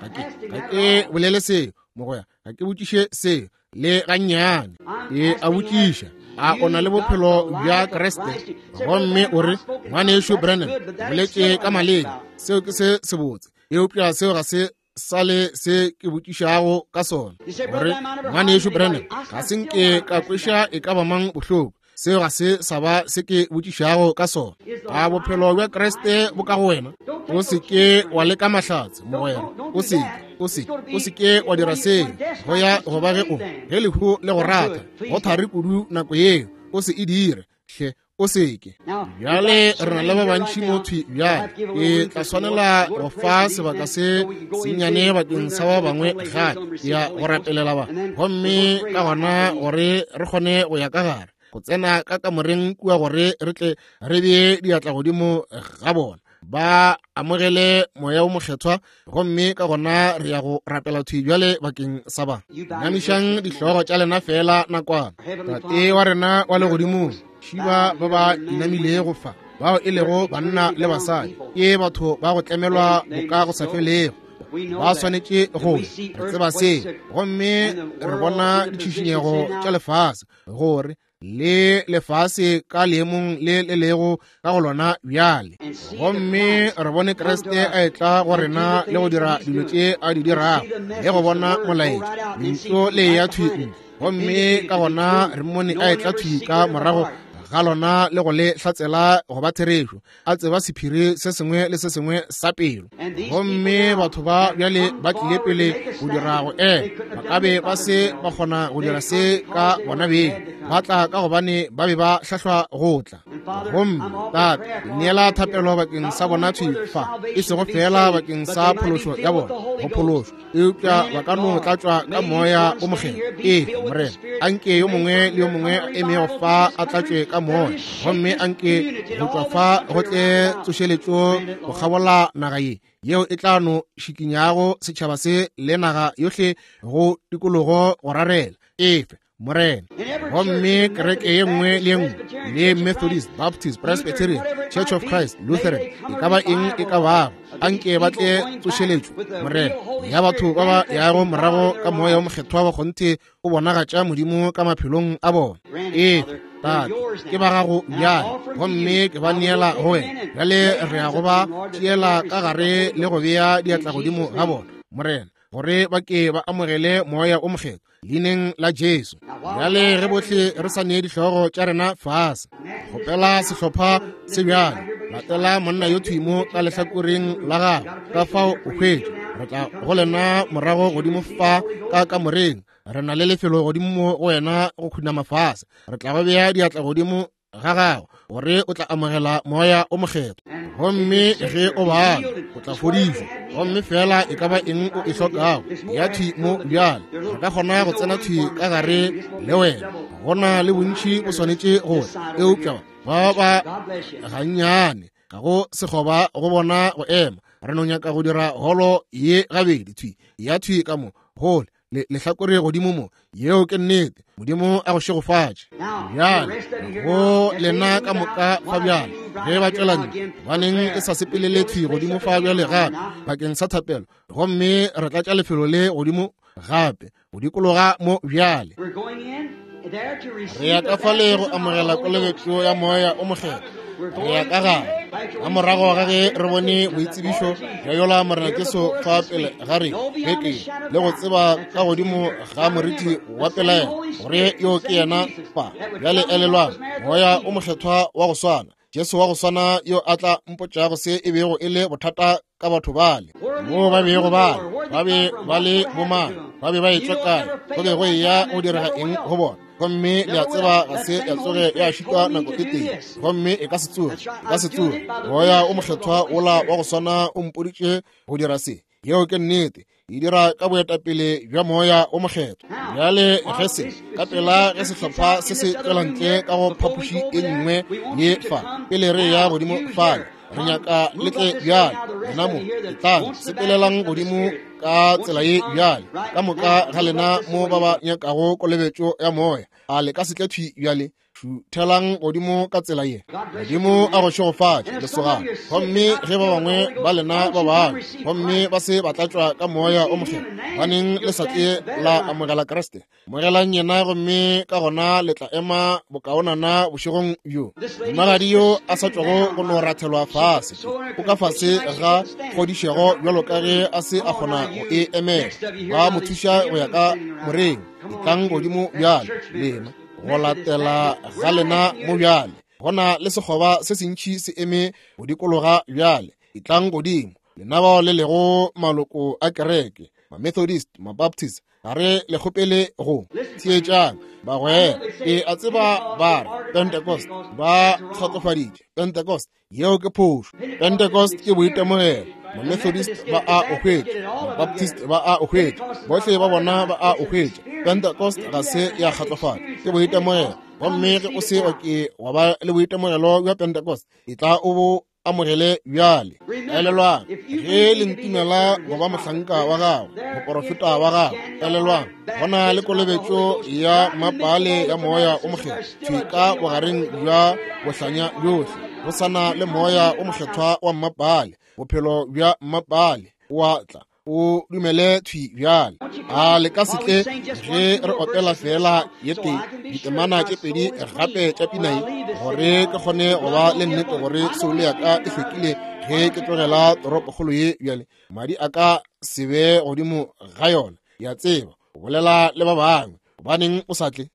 Ga ke bolele seo, mogwera, ga ke botšiše seo le gannyane. E a botšiša, a o na le bophelo bja Kriste? Gomme o re, Ngwanešu Branham, boletše ka maleme, seo ke se sebotse, eupša seo ga se sa le se ke botšišago ka sona. Gore, Ngwanešu Branham, ga se nke ka kweša e ka ba mang bohloko, seo ga se sa ba se ke botšišago ka sona. A bophelo bja Kriste bo ka go wena? O se ke wa leka mahlatse, mogwera. O se o se o se ke wa dira seo. Go ya go ba ge o ge lehu le go rata, go thari kudu nako yeo. O se e dire, hle, o se ke. Bjale re na le ba bantši mo thwi bjale. Ke tla swanela go fa sebaka se sennyane bakeng sa ba bangwe gape, ya go rapelela ba, gomme ka gona gore re kgone go ya ka gare, go tsena ka kamoreng kua gore re tle re bee diatla godimo ga bona, ba amogele Moya wo Mokgethwa, gomme ka gona re ya go rapela thwi bjale bakeng sa ba. Namišang dihlogo tša lena feela nakwana. Tate wa rena wa legodimong, šiba ba ba inamilego fa, bao e lego banna le basadi, ke batho ba go tlemelwa boka go sa felego, ba swanetše go re tseba se, gomme re bona ditšhišinyego tša lefase, gore le lefase ka leemong le le lego ka go lona bjale, gomme re bone Kriste a etla go rena le go dira dilo tše a di dirago, le go bona molaetša, lentšu le ya thwi ntle, gomme ka gona re mmone a etla thwi ka morago ga lona le go le hlatsela go ba therešo, a tseba sephiri se sengwe le se sengwe sa pelo. Gomme batho ba bjale ba tlile pele go dira go ema, ba ka be ba se ba kgona go dira se ka bona beng, ba tla ka gobane ba be ba hlahlwa go tla. Gomme Tate, ke neela thapelo bakeng sa bona thwi fa, e sego feela bakeng sa phološo ya bona, go phološwa, eupša ba ka no tlatšwa ka Moya o Mokgethwa. Ee, Morena, anke yo mongwe le yo mongwe a emego fa a tlatšwe ka Moya, gomme anke go tšwa fa go tle tsošeletšo go kgabola naga ye, yeo e tla no šikinyago setšhaba se le naga yohle go tikologo go rarela. Efe, Morena. Gomme kereke ye nngwe le ye nngwe, le Methodist, Baptist, Presbyterian, Church of Christ, Lutheran, e ka ba eng e ka bago, anke ba tle tsošeletšo, Morena, ya batho ba ba yago morago ka Moya wo Mokgethwa wa kgonthe o bonagatša Modimo ka maphelong a bona. Efe, Tate, ke ba gago bjale, gomme ke ba neela go wena. Bjale re ya go ba tšeela ka gare le go bea diatla godimo ga bona, Morena, gore ba ke ba amogele Moya o Mokgethwa, leineng la Jesu. Bjale ge bohle re sa nee dihlogo tša rena fase, kgopela sehlopha se bjale, latela monna yo thwi mo ka lehlakoreng la gago, ka fao o hwetše. Re tla go lena morago godimo fa ka kamoreng. Re na le lefelo godimo mo go wena go khunama fase. Re tla go bea diatla godimo ga gago gore o tla amogela Moya o Mokgethwa, gomme ge o bala o tla fodišwa. Gomme fela e ka ba eng o e hlokago ya thwi mo bjale, re ka kgona go tsena thwi ka gare le wena. Go na le bontši bo swanetše go eupša ba ba gannyane ga go sekgoba go bona go ema. Re no nyaka go dira holo ye gabedi thwi ya thwi ka mo gole le lehlakore godimo mo. Yeo ke nnete. Modimo a go šegofatše. Bjale go lena ka moka fa bjale, ge ba tšwela ntle, gobaneng e sa sepelele thwi godimo fa bjale gape bakeng sa thapelo, gomme re tlatša lefelo le godimo gape go dikologa mo bjale. Re ya ka fale go amogela kolobetšo ya Moya o Mokgethwa. Re ya ka gare ka morago ga ge re bone boitsebišo bja yola Morena Jesu fa pele ga re beke, le go tseba ka godimo ga moriti wa pelaelo gore yo ke yena fa. Bjale elelwang, Moya o Mokgethwa wa go swana, Jesu wa go swana yo a tla mpotšago se e bego e le bothata ka batho bale, moo ba bego ba ba be ba le bomang, ba be ba etšwa kae, go be go eya go direga eng go bona. Gomme le a tseba ga se ya tsoge ya šitwa nako e tee, gomme e ka se tsoge, e ka se tsoge. Moya o Mokgethwa wola wa go swana o mpoditše go dira se. Yeo ke nnete. E dira ka boetapele bja Moya o Mokgethwa. Bjale ge se ka pela ge sehlopha se se tšwela ntle ka go phapoši e nngwe ye fa, pele re ya godimo fale, re nyaka le tle bjale. Lena mo, etlang, sepelelang godimo ka tsela ye bjale, ka moka ga lena mo ba ba nyakago kolobetšo ya Moya. A le ka se tle thwi bjale? Šuthelang godimo ka tsela ye. Modimo a go šegofatše, lesogana. Gomme ge ba bangwe ba lena ba bangwe gomme ba se ba tlatšwa ka Moya o Mokgethwa, baneng le sa tle la amogela Kriste, amogelang yena, gomme ka gona le tla ema bokaonana bošegong bjo. Mohumagadi yo a sa tšwago go no rathelwa fase, o ka fase ga kgodišego bjalo ka ge a se a kgona go e emela. Ba mo thuša go ya ka moreng. Etlang godimo bjale, lena go latela ga lena mo bjale. Go na le sekgoba se sentši se eme go dikologa bjale. Etlang godimo, lena bao le lego maloko a kereke, Mamethodist, Mabaptist, ga re le kgopele go theetšang bagwera. Ke a tseba ba re Pentecost ba kgotsofaditše Pentecost. Yeo ke phošo. Pentecost ke boitemogelo. Mamethodist ba a o hwetša, Mabaptist ba a o hwetša, bohle ba bona ba a o hwetša. Pentecost ga se ya kgatlofala, ke boitemogelo. Gomme ge o se wa ke wa ba le boitemogelo bja Pentecost, e tla o bo amogele bjale. Elelwang, ge le ntumela go ba mohlanka wa gagwe, moporofeta wa gagwe, elelwang, go na le kolobetšo ya mapale ya Moya o Mokgethwa thwi ka bogareng bja bohlanya bjohle. Go sa na le Moya o Mokgethwa wa mmapale, bophelo bja mmapale o a tla. O dumele thwi bjale. A le ka se tle ge re opela feela ye tee ditemana tše pedi gape tša pina ye, gore ke kgone go ba le nnete gore soulo ya ka e hlwekile ge ke tlogela toropokgolo ye bjale. Madi a ka se be godimo ga yona. Ya tseba, o bolela le ba bangwe. Gobaneng o sa tle?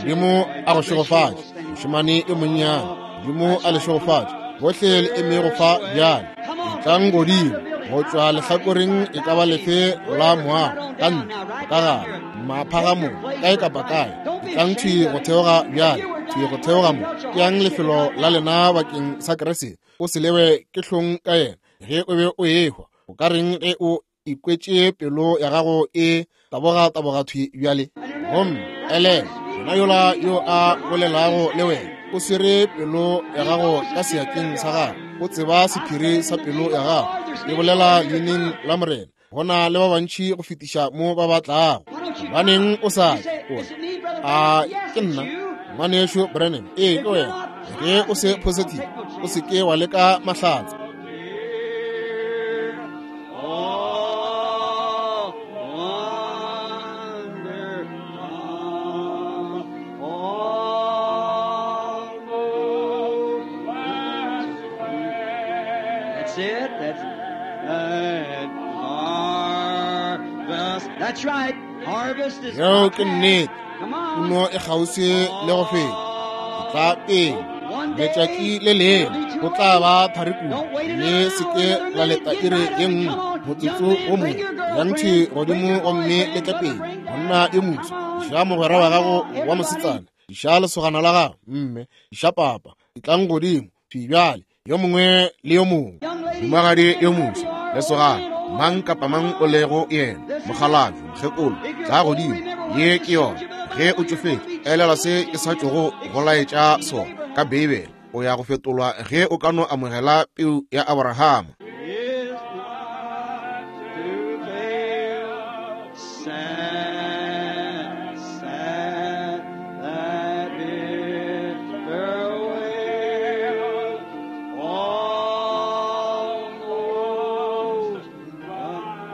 Modimo a go šegofatše, mošemane yo monnyane. Modimo a le šegofatše bohle le emego fa bjale. Etlang godimo go tšwa lehlakoreng e ka ba lefe la moago, ka ntle, ka gare, maphagamong, kae kapa kae. Etlang thwi go theoga bjale, thwi go theoga mo. Ke yang lefelo la lena bakeng sa Kriste. O se lewe ke hlong ka yena ge o be o ehwa. O ka reng ge o ikwetše pelo ya gago e taboga taboga thwi bjale? Gomme elelwa, yena yola yo a bolelago le wena o swere pelo ya gago ka seatleng sa gagwe, o tseba sephiri sa pelo ya gago. Ke bolela leineng la Morena, go na le ba bantši go fetiša mo ba ba tlago. Gobaneng o sa tle? O re, A ke nna ngwanešu Branham? Ee, ke wena. Ge o se positive, o se ke wa leka mahlatse. That's it. That's that harvest. That's right. Harvest is Yeo ke nnete. Come on. Puno e kgauswi le go feta. Tla pele. Letšatši le lengwe go tla ba thari kudu, le se ke la leta iri ye nngwe, motsotso wo mongwe. Yang thwi godimo gomme le tle pele. Monna yo moso, iša mogwera wa gago wa mosetsana, iša lesogana la gago, mme iša papa. Etlang godimo thwi bjale, yo mongwe le yo mongwe. Mohumagadi yo moso, lesogana, mang kapa mang o lego yena, mokgalabje, mokgekolo, tla godimo. Ye ke yona. Ge o tšofetše, elelwa se ke sa tšogo go laetša sona ka Beibele. O ya go fetolwa ge o ka no amogela peu ya Aborahama. Is not to fail. Sad, sad, that bitter wail, almost gone.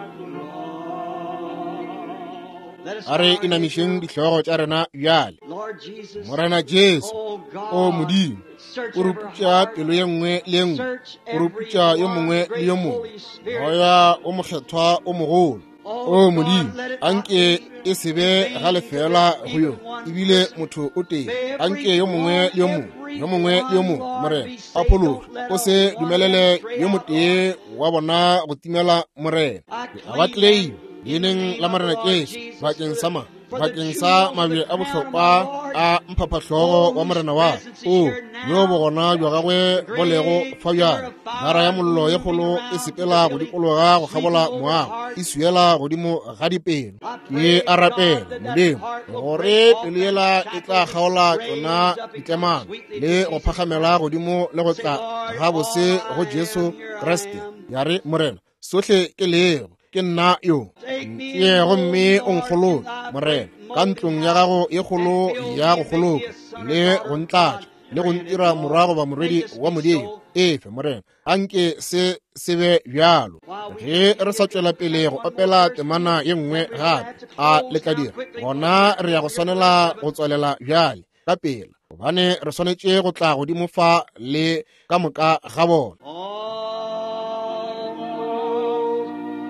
Let us A re inamišeng dihlogo tša rena bjale. Lord Jesus, Morena Jesu, oh God, o Modimo, search o every ruputša heart, pelo ye nngwe le ye nngwe, search o ruputša every yo one, mongwe le great yo mongwe. Holy Spirit. Moya o mokgethwa o mogolo. O Modimo, anke e se be ga lefeela go yo, ebile motho o tee. Anke yo mongwe le yo mongwe, yo mongwe le yo mongwe, Morena, a phologe. O se dumelele yo motee wa bona go timela, Morena. Ke a ba claim leineng la Morena Jesu bakeng sa ma, bakeng sa mabje a bohlokwa a mphaphahlogo wa Morena wa o yo bogona bja gagwe bo lego fa bjale. Gara ya mollo ye kgolo e sepela go dikologa go kgabola moago, e swiela godimo ga dipelo. Ke a rapela Modimo gore pelo yela e tla kgaola tšona ditlemano le go phagamela godimo le go tla gabose go Jesu Kriste. Ya re, Morena, sohle ke lego, ke nna yo. Ntšee gomme o nkgoloke, Morena, ka ntlong ya gago ye kgolo ya go kgoloka, le go ntlatša, le go ntira morwa goba morwedi wa Modimo. Efe, Morena, anke se se be bjalo. Ge re sa tšwela pele go opela temana ye nngwe gape, a le tla dira, gona re ya go swanela go tswalela bjale ka pela, gobane re swanetše go tla godimo fa le ka moka ga bona. Almost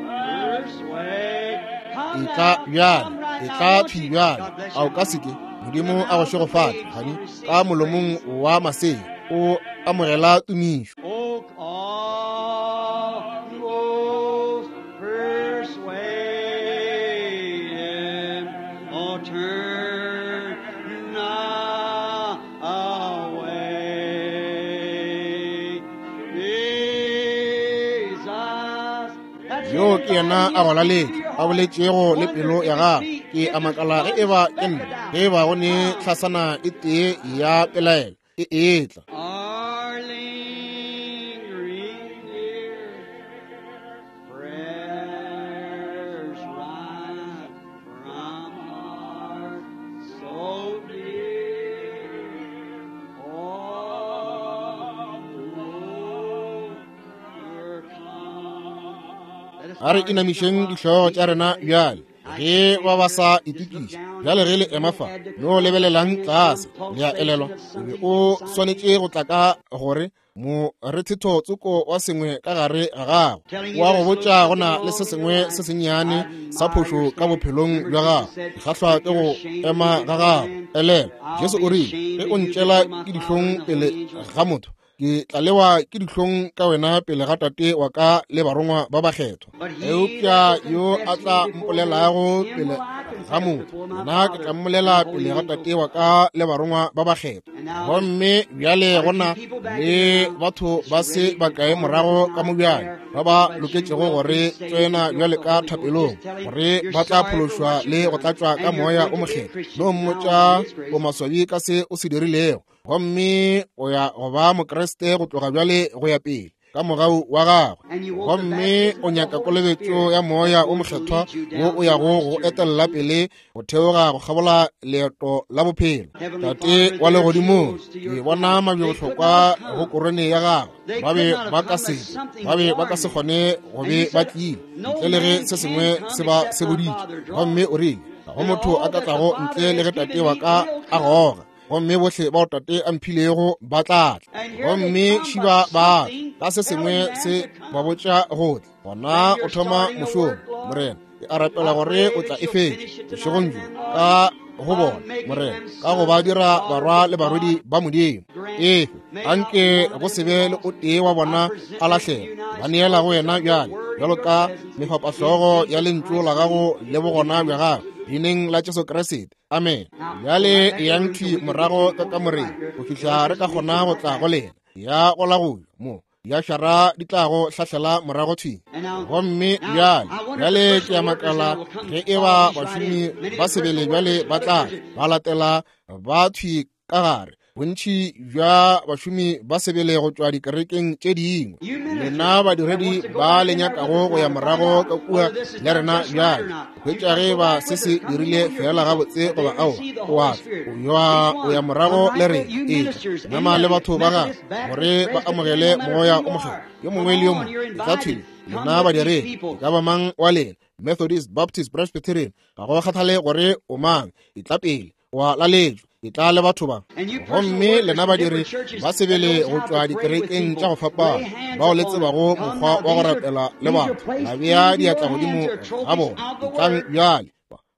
persuade. Come Etla now, bjale, come right now, etla won't thwi you? bjale. God bless A o you. ka se ke? Modimo a go šegofatše, gane, ka molomong wa masea o amogela tumišo. Oh, almost persuaded, oh, turn not away. Jesus. That's Yo it. ke yena a go laletša, a boletšego le pelo ya gago. Ke a makala ge eba ke nna, ge eba go ne hlasana e tee ya pelaelo e etla. Our lingering near prayers rise from heart so dear. Oh, overcome. Let us A re bow our inamišeng heads dihlogo tša rena bjale. Ge ba ba sa itokiša bjale, ge le ema fa, no lebelelang tlase, le a elelwa. O be o swanetše go tla ka gore morethetho tsoko wa sengwe ka gare ga gago wa go botša go na le se sengwe se sennyane sa phošo ka bophelong bja gago. Ke kgahlwa ke go ema ga gago. Elelwa, Jesu o rile, ge o ntšela ke dihlong pele ga motho, ke tla lewa ke dihlong ka wena pele ga Tate wa ka le barongwa ba bakgethwa. Eupša yo a tla mpolelago pele ga motho, nna ke tla mmolela pele ga Tate wa ka le barongwa ba bakgethwa. Gomme bjale go na le batho ba se bakae morago ka mo bjale ba ba loketšego gore tsena bjale ka thapelong, gore ba tla phološwa le go tlatšwa ka Moya o Mokgethwa. No mmotša o maswabi ka se o se dirilego, gomme o ya go ba Mokriste go tloga bjale go ya pele ka mogau wa gagwe. Gomme o nyaka kolobetšo ya Moya o Mokgethwa wo o yago go etella pele go theoga go kgabola leeto la bophelo. Tate wa legodimong, ke bona mabjebohlokwa go korone ya gagwe. Ba be ba ka se tle, ba be ba ka se kgone go be ba tlile ntle le ge se sengwe se ba seboditše. Gomme o rile, ga go motho a ka tlago ntle le ge Tate wa ka a goga. Gomme bohle bao Tate a mphilego ba tla tla. Gomme šiba ba ka se sengwe se ba botša go tla. Gona o thoma mošomo, Morena. Ke a rapela gore o tla e fetša bošegong bjo ka go bona, Morena, ka go ba dira barwa le barwedi ba Modimo. Efe, anke go se be le o tee wa bona a lahlega. Ba neela go wena bjale, bjalo ka mefapahlogo ya lentšu la gago le bogona bja gago, leineng la Jesu Kriste. Amen. Bjale eyang thwi morago ka kamoreng go fihla re ka kgona go tla go lena. Ya go la go mo diašara di tlago hlahlela morago thwi. Gomme bjale, bjale ke a makala ge e ba bašomi ba sebele bjale ba tla ba latela ba thwi ka gare. Bontši bja bašomi ba sebele go tšwa dikerekeng tše dingwe. Lena badiredi ba le nyakago go ya morago ka kua le rena bjale, hwetša ge ba se se dirile feela gabotse goba aowa, o ya morago le rena. Ee, nama le batho ba gagwe gore ba amogele Moya o Mokgethwa. Yo mongwe le yo mongwe tla thwi, lena badiredi, e ka ba mang wa lena, Methodist, Baptist, Presbyterian, ga go kgathale gore o mang, etla pele, wa laletšwa, etla le batho ba. Gomme lena badiri ba sebele go tšwa dikerekeng tša go fapana, bao le tsebago mokgwa wa go rapela le batho, la bea diatla godimo ga bona, etlang bjale,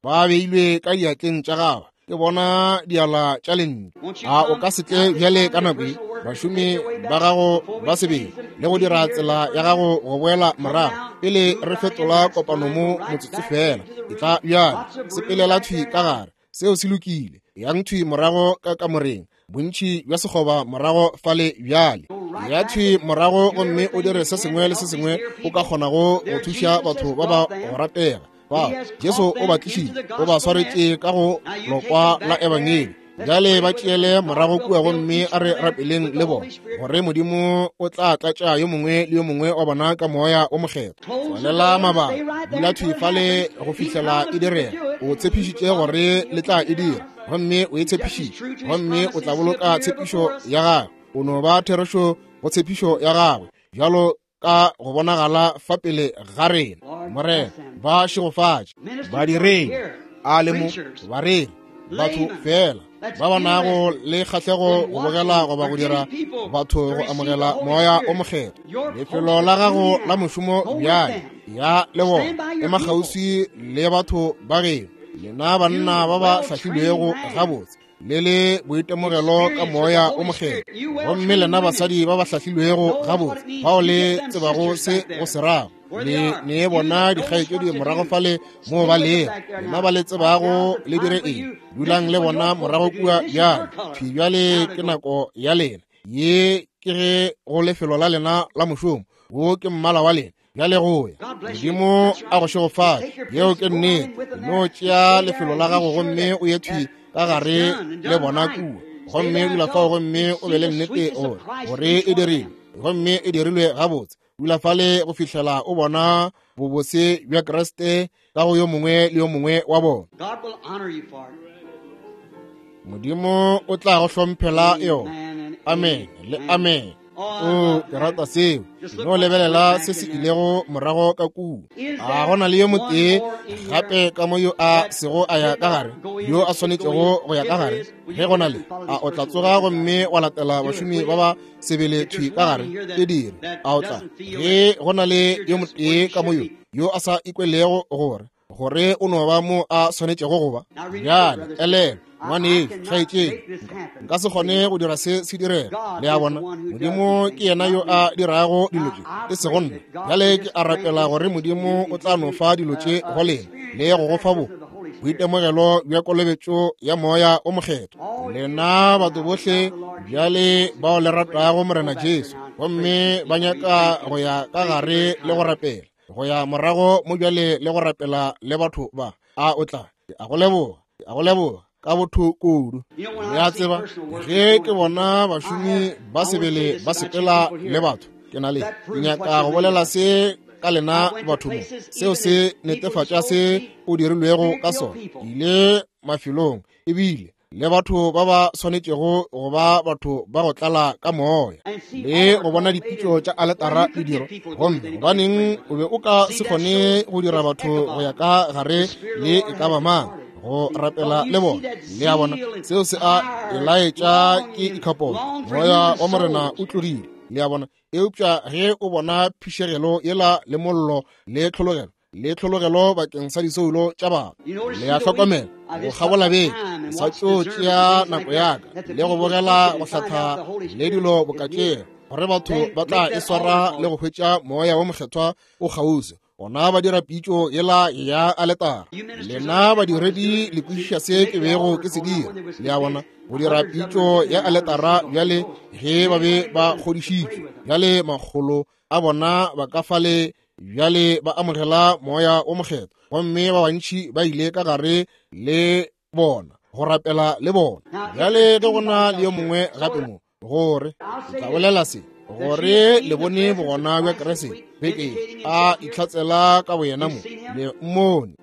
ba beilwe ka diatleng tša gagwe, ke bona diala tša lentšu. A o ka se tle bjale ka nako ye, bašomi ba gago ba sebele, le go dira tsela ya gago go boela morago pele re fetola kopano mo motsotso fela? Etla bjale, sepelela thwi ka gare. Seo se lokile. Yang thwi morago ka kamoreng, bontši bja sekgoba morago fale bjale. Ya thwi morago gomme o dire se sengwe le se sengwe o ka kgonago go thuša batho ba ba go ratega. Ba Jesu o ba tlišitše, o ba swaretše ka go lokwa la Ebangedi. Bjale ba tšeele morago kua gomme a re rapeleng le bona, gore Modimo o tla tlatša yo mongwe le yo mongwe wa bona ka Moya o Mokgethwa. Tswalela mabaka, dula thwi fale go fihlela e direga. O tshepišitše gore le tla e dira, gomme o e tshepišitše, gomme o tla boloka tshepišo ya gagwe. O no ba therešo go tshepišo ya gagwe, bjalo ka go bonagala fa pele ga rena. Morena, ba šegofatše badiredi a le mo, bareri, batho fela ba ba nago le kgahlego go bogela goba go dira batho go amogela Moya o Mokgethwa. Lefelo la gago la mošomo bjale, ya le bona, ema kgauswi le batho ba geno, lena banna ba ba hlahlilwego gabotse le le boitemogelo ka Moya o Mokgethwa, gomme lena basadi ba ba hlahlilwego gabotse bao le tsebago se go se rago, le ne bona dikgaetšedi morago fale moo ba lego, lena ba le tsebago le dire eng, dulang le bona morago kua bjale. Thwi bjale ke nako ya lena, ye ke ge go lefelo la lena la mošomo, wo ke mmala wa lena bjale go ya. Modimo a go šegofatše. Yeo ke nnete. No tšea lefelo la gago gomme o ye thwi ka gare le bona kua, gomme dula fao gomme o be le nnete gore gore e dirilwe, gomme e dirilwe gabotse. Dula fale go fihlela o bona bobose bja Kriste ka go yo mongwe le yo mongwe wa bona. Modimo o tla go hlomphela yona. Amen le amen. O, ke rata seo. No lebelela se se ilego morago ka kua. A go na le yo motee gape ka mo yo a sego a ya ka gare, yo a swanetšego go ya ka gare? Ge go na le, a o tla tsoga gomme wa latela bašomi ba ba sebele thwi ka gare? E dire. A o tla? Ge go na le yo motee ka mo yo yo a sa ikwelego gore gore o no ba mo a swanetšego go ba. Bjale elelwa, ngwanešu, kgaetšedi, nka se kgone go dira se se direga. Le a bona, Modimo ke yena yo a dirago dilo tše, e sego nna. Bjale ke a rapela gore Modimo o tla no fa dilo tše go lena le go go fa bo boitemogelo bja kolobetšo ya Moya o Mokgethwa. Lena batho bohle bjale bao le ratago Morena Jesu gomme ba nyaka go ya ka gare le go rapela, go ya morago mo bjale le go rapela le batho ba, a o tla? Ke a go leboga, ke a go leboga ka botho kudu. Le a tseba, ge ke bona bašomi ba sebele ba sepela le batho, ke na le, ke nyaka go bolela se ka lena batho mo, seo se netefatša se o dirilwego ka sona. Ke ile mafelong ebile le batho ba ba swanetšego go ba batho ba go tlala ka moya le go bona dipitšo tša aletara le diro, gomme gobaneng o be o ka se kgone go dira batho go ya ka gare le e ka ba mang? go rapela le bona. Le a bona, seo se a e laetša ke ikhapola. Moya wa Morena o tlogile. Le a bona? Eupša ge o bona phišegelo yela le mollo le tlhologelo, le tlhologelo bakeng sa disoulo tša batho, le a hlokomela go kgabola beke, ke sa tšo tšea nako ya ka le go bogela go hlatha le dilo bokatšego, gore batho ba tla e swara le go hwetša Moya wo Mokgethwa o kgauswi. Gona ba dira pitšo yela ya aletara. Lena badiredi le kwešiša se ke bego ke se dira. Le a bona, go dira pitšo ya aletara bjale ge ba be ba kgodišitšwe. Bjale makgolo a bona ba ka fale bjale ba amogela Moya wo Mokgethwa, gomme ba bantši ba ile ka gare le bona go rapela le bona. Bjale ge go na le yo mongwe gape mo, gore ke tla bolela se, gore le bone bogona bja Kriste beke a itlhatsela ka boyena mo, le mmone.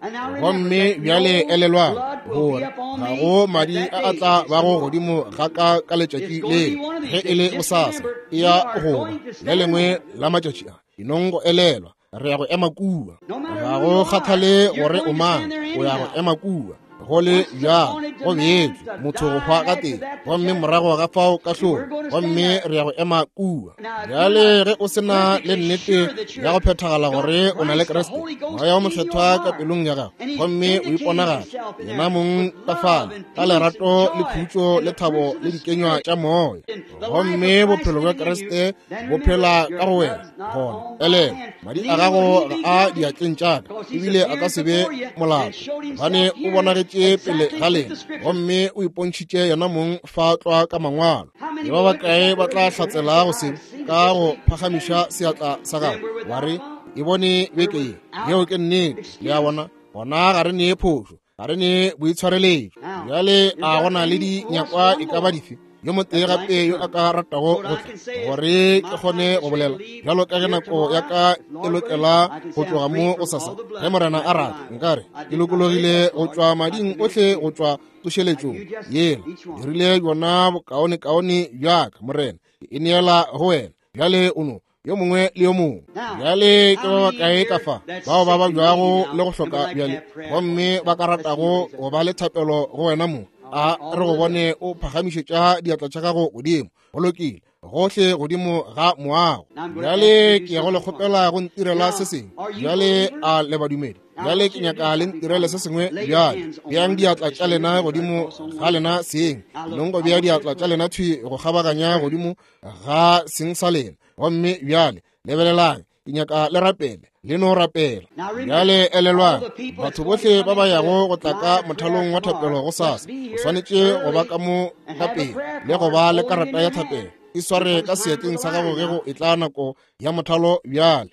Gomme bjale elelwang gore ga go madi a a tla bago godimo ga ka ka letšatši le, ge e le bosasa, e ya go ba le lengwe la matšatši a. Enong go elelwa, re ya go ema kua. Ga go kgathale gore o mang, o ya go ema kua. Go le bjalo, go beetšwe motho go hwa gatee, gomme morago ga fao kahlolo, gomme re ya go ema kua. Bjale ge o se na le nnete ya go phethagala gore o na le Kriste, Moya wo Mokgethwa ka pelong ya gago, gomme o iponagatša yena mong ka fale ka lerato le khutšo le thabo le dikenywa tša Moya, gomme bophelo bja Kriste bo phela ka go wena, gona elelwa, madi a gago ga a diatleng tša ka, ebile a ka se be molato, gobane o bonagetše pele ga lena, gomme o ipontšhitše yena mong fa tlwa ka mangwalo. Ke ba bakae ba tla hlatsela go se ka go phagamiša seatla sa gago, wa re, E bone beke ye? Yeo ke nnete. Le a bona? Gona ga re nee phošo, ga re ne boitshwareletšo. Bjale a go na le dinyakwa e ka ba dife? Yo motee gape yo a ka ratago go tla, gore ke kgone go bolela bjalo ka ge nako ya ka e lokela go tloga mo go sasa, ge Morena a rata, nkare ke lokologile go tšwa mading ohle, go tšwa tsošeletšong yela. Dirile bjona bokaonekaone bja ka, Morena, ke e neela go wena. Bjale o no yo mongwe le yo mongwe. Bjale ke ba bakae ka fa bao ba babjago le go hloka bjale, gomme ba ka ratago go ba le thapelo go wena mo? A re go bone o phagamišetša diatla tša gago godimo. Go lokile, gohle godimo ga moago. Bjale ke ya go le kgopela go ntirela se sengwe. Bjale a le badumedi? Bjale ke nyaka le ntirele se sengwe bjale. Beang diatla tša lena godimo ga lena seng. Nong go bea diatla tša lena thwi go kgabaganya godimo ga seng sa lena. Gomme bjale lebelelang, ke nyaka le rapele, le no rapela. Bjale elelwang, batho bohle ba ba yago go tla ka mothalong wa thapelo go sasa, o swanetše go ba ka mo ka pele le go ba le karata ya thapelo. E sware ka seatleng sa gago ge go etla nako ya mothalo. Bjale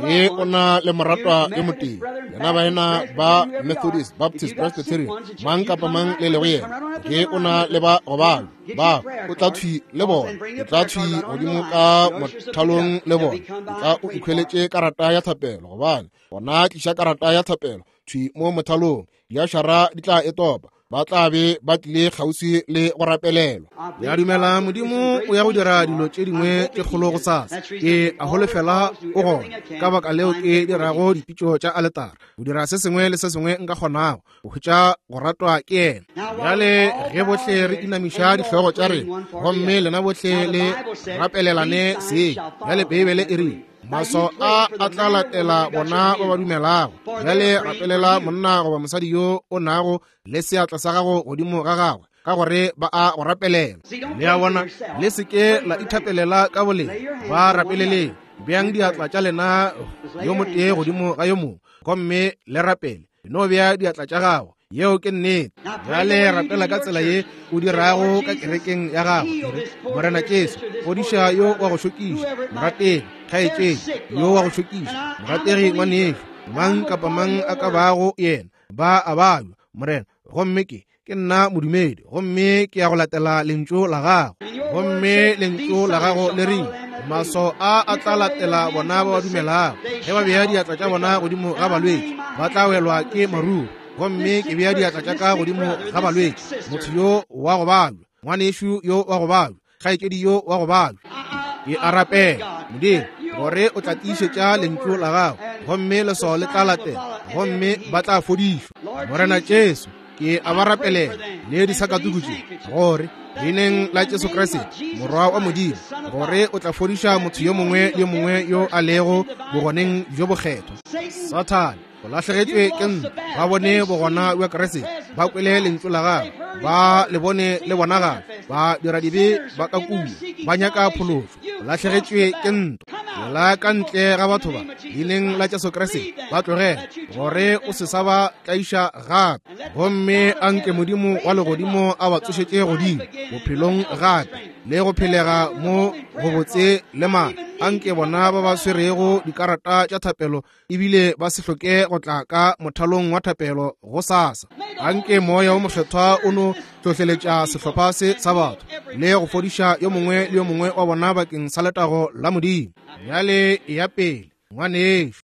ge o na le moratwa yo motee, lena baena ba Methodist, Baptist, Presbyterian, mang kapa mang le lego yena, ge o na le ba go balwa ba, o tla thwi le bona, o tla thwi godimo ka mothalong le bona, o tla o ikhweletše karata ya thapelo, gobane gona tliša karata ya thapelo thwi mo mothalong, diašara di tla e topa, ba tla be ba tlile kgauswi le go rapelelwa. Ke a dumela Modimo o ya go dira dilo tše dingwe tše kgolo go sasa. Ke a holofela o gona. Ka baka leo ke dirago dipitšo tša aletara, go dira se sengwe le se sengwe nka kgonago go hwetša go ratwa ke yena. Bjale ge bohle re inamiša dihlogo tša rena, gomme lena bohle le rapelelane seng. Bjale Beibele e rile, maswao a a tla latela bona ba ba dumelago. Bjale rapelela monna goba mosadi yo o nago le seatla sa gago godimo ga gagwe, ka gore ba a go rapelela. Le a bona, le se ke la ithapelela ka boleng, ba rapeleleng. Beang diatla tša lena yo motee godimo ga yo mongwe, gomme le rapele. No bea diatla tša gago. Yeo ke nnete. Bjale rapela ka tsela ye o dirago ka kerekeng ya gago. Morena Jesu, fodiša yo wa go šokiša, morategi kgaetšedi yo wa go šokiša, morategi ngwanešu, mang kapa mang a ka bago yena, ba a babja, Morena. Gomme ke nna modumedi, gomme ke ya go latela lentšu la gago. Gomme lentšu la gago le rile, maswao a a tla latela bona ba ba dumelago. Ge ba bea diatla tša bona godimo ga balwetši, ba tla welwa ke maruru. Gomme ke bea diatla tša ka godimo ga balwetši, motho yo wa go babja, ngwanešu yo wa go babja, kgaetšedi yo wa go babja. Ke a rapela, Modimo, gore o tla tiišetša lentšu la gago, gomme leswao le tla latela, gomme ba tla fodišwa. Morena Jesu, Ke a ba rapelela le disakatuku tše, gore leineng la Jesu Kriste, Morwa wa Modimo, gore o tla fodiša motho yo mongwe le yo mongwe yo a lego bogoneng bjo bokgethwa. Sathane, o lahlegetšwe ke ntwa. Ba bone bogona bja Kriste, ba kwele lentšu la gagwe, ba le bone le bonagala, ba dira dibe ba ka kua, ba nyaka phološo. O lahlegetšwe ke ntwa. Tšwela ka ntle ga batho ba, leineng la Jesu Kriste, ba tlogele, gore o se sa ba tlaiša gape. Gomme a nke Modimo wa legodimo a ba tsošetše godimo bophelong gape, le go phelega mo gobotse le maatla. A nke bona ba ba swerego dikarata tša thapelo ebile ba se hloke go tla ka mothalong wa thapelo go sasa. Anke Moya wo Mokgethwa o no hlohleletša sehlopha se sa batho le go fodiša yo mongwe le yo mongwe wa bona bakeng sa letago la Modimo. Bjale eya pele, ngwanešu.